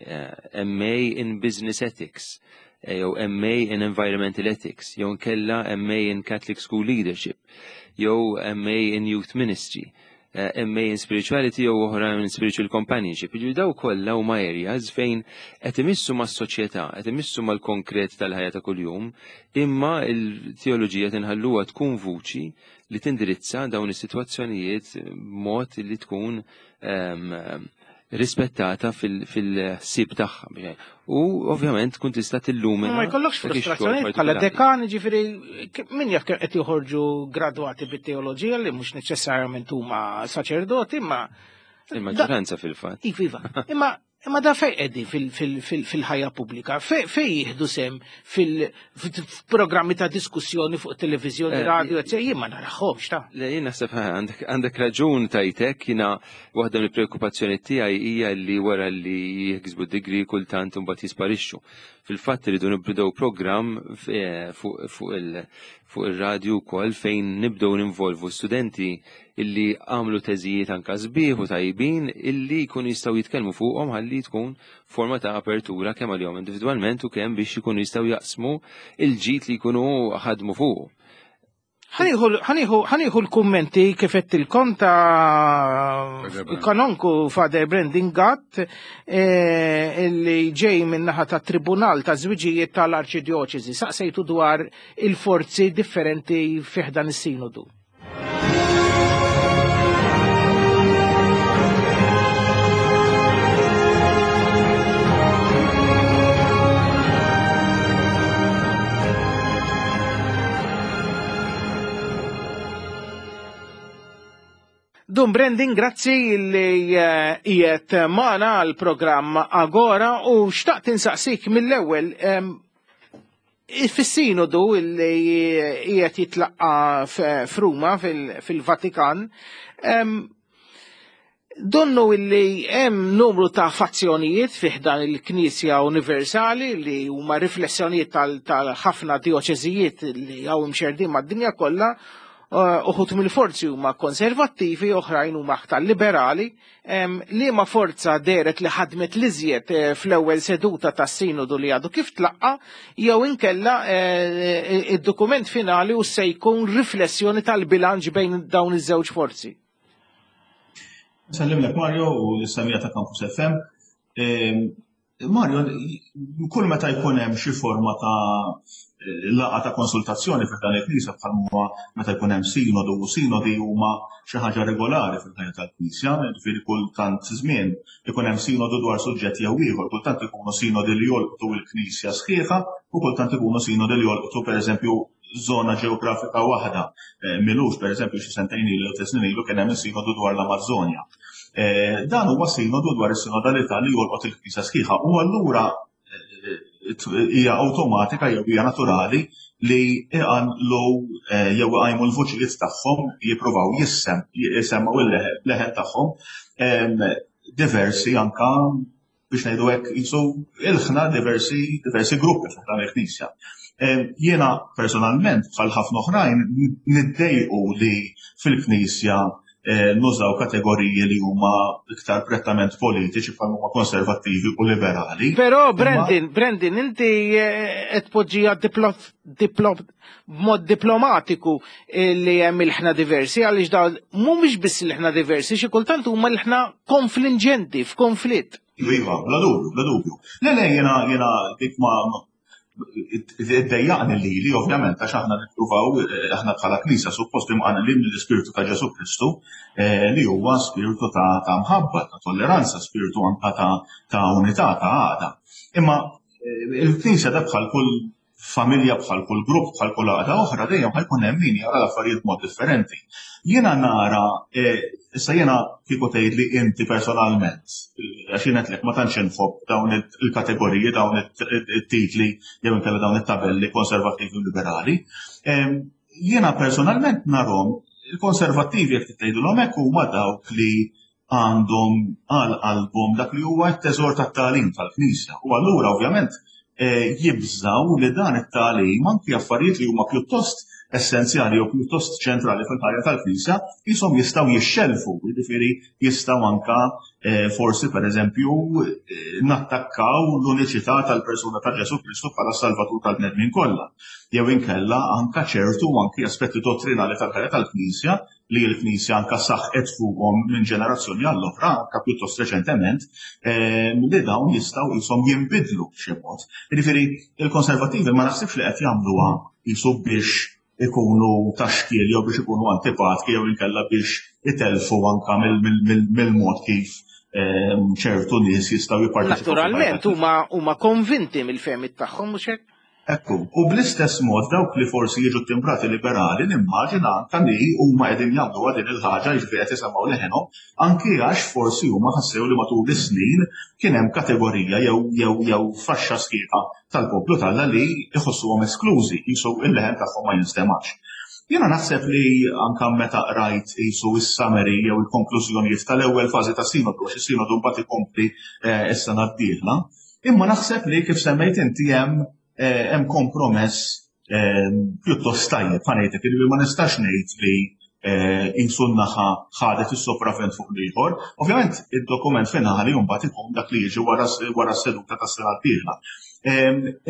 M A in Business Ethics, jew M A in Environmental Ethics, jew nkella M A in Catholic School Leadership, jew M A in Youth Ministry. M A in Spirituality jew oħra in Spiritual Companionship. Jiġifieri daw kollha huma areas fejn qed imissu mas-soċjetà, qed imissu mal-konkret tal-ħajja ta' kuljum, imma l-teoloġija tinħalluha tkun vuċi li tindirizza dawn is-sitwazzjonijiet b'mod li tkun rispettata fil-ħsieb tagħha. U ovvjament tkun tista' tillumina. Ma jkollokx frustrazzjoni bħala dekan, ġifieri min jaf kemm qed joħorġu gradwati bit-teoloġija li mhux neċessarjament huma saċerdoti, imma il-maġġoranza fil-fatt. Iva, imma imma da fejn qegħdin fil-ħajja pubblika, fejn jieħdu sem fil-programmi ta' diskussjoni fuq televiżjoni, radio, eccetera, jien ma naraħħomx ta'. Le, jien naħseb għandek raġun tajtek, jiena waħda mill-preokkupazzjoni tiegħi hija li wara li jiksbu degree kultant imbagħad jisparixxu. Fil-fatt iridu nibdew programm fuq ir-radju wkoll fejn nibdew ninvolvu studenti illi għamlu teżijiet anka sbieħ u tajbin illi jkunu jistgħu jitkellmu fuqhom ħalli tkun forma ta' apertura kemm għalihom individwalment u kemm biex ikunu jistgħu jaqsmu il-ġid li jkunu ħadmu fuq. Ħaniħu l-kummenti kif qedtilkom ta' kanonku Father Brandon Gatt illi ġej min-naħa ta' Tribunal ta' Żwiġijiet tal-Arċidjoċesi. Saqsejtu dwar il-forzi differenti fih dan is-sinodu. Dun Brandon, grazzi li qiegħed magħna għal programm Agora u xtaqt insaqsik mill-ewwel fis-sinodu li qiegħed jitlaqqa f'Ruma fil-Vatikan, donnu illi hemm numru ta' fazzjonijiet fih dan il-Knisja Universali li huma riflessjonijiet tal-ħafna dioċeżijiet li hawn imxerdin mad-dinja kollha. Uħut mill-forzi huma konservattivi, oħrajn huma aktar liberali, liema forza deret li ħadmet l-iżjed fl-ewwel seduta tas-sinodu li għadu kif tlaqqa, jew inkella id-dokument finali u se jkun riflessjoni tal-bilanċ bejn dawn iż-żewġ forzi. Nsellimlek Mario u l-istamija ta' Campus F M. Mario, kull meta jkun hemm xi forma ta' laqgħa ta' konsultazzjoni fil dan il-Knisja bħal huwa meta jkun hemm sinodu, u sinodi huma xi ħaġa regolari fil-ħajja tal-Knisja, jiġifieri kull tant żmien ikun hemm sinodu dwar suġġett jew ieħor, kultant ikunu sinodi li jolqtu l-Knisja sħiħa u kultant ikunu sinodi li jolqtu pereżempju żona ġeografika waħda. Milux pereżempju xi sentejn ilu jew tliet snin ilu kien hemm sinodu dwar l-Amazzonja. Dan huwa sinodu dwar is-sinodalità li jolqot il-Knisja sħiħa u allura hija awtomatika jew hija naturali li iqanqlu jew iqajmu l-vuċijiet tagħhom jippruvaw jissem jisemgħu il-leħen tagħhom diversi anka biex ngħidu hekk jisu ilħna diversi diversi gruppi f'dan il-Knisja. Jiena personalment bħal ħafna oħrajn niddejqu li fil-Knisja nużaw kategoriji li huma iktar prettament politiċi bħal huma konservattivi u liberali. Però Brandon, Brandon, inti qed tpoġġiha b'mod diplomatiku li hemm il-ħna diversi, għaliex dawn mhumiex biss il-ħna diversi, xi kultant huma l-ħna konfliġenti, f'konflitt. Iva, bla dubju, bla dubju. Le le jiena jiena dik ma iddejjaqni lili ovvjament għax aħna nippruvaw aħna bħala Knisja suppost imqanqlin mill-Ispirtu ta' Ġesu Kristu li huwa spiritu ta' mħabba, ta' tolleranza, spiritu anka ta' unità, ta' għaqda. Imma il-Knisja da bħal kull familja, bħal kull grupp, bħal kull għaqda oħra dejjem ħajkun hemm min jara l-affarijiet b'mod differenti. Jiena nara, issa jiena kieku tgħidli inti personalment, għax jien qedlek ma tantx inħobb dawn il-kategoriji, dawn it-titli jew inkella dawn it-tabelli konservattivi u liberali. Jiena personalment narhom il-konservattivi jekk tgħidulhom hekk huma dawk li għandhom għal qalbhom dak li huwa t-teżor tat-tagħlim tal-Knisja. U allura ovvjament jibżaw li dan it-tagħlim anki affarijiet li huma pjuttost essenzjali jew pjuttost ċentrali fil-ħajja tal-Knisja qishom jistgħu jixxelfu, jiġifieri jistgħu anka eh, forsi pereżempju eh, nattakkaw l-uniċità tal-persuna ta' Ġesù Kristu bħala Salvatur tal-bnedmin kollha. Jew inkella anka ċertu anki aspetti dottrinali tal-ħajja tal-Knisja li l-Knisja anka saħqet fuqhom minn ġenerazzjoni għall-oħra, anka pjuttost reċentement, eh, li dawn jistgħu qishom jinbidlu b'xi mod. Jiġifieri il-Konservattivi ma naħsibx li qed jagħmluha qisu biex ikunu ta' xkiel jew biex ikunu antipatki jew inkella biex itelfu anka mill-mod kif ehm, ċertu nies jistgħu jipparteċipaw. Naturalment huma huma konvinti mill-fehmiet tagħhom, mhux hekk? Ekku, u bl-istess mod dawk li forsi jiġu timbrati liberali nimmaġina anka li huma qegħdin jagħmluha din il-ħaġa, jiġifieri qed isemgħu leħenhom anki għax forsi huma ħassew li matul is-snin kien hemm kategorija jew jew jew faxxa sħiħa tal-poplu t'Alla li jħossuhom esklużi, qisu il-leħen tagħhom ma jinstemax. Jiena naħseb li anka meta qrajt qisu is-summary jew il-konklużjonijiet tal-ewwel fażi ta' sinodu, għax is-sinodu mbagħad ikompli eh, is-sena d-dieħla, imma naħseb li kif semmejt inti hemm eh, hemm kompromess eh, pjuttost tajjeb, ħa ngħidlek, li ma nistax ngħid li qisu naħa ħadet is-sopravvent fuq l-ieħor. Ovvjament id-dokument finali mbagħad ikun dak li jiġi wara s-seduta tas-sena d-dieħla.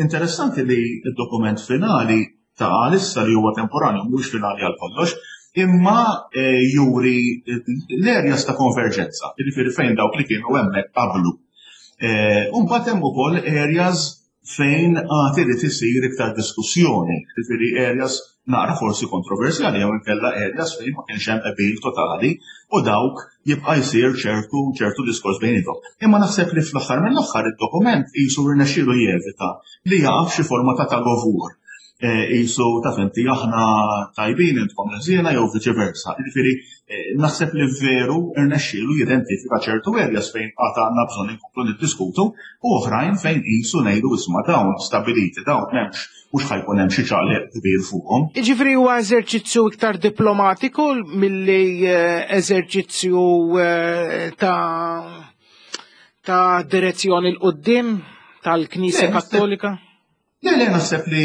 Interessanti li d-dokument finali ta' għalissa li huwa temporanju, mhux finali għal kollox, imma eh, juri l-areas ta' konverġenza, jiġifieri fejn dawk li kienu hemmhekk qablu. Eh, u mbagħad hemm ukoll areas fejn għad irid isir iktar diskussjoni, jiġifieri areas naqra forsi kontroversjali jew inkella areas fejn ma kienx hemm qbil totali u dawk jibqa' jsir ċertu ċertu diskors bejniethom. Imma naħseb li fl-aħħar mill-aħħar id-dokument qisu rnexxielu jevita li jaqa' f'xi forma ta' tug of war. Qisu ta' inti aħna tajbin, intkom ħżiena, jew viċi versa. Jiġifieri eh, naħseb li veru rnexxielu jidentifika ċertu areas fejn għad għandna bżonn inkomplu niddiskutu u oħrajn fejn qisu ngħidu, isma', dawn stabiliti, dawn m'hemmx, mhux ħa jkun hemm xi ċaqliq kbir fuqhom. Jiġifieri huwa eżerċizzju iktar diplomatiku milli eh, eżerċizzju eh, ta' ta' direzzjoni 'l quddiem tal-Knisja Kattolika? Le, le, naħseb li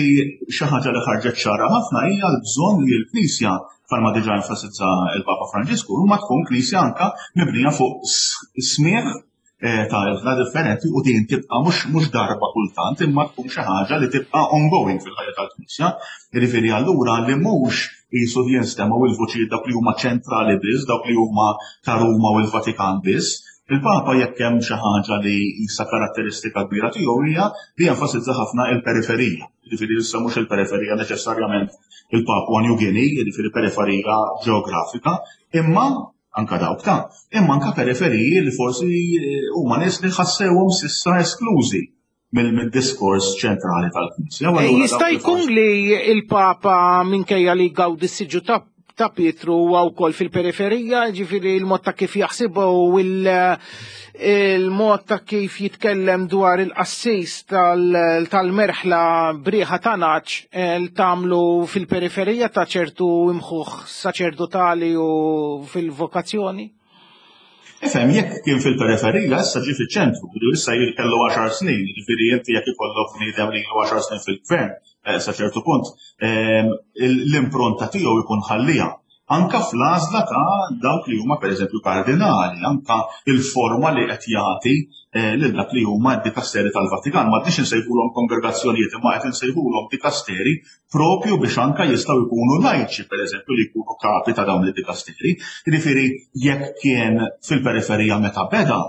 xi ħaġa li ħarġet ċara ħafna hija l-bżonn li l-Knisja, bħalma diġà enfasizza il-Papa Franġisku, ma tkun Knisja anka mibnija fuq smigħ eh, ta' ilħna differenti u din tibqa' mhux mhux darba kultant, imma tkun xi ħaġa li tibqa' ongoing fil-ħajja tal-Knisja. Jiġifieri allura li mhux qisu jinstemgħu il-vuċijiet dawk li huma ċentrali biss, dawk li huma ta' Ruma u l-Vatikan biss. Il-Papa, jekk hemm xi ħaġa li issa karatteristika kbira tiegħu, hija li jenfasizza ħafna il-periferija. Jiġifieri issa mhux il-periferija neċessarjament il-Papua New Guinea, jiġifieri periferija ġeografika, imma anka dawk ta' imma anka periferiji li forsi eh, huma nies li ħassewhom s'issa esklużi mill-diskors ċentrali tal-Knisja. Eh, jista' jkun li il-Papa, minkejja li gawdi s-siġġu ta' ta' Pietru, huwa wkoll fil-periferija, ġifieri il-mod ta' kif jaħsibha u il-mod ta' kif jitkellem dwar il-qassis tal-merħla b'riħa ta' nagħaġ eh, tagħmlu fil-periferija ta' ċertu imħuħ saċerdotali u fil-vokazzjoni? Ifhem, jekk kien fil-periferija, issa ġi fiċ-ċentru, issa kellu għaxar snin, ġifieri inti jekk ikollok bniedem li ilu għaxar snin fil-gvern, eh, sa ċertu punt, ehm, l-impronta tiegħu jkun ħallija. Anka fl-għażla ta' dawk li huma pereżempju kardinali, anka il-forma li qed jagħti eh, lil dak li huma d-dikasteri tal-Vatikan. Ma qegħdinx insejħulhom kongregazzjonijiet, imma qed insejħulhom dikasteri propju biex anka jistgħu jkunu lajċi, pereżempju, li jkunu kapi ta' dawn id-dikasteri. Jiġifieri jekk kien fil-periferija meta beda,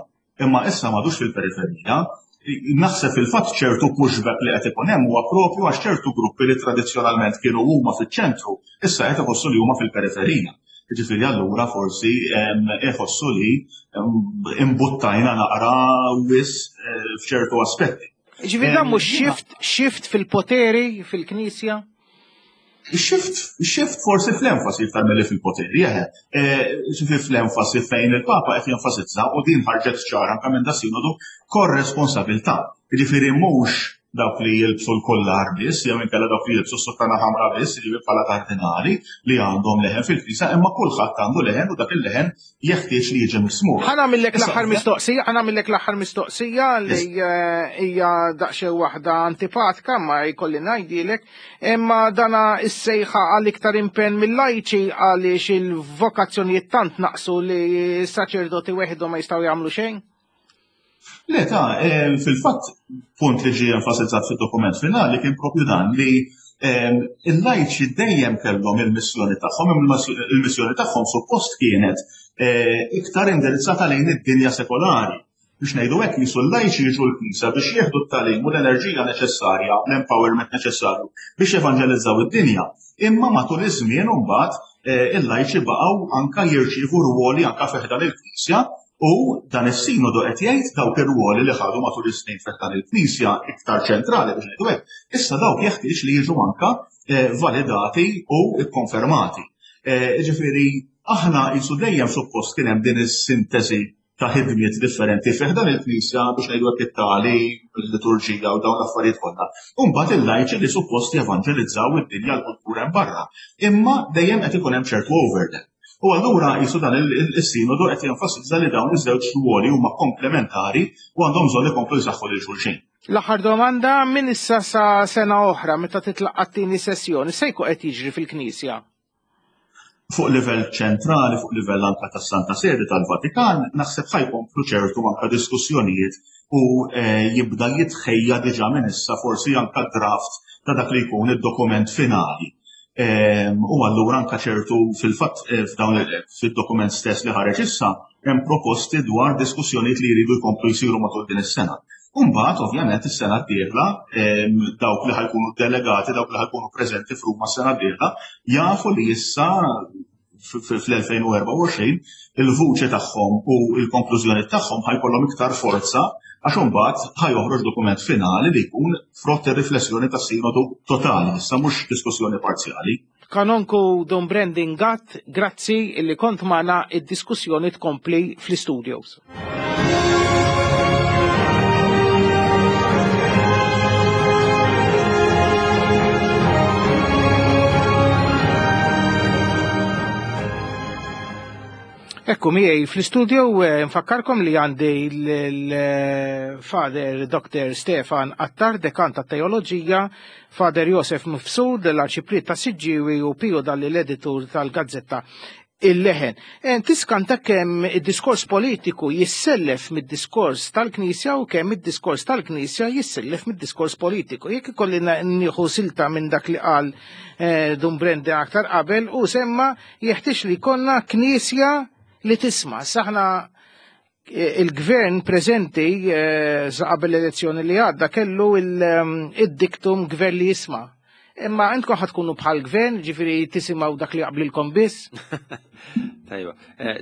imma issa m'għadux fil-periferija, naħseb fil-fatt ċertu pushback li qed ikun hemm huwa propju għax ċertu gruppi li tradizzjonalment kienu huma fiċ-ċentru, issa qed iħossu li huma fil-periferija. Ġifieri allura forsi iħossu li imbuttajna naqra wisq eh, f'ċertu aspetti. Ġifieri dan mhux shift, shift fil-poteri fil-Knisja? Shift, shift forsi fl-enfasi iktar milli fil-poteri, eħe. Eh, ġifieri fl-enfasi fejn il-Papa qed jenfasizza, u din ħarġet ċara anke minn da sinodu, korresponsabilità. Ġifieri mhux dawk li jilbsu l-kollar biss, jew inkella dawk li jilbsu s-sottana ħamra biss, jiġifieri bħala kardinali li għandhom leħen fil-Knisja, imma kulħadd għandu leħen u dak il-leħen jeħtieġ li jiġi mismugħ. Ħa nagħmillek l-aħħar mistoqsija, ħa nagħmillek l-aħħar mistoqsija li hija daqsxejn waħda antipatika ma jkolli ngħidilek, imma dana is-sejħa għal iktar impenn mill-lajċi għaliex il-vokazzjonijiet tant naqsu li s-saċerdoti weħidhom ma jistgħu jagħmlu xejn? Le ta' fil-fatt punt li ġie enfasizzat fid-dokument finali kien propju dan li il-lajċi dejjem kellhom il-missjoni tagħhom, il-missjoni tagħhom suppost kienet iktar indirizzata lejn id-dinja sekolari. Biex ngħidu hekk jisu l-lajċi jiġu l-Knisja biex jieħdu t-tagħlim u l-enerġija neċessarja, l-empowerment neċessarju biex evanġelizzaw id-dinja. Imma matul iż-żmien imbagħad il-lajċi baqgħu anka jirċievu rwoli anka fi ħdan il-Knisja. U dan is-sinodu qed jgħid dawk ir-rwoli li ħadu matul is-snin fi ħdan il-Knisja iktar ċentrali biex ngħidu hekk, issa dawk jeħtieġ li jiġu anka validati u kkonfermati. Jiġifieri aħna qisu dejjem suppost kien hemm din is-sintesi ta' ħidmiet differenti fi ħdan il-Knisja biex ngħidu hekk it-tagħlim, il-liturġija u dawn l-affarijiet kollha. U mbagħad il-lajċi li suppost jevanġelizzaw id-dinja l-kultura hemm barra. Imma dejjem qed ikun hemm ċertu overlap. U allura jisu dan il-sinodu qed jenfasizza li dawn iż-żewġ ruoli huma komplementari u għandhom bżonn ikomplu jsaħħu lil xulxin. L-aħħar domanda, minn issa sa sena oħra meta titlaqqa' t-tieni sessjoni se jkun qed jiġri fil-Knisja? Fuq livell ċentrali, fuq livell anka tas-Santa Sede tal-Vatikan, naħseb ħa jkomplu ċertu anka diskussjonijiet u jibda jitħejja diġà minn issa forsi anka draft ta' dak li jkun id-dokument finali. U allura anka ċertu fil-fatt f'dawn fid-dokument stess li ħareġ issa hemm proposti dwar diskussjonijiet li jridu jkomplu jsiru matul din is-sena. U mbagħad ovvjament is-sena d-dieħla dawk li ħajkunu delegati, dawk li ħajkunu preżenti f'Ruma s-sena d-dieħla jafu li issa fl-elfejn u erbgħa u għoxrin il-vuċi tagħhom u l-konklużjoni tagħhom ħajkollhom iktar forza għax imbagħad ħajoħroġ dokument finali li jkun frott ir-riflessjoni tas-sinodu totali, issa mhux diskussjoni parzjali. Kanonku Dun Brendan Gatt, grazzi li kont magħna, id-diskussjoni tkompli fl-istudios. Ekku miegħi fl-istudio nfakkarkom li għandi l-Father Doctor Stefan Attard, dekan ta' teoloġija, Father Josef Mifsud, l-Arċipriet ta' Siġġiewi u Pio Dalli l-editur tal-Gazzetta Il-Leħen. Tiskanta kemm id-diskors politiku jissellef mid-diskors tal-Knisja u kemm id-diskors tal-Knisja jissellef mid-diskors politiku. Jekk ikolli nieħu silta minn dak li qal Dun Brendan aktar qabel u semma jeħtieġ li jkollna Knisja li tisma'. Saħna il-gvern preżenti qabel l-elezzjoni li għadda kellu id-diktum gvern li jisma'. Imma intkom ħad tkunu bħal gvern, ġifieri tisimgħu dak li jaqblilkom biss. Tajba.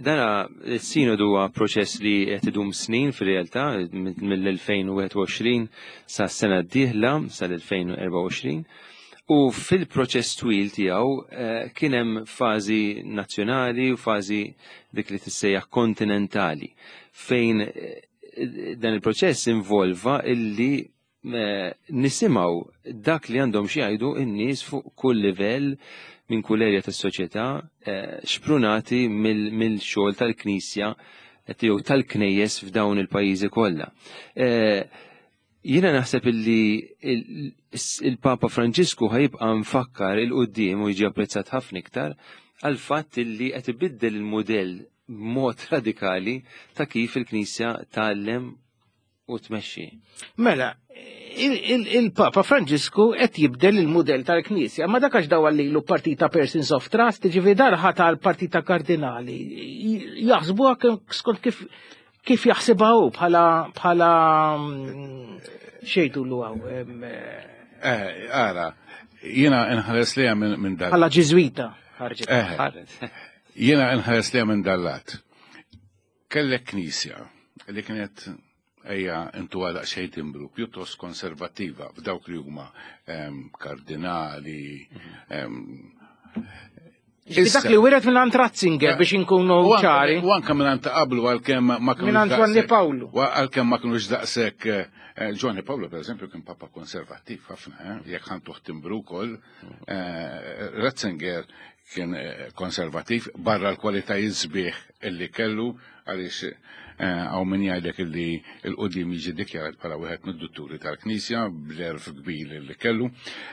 Dana s-sinodu huwa proċess li qed idum snin fir-realtà mill-elfejn u wieħed u għoxrin sa s-sena d-dieħla sal-elfejn u erbgħa u għoxrin. U fil-proċess twil tiegħu kien hemm fażi nazzjonali u fażi dik li tissejjaħ kontinentali fejn dan il-proċess involva illi nisimgħu dak li għandhom xi jgħidu n-nies fuq kull livell minn kull erja tas-soċjetà xprunati mill-xogħol tal-Knisja jew tal-Knejjes f'dawn il-pajjiżi kollha. Jiena naħseb illi il-Papa Franġisku ħajibqa' mfakkar il-qudiem u jiġi apprezzat ħafna iktar għal fatt illi qed ibiddel il-mudell b'mod radikali ta' kif il-Knisja tgħallem u tmexxi. Mela, il-Papa Franġisku qed jibdel il-mudell tal-Knisja, ma dak għax dawar lilu partita persons of trust, ġifieri darħa tal-partita kardinali. Jaħsbuha skont kif kif jaħsibha hu bħala bħala xejtulu hawn. Eh, ara, jiena nħares liha minn dal. Bħala Ġiżwita ħarġet. Jiena nħares liha minn dal-lat. Kellek Knisja li kienet ejja intu għal xejn timbru pjuttost konservattiva f'dawk li huma kardinali. Dak li wiret minn għand Ratzinger biex inkunu ċari. U anke minn għand qablu għalkemm ma kinux. Minn għand Giovanni Paolo. Għalkemm ma kinux daqshekk Eh, Giovanni Paolo, per eżempju, kien papa konservattiv ħafna, eh, jekk ħa ntuh timbru wkoll. Eh, Ratzinger kien konservattiv barra l-kwalitajiet sbieħ illi kellu, għaliex hawn min jgħidlek illi 'l quddiem jiġi dikjarat bħala wieħed mid-dutturi tal-Knisja bl-għerf kbir illi kellu.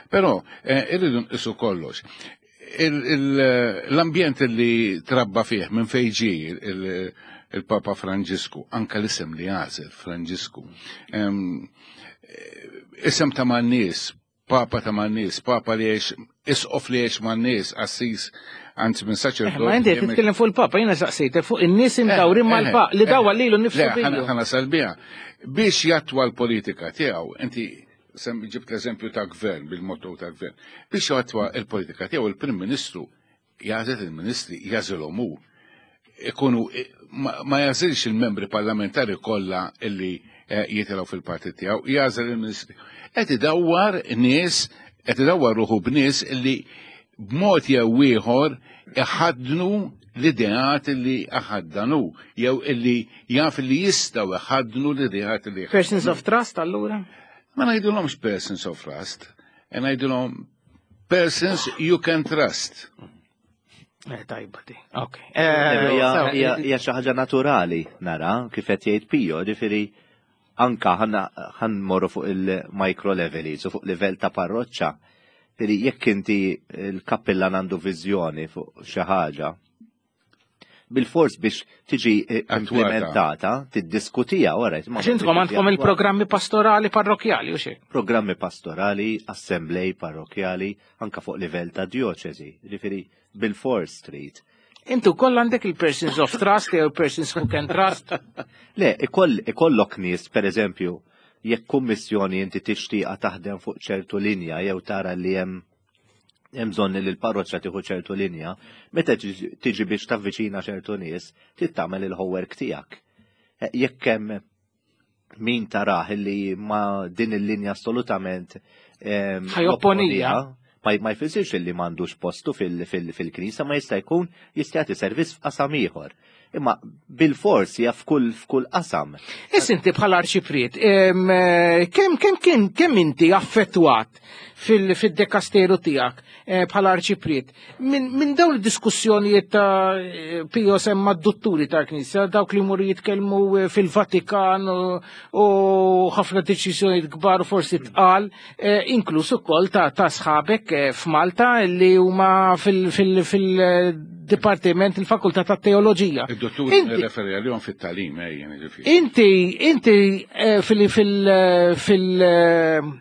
Però irridu nqisu kollox. L-ambjent li trabba fih, minn fejn ġie il-Papa Franġisku, anka l-isem li għażel, Franġisku. Isem ta' man-nies, Papa ta' man-nies, Papa li għex, isqof li għex man-nies, qassis, anzi minn saċerdot. Eh, ma inti titkellem fuq il-Papa, jiena saqsejtek fuq in-nies imdawrin eh, mal-Papa li dawwa lilu nnifsu. Ħa nasal biha. Biex jattwa l-politika tiegħu, inti ġibt l-eżempju ta' gvern, bil-motto ta' gvern. Biex jattwa l-politika tiegħu, il-Prim Ministru jagħżel il-ministri, jagħżilhom hu. Ikunu ma jagħżilx il-membri parlamentari kollha illi eh, jitilgħu fil-partit tiegħu, jagħżel il-ministri. Qed idawwar nies, qed idawwar ruħu b'nies illi b'mod jew ieħor iħaddnu l-ideat li iħaddanu, jew illi jaf li jistgħu iħaddnu l-ideat li Persons of trust allura? Ma ngħidulhomx persons of trust, e ngħidulhom persons you can trust. Eh, tajba di. Ok. Eh, hija xi ħaġa naturali nara kif qed jgħid Pio, ġifieri anka ħa mmorru fuq il-micro level, so fuq livell ta' parroċċa. Ġifieri jekk inti il-kappillan għandu viżjoni fuq xi ħaġa, bil-fors biex tiġi implementata, tiddiskutija wara. Għax intkom għandkom il-programmi pastorali parrokjali u xi? Programmi pastorali, assemblej parrokjali, anka fuq livell ta' dioċesi. Ġifieri bil-fors trid. Intu koll għandek il-persons of trust jew persons who can trust? Le, ikollok nies, per eżempju, jekk kummissjoni inti tixtieqa taħdem fuq ċertu linja jew tara li hemm hemm bżonn li l-parroċċa tieħu ċertu linja, meta tiġi biex tavviċina ċertu nies, trid tagħmel il-homework tiegħek. Eh, jekk hemm min tarah li ma din il-linja assolutament ħa jopponiha. Ma ma jfissirx li m'għandux postu fil-knisja, ma jista' jkun jista' jagħti servizz f'qasam ieħor. Imma bil-fors hija f'kull f'kull qasam. Issa inti bħala arċipriet, kemm kemm kemm kemm inti affettwat fil-dekasteru tiegħek eh, bħala arċipriet minn min dawn id-diskussjonijiet ta' Pio semma d-dutturi tal-Knisja, dawk li jmorru jitkellmu eh, fil-Vatikan u ħafna deċiżjonijiet kbar forsi tqal, eh, inkluż ukoll ta' sħabek f'Malta li huma fil-Dipartiment il-Fakultà ta' Teoloġija. Id-dottur referi għalihom fit-tagħlim, ejjen. Inti, inti fil- fil- fil-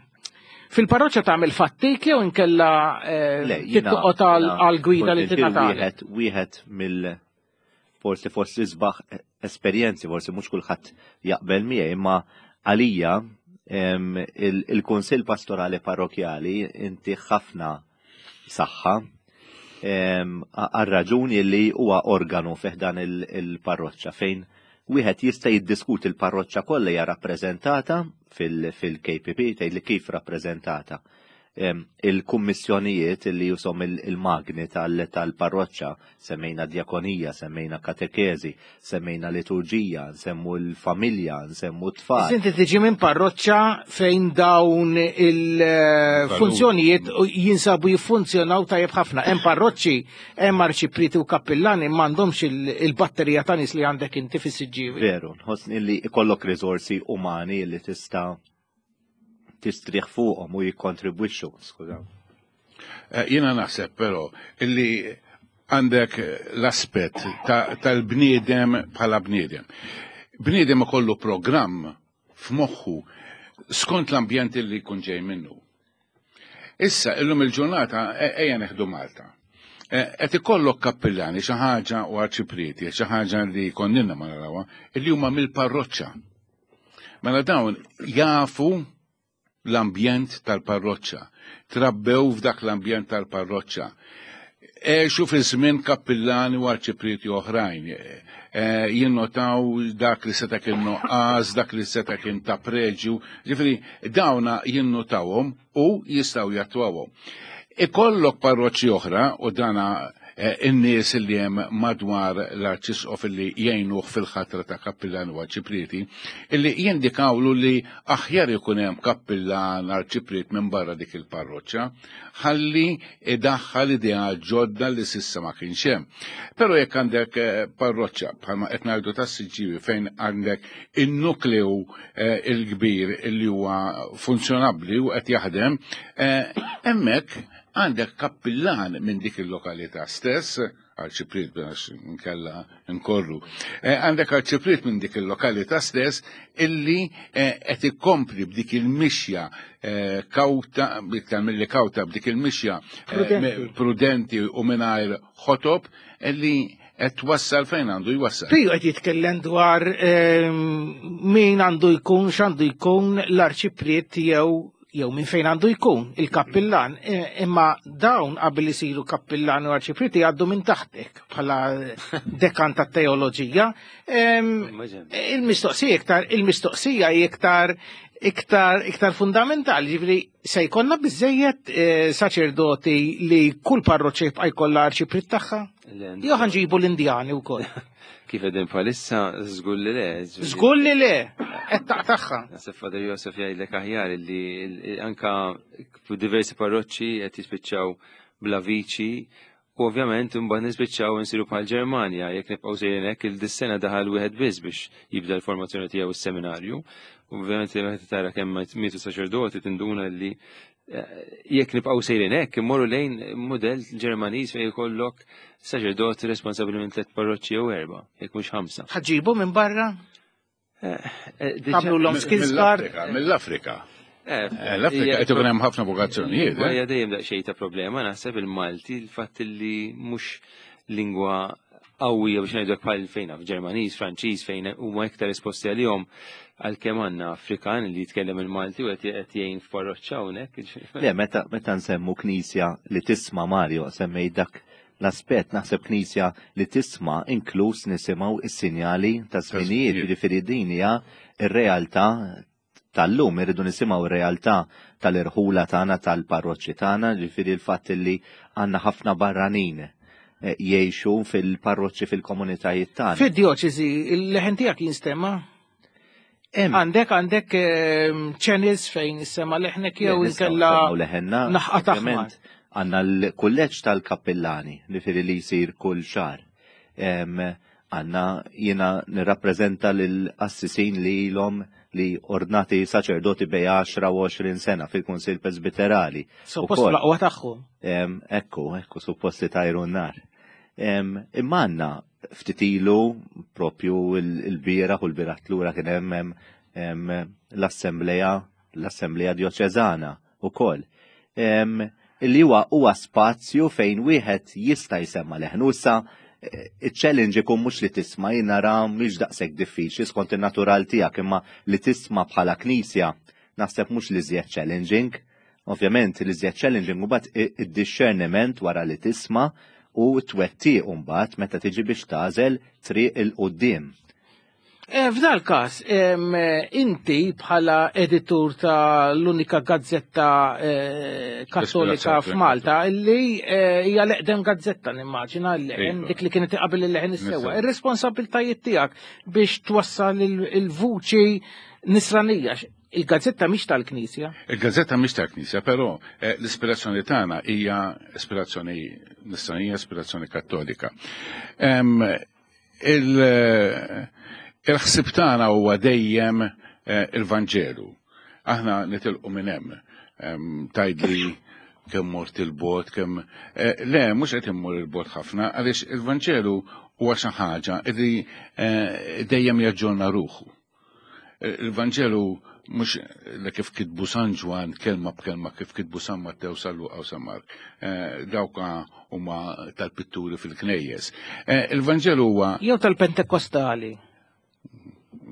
fil-parroċċa tagħmel fattik jew inkella tittoqgħod għal-gwida li tingħata? Wieħed wieħed mill forsi forsi isbaħ esperjenzi, forsi mhux kulħadd jaqbel miegħi, imma għalija il-Kunsill Pastorali Parrokjali inti ħafna saħħa għal-raġuni li huwa organu fih dan il-parroċċa fejn wieħed jista' jiddiskuti, l-parroċċa kollha hija rappreżentata fil-K P P, tgħid li kif rappreżentata. Il-kummissjonijiet li jusom il-magni tal-parroċċa, semmejna djakonija, semmejna katekezi, semmejna liturġija, nsemmu l-familja, nsemmu t-tfal. Inti tiġi minn parroċċa fejn dawn il-funzjonijiet jinsabu jiffunzjonaw tajjeb ħafna. Hemm parroċċi, hemm arċiprieti u kappillani m'għandhomx il-batterija ta' nies li għandek inti fis-Siġġiewi. Veru, nħossni li ikollok riżorsi umani li tista' tistrieħ fuqhom u jikkontribwixxu, skużaw. Eh, jiena naħseb però illi għandek l-aspett tal-bniedem bħala bniedem. Bniedem ikollu programm f'moħħu skont l-ambjent li jkun ġej minnu. Issa, illum il-ġurnata, e, ejja neħdu Malta. E, qed ikollok kappillani xi ħaġa u arċiprieti, xi ħaġa li konninna ma narawha, illi huma mill-parroċċa. Mela dawn jafu l-ambjent tal-parroċċa, trabbew f'dak l-ambjent tal-parroċċa. Għexu fi żmien kappillani u arċiprieti oħrajn. E, jinnotaw dak li seta' kien nuqqas, dak li seta' kien ta' preġju, ġifieri dawna jinnotawhom u jistgħu jattwawhom. Ikollok parroċċi oħra u dana in-nies li hemm madwar l-Arċisqof li jgħinuh fil-ħatra ta' kappillan u arċiprieti, illi jindikawlu li aħjar ikun hemm kappillan arċipriet minn barra dik il-parroċċa, ħalli idaħħal idea ġodda li s'issa ma kienx hemm. Però jekk għandek parroċċa bħalma qed ngħidu tas-Siġġiewi fejn għandek in-nukleu il-kbir illi huwa funzjonabbli u qed jaħdem, hemmhekk għandek kappillan minn dik il-lokalità stess, arċipriet biex nkella nkorru, għandek arċipriet minn dik il-lokalità stess illi qed ikompli b'dik il-mixja kawta, iktar milli kawta, b'dik il-mixja prudenti u mingħajr ħotob illi qed twassal fejn għandu jwassal. Piju qed jitkellem dwar min għandu jkun, x'għandu jkun l-arċipriet jew jew minn fejn għandu jkun il-kappillan, imma dawn qabel isiru kappillan u arċiprieti għaddu minn taħtek bħala dekan tat-teoloġija. Il-mistoqsija iktar, il-mistoqsija iktar iktar iktar fundamentali, ġifieri se jkollna biżejjed saċerdoti li kull parroċċa jibqa' jkollha arċipriet tagħha? Jew ħanġibu l-Indjani wkoll. Kif qegħdin bħalissa, żgur li le. Żgur li le, qed taqtagħha. Naħseb Father Joseph jgħidlek aħjar li anka diversi parroċċi qed jispiċċaw bla viċi u ovvjament imbagħad nispiċċaw insiru bħal Ġermanja, jekk nibqgħu sejrin hekk il-dis-sena daħal wieħed biss biex jibda l-formazzjoni tiegħu s-seminarju. Ovvjament meta tara kemm mietu saċerdoti tinduna li jekk nibqgħu sejrin hekk immorru lejn mudell Ġermaniż fejn jkollok saċerdoti responsabbli minn tliet parroċċi jew erba', jekk mhux ħamsa. Ħaġibu minn barra? Għamlu l-om skills card? Mill-Afrika. L-Afrika qed ikun hemm ħafna vokazzjonijiet. Hija dejjem daqsxejn ta' problema naħseb il-Malti, il-fatt li mhux lingwa qawwija biex ngħidu bħal fejn f'Ġermaniż, Franċiż, fejn huma iktar esposti għalihom, għalkemm għandna Afrikan li jitkellem il-Malti u qed jgħin f'parroċċa hawnhekk. Le, meta meta nsemmu knisja li tisma', Mario, semmej dak l-aspett, naħseb knisja li tisma' inkluż nisimgħu is-sinjali ta' żminijiet, jiġifieri din hija r-realtà tal-lum, irridu nisimgħu r-realtà tal-irħula tagħna, tal-parroċċi tagħna, jiġifieri l-fatt li għandna ħafna barranin jgħixu fil-parroċċi fil-komunitajiet tagħna. Fid-djoċesi, il-leħen tiegħek jinstema'? Għandek għandek channels fejn jissema leħnek jew inkella naħqa taħmar. Għandna l-kulleġġ tal-kappillani li firri li jsir kull xahar. Għandna jiena nirrappreżenta lill-qassisin li ilhom li ordnati saċerdoti bej għaxra u għoxrin sena fil-Kunsill Presbiterali. Suppost l-aqwa tagħhom. Ekku, ekku, suppost li tajru n-nar. Imma għandna ftit ilu propju il-bieraħ u l-bieraħ tlura kien hemm l-assembleja, l-assembleja djoċeżana wkoll. Illi huwa huwa spazju fejn wieħed jista' jsemma leħnu. Issa il-challenge ikun mhux li tisma', jien nara mhix daqshekk diffiċli skont in-natural tiegħek, imma li tisma' bħala knisja naħseb mhux li żjed challenging. Ovvjament li żjed challenging mbagħad id-discerniment wara li tisma' u twettiq mbagħad meta tiġi biex tagħżel triq il-quddiem. F'dal każ, inti bħala editur ta' l-unika gazzetta kattolika f'Malta, illi hija l-eqdem gazzetta nimmaġina, l-leħen, dik li kienet qabel il-leħen is-sewwa. Ir-responsabiltajiet tiegħek biex twassal il-vuċi nisranija. Il-gazzetta mhix tal-Knisja. Il-gazzetta mhix tal-Knisja, però l-ispirazzjoni tagħna hija ispirazzjoni nisranija, ispirazzjoni kattolika. Il-ħsieb tagħna huwa dejjem il-Vanġelu. Aħna nitilqu minn hemm. Tgħidli kemm mort il-bot, kemm le, mhux qed immur il-bot ħafna, għaliex il-Vanġelu huwa xi ħaġa li dejjem jaġġorna ruħu. Il-Vanġelu mhux li kif kitbu San Ġwann kelma b'kelma kif kitbu San Mattew, San Luqa u San Mark. Dawka huma tal-pitturi fil-knejjes. Il-Vanġelu huwa jew tal-Pentekostali.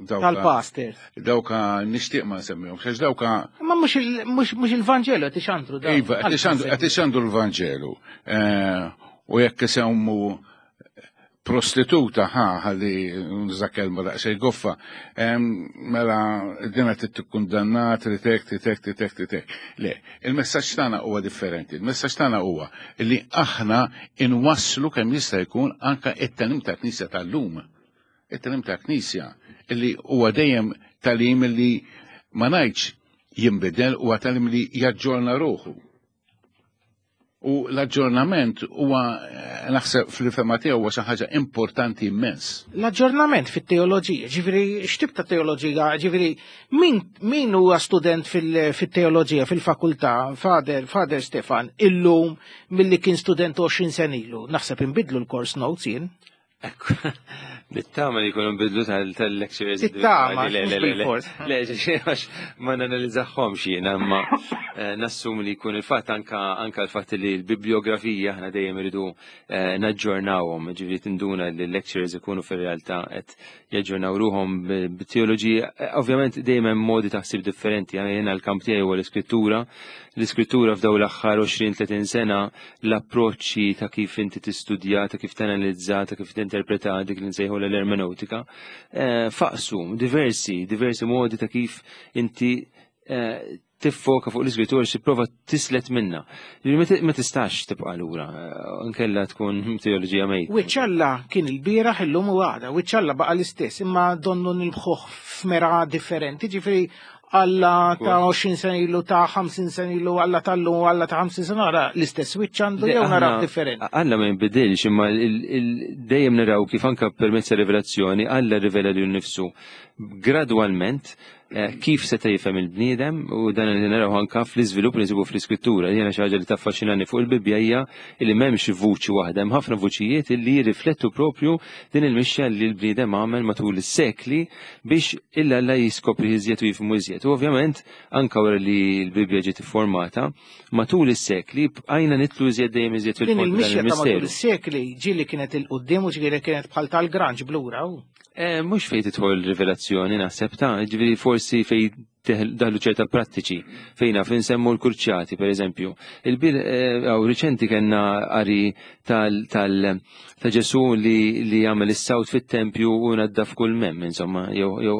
Tal-pastors. Dawka nixtieq ma nsemmihom, għax dawka. Ma mhux il-Vanġelu qed ixandru dawn. Iva, qed ixandru l-Vanġelu. U jekk isemmu prostituta, ħa, ħalli nuża kelma daqsxejn goffa, mela dina tikkundannat, tritek, tritek, tritek, tritek. Le, il-messaġġ tagħna huwa differenti. Il-messaġġ tagħna huwa li aħna inwasslu kemm jista' jkun anka it-tagħlim ta' Knisja tal-lum. It-tagħlim ta' Knisja illi huwa dejjem tagħlim li ma ngħidx jinbidel, huwa tagħlim li jaġġorna ruħu. U l-aġġornament huwa, naħseb fil-fema tiegħu, huwa xi ħaġa importanti immens. L-aġġornament fit-teoloġija, ġifieri x'tip ta' teoloġija, ġifieri min, min huwa student fit-teoloġija fil-fakultà, Father, Father Stefan, illum milli kien student għoxrin sena ilu, naħseb inbidlu l-course notes jien. Ekku, nittama li jkunu nbidlu tal-lectures. Nittama, Le, le, le, le. Le, għax ma nanalizzaħħomx jiena, imma nassum li jkun il-fatt anka anka l-fatt li l-bibliografija aħna dejjem iridu naġġornawhom, ġifieri tinduna li l-lectures ikunu fir-realtà qed jaġġornaw ruhom bit-teoloġija. Ovvjament dejjem hemm modi ta' ħsieb differenti, jiena l-kamp tiegħi huwa l-iskrittura. L-iskrittura f'dawn l-aħħar għoxrin tletin sena l-approċċi ta' kif inti tistudja, ta' kif tanalizza, ta' kif tinterpreta dik li nsejħu l-ermeneutika, faqsu diversi, diversi modi ta' kif inti tiffoka fuq l-iskrittura xi prova tislet minna. Ma tistax tibqa' lura, nkella tkun teoloġija mejta. Wiċċ Alla kien il-bieraħ, illum u għada, wiċċ Alla baqa' l-istess, imma donnu nilbħuh f'mera differenti, ġifieri Alla ta' għoxrin sena ilu, ta' ħamsin sena ilu, Alla tal-lum, Alla ta' ħamsin sena oħra, l-istess wiċċ għandu jew naraw differenti. Alla ma jinbidilx, imma dejjem naraw kif anka permezz ta' rivelazzjoni Alla rivela lilu nnifsu gradwalment kif seta' jifhem il-bniedem, u dan li naraw anka fl-iżvilupp li nsibu fl-iskrittura. Jiena xi ħaġa li taffaxxinani fuq il-Bibbja hija li m'hemmx vuċi waħda, hemm ħafna vuċijiet li jirriflettu propju din il-mixja li l-bniedem għamel matul is-sekli biex illa Alla jiskopri iżjed u jifhmu iżjed. U ovvjament anka wara li l-Bibbja ġiet iffurmata, matul is-sekli bqajna nitlu iżjed dejjem iżjed fil-fond Din il-mixja dan ta' matul il-misteru. is-sekli ġieli kienet il-qudiem u ġieli kienet bħal tal-granġ blura. Mhux fejn tidħol rivelazzjoni naħseb ta', ġifieri forsi fejn daħlu ċerta prattiċi fejn naf insemmu l-kurċjati per eżempju. Il-bil għaw riċenti kellna qari tal, tal, ta' Ġesu li, li jagħmel is-sawt fit-tempju u naddaf kull mem, insomma, jew, jew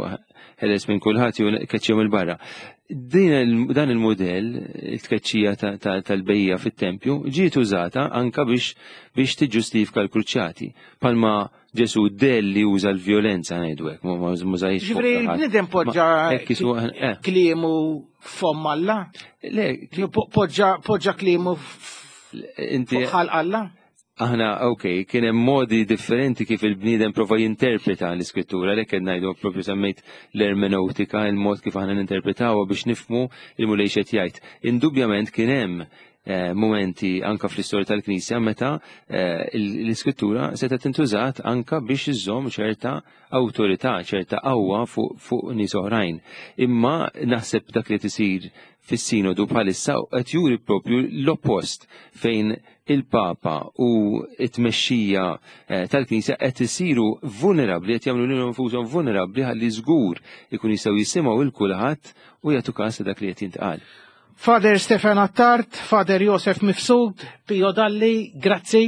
ħeles minn kulħadd jew keċċihom il-barra. Din il-, dan il-modell, it-tkeċċija ta-, ta-, tal-bejja fit-tempju, ġiet użata anka biex, biex tiġġustifika l-kruċjati. Palma Ġesu del li uża l-vjolenza ngħidu hekk, ma-, ma mużajx fuq Ġifieri ta' ħadd. l-bniedem poġġa Ma hekk isu, eh. kliemu f'fomm Alla? Le, Ġifieri po-, poġġa, poġġa kliemu f-, Inti fuq ħalq Alla? Aħna, ok, kien hemm modi differenti kif il-bniedem prova jinterpreta l-iskrittura, għalhekk qed ngħidu propju semmejt l-ermeneutika, il-mod kif aħna ninterpretawha biex nifhmu il-Mulej x'qed jgħid. Indubjament kien hemm, eh, momenti anka fl-istorja tal-Knisja meta, eh, il-, l-iskrittura setgħet tintużat anka biex iżżomm ċerta awtorità, ċerta qawwa fuq, fuq nies oħrajn. Imma naħseb dak li tisir fis-sinodu bħalissa qed juri propju l-oppost fejn il-Papa u t-tmexxija, eh, tal-Knisja qed isiru vulnerabbli, qed jagħmlu lilhom infushom vulnerabbli ħalli żgur ikun jistgħu jisimgħu lil kulħadd u jagħtu każ dak li qed jintqal. Father Stefan Attard, Father Josef Mifsud, Pio Dalli, grazzi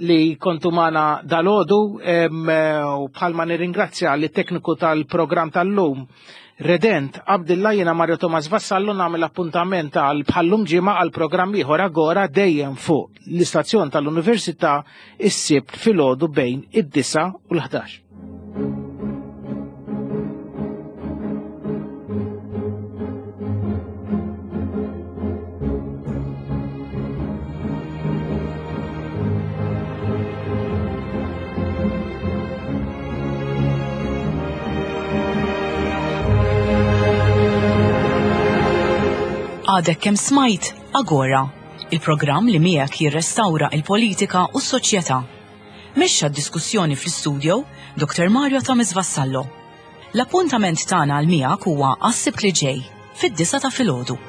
li kontu magħna dalodu, em, u bħalma nirringrazzja li tekniku tal-programm tal-lum, Redent Abdillah, jiena Mario Thomas Vassallo, nagħmel appuntament għal bħallum ġimgħa għal programm ieħor Agora dejjem fuq l-istazzjon tal-Università is-Sibt filgħodu bejn id-disa u l-ħdax. Għadek kemm smajt Agora, il-programm li miegħek jirrestawra il-politika u s-soċjetà. Mexxa d-diskussjoni fl-istudio Doktor Mario Thomas Vassallo. L-appuntament tagħna għal miegħek huwa għas-Sibt li ġej, fid-disa ta' filgħodu.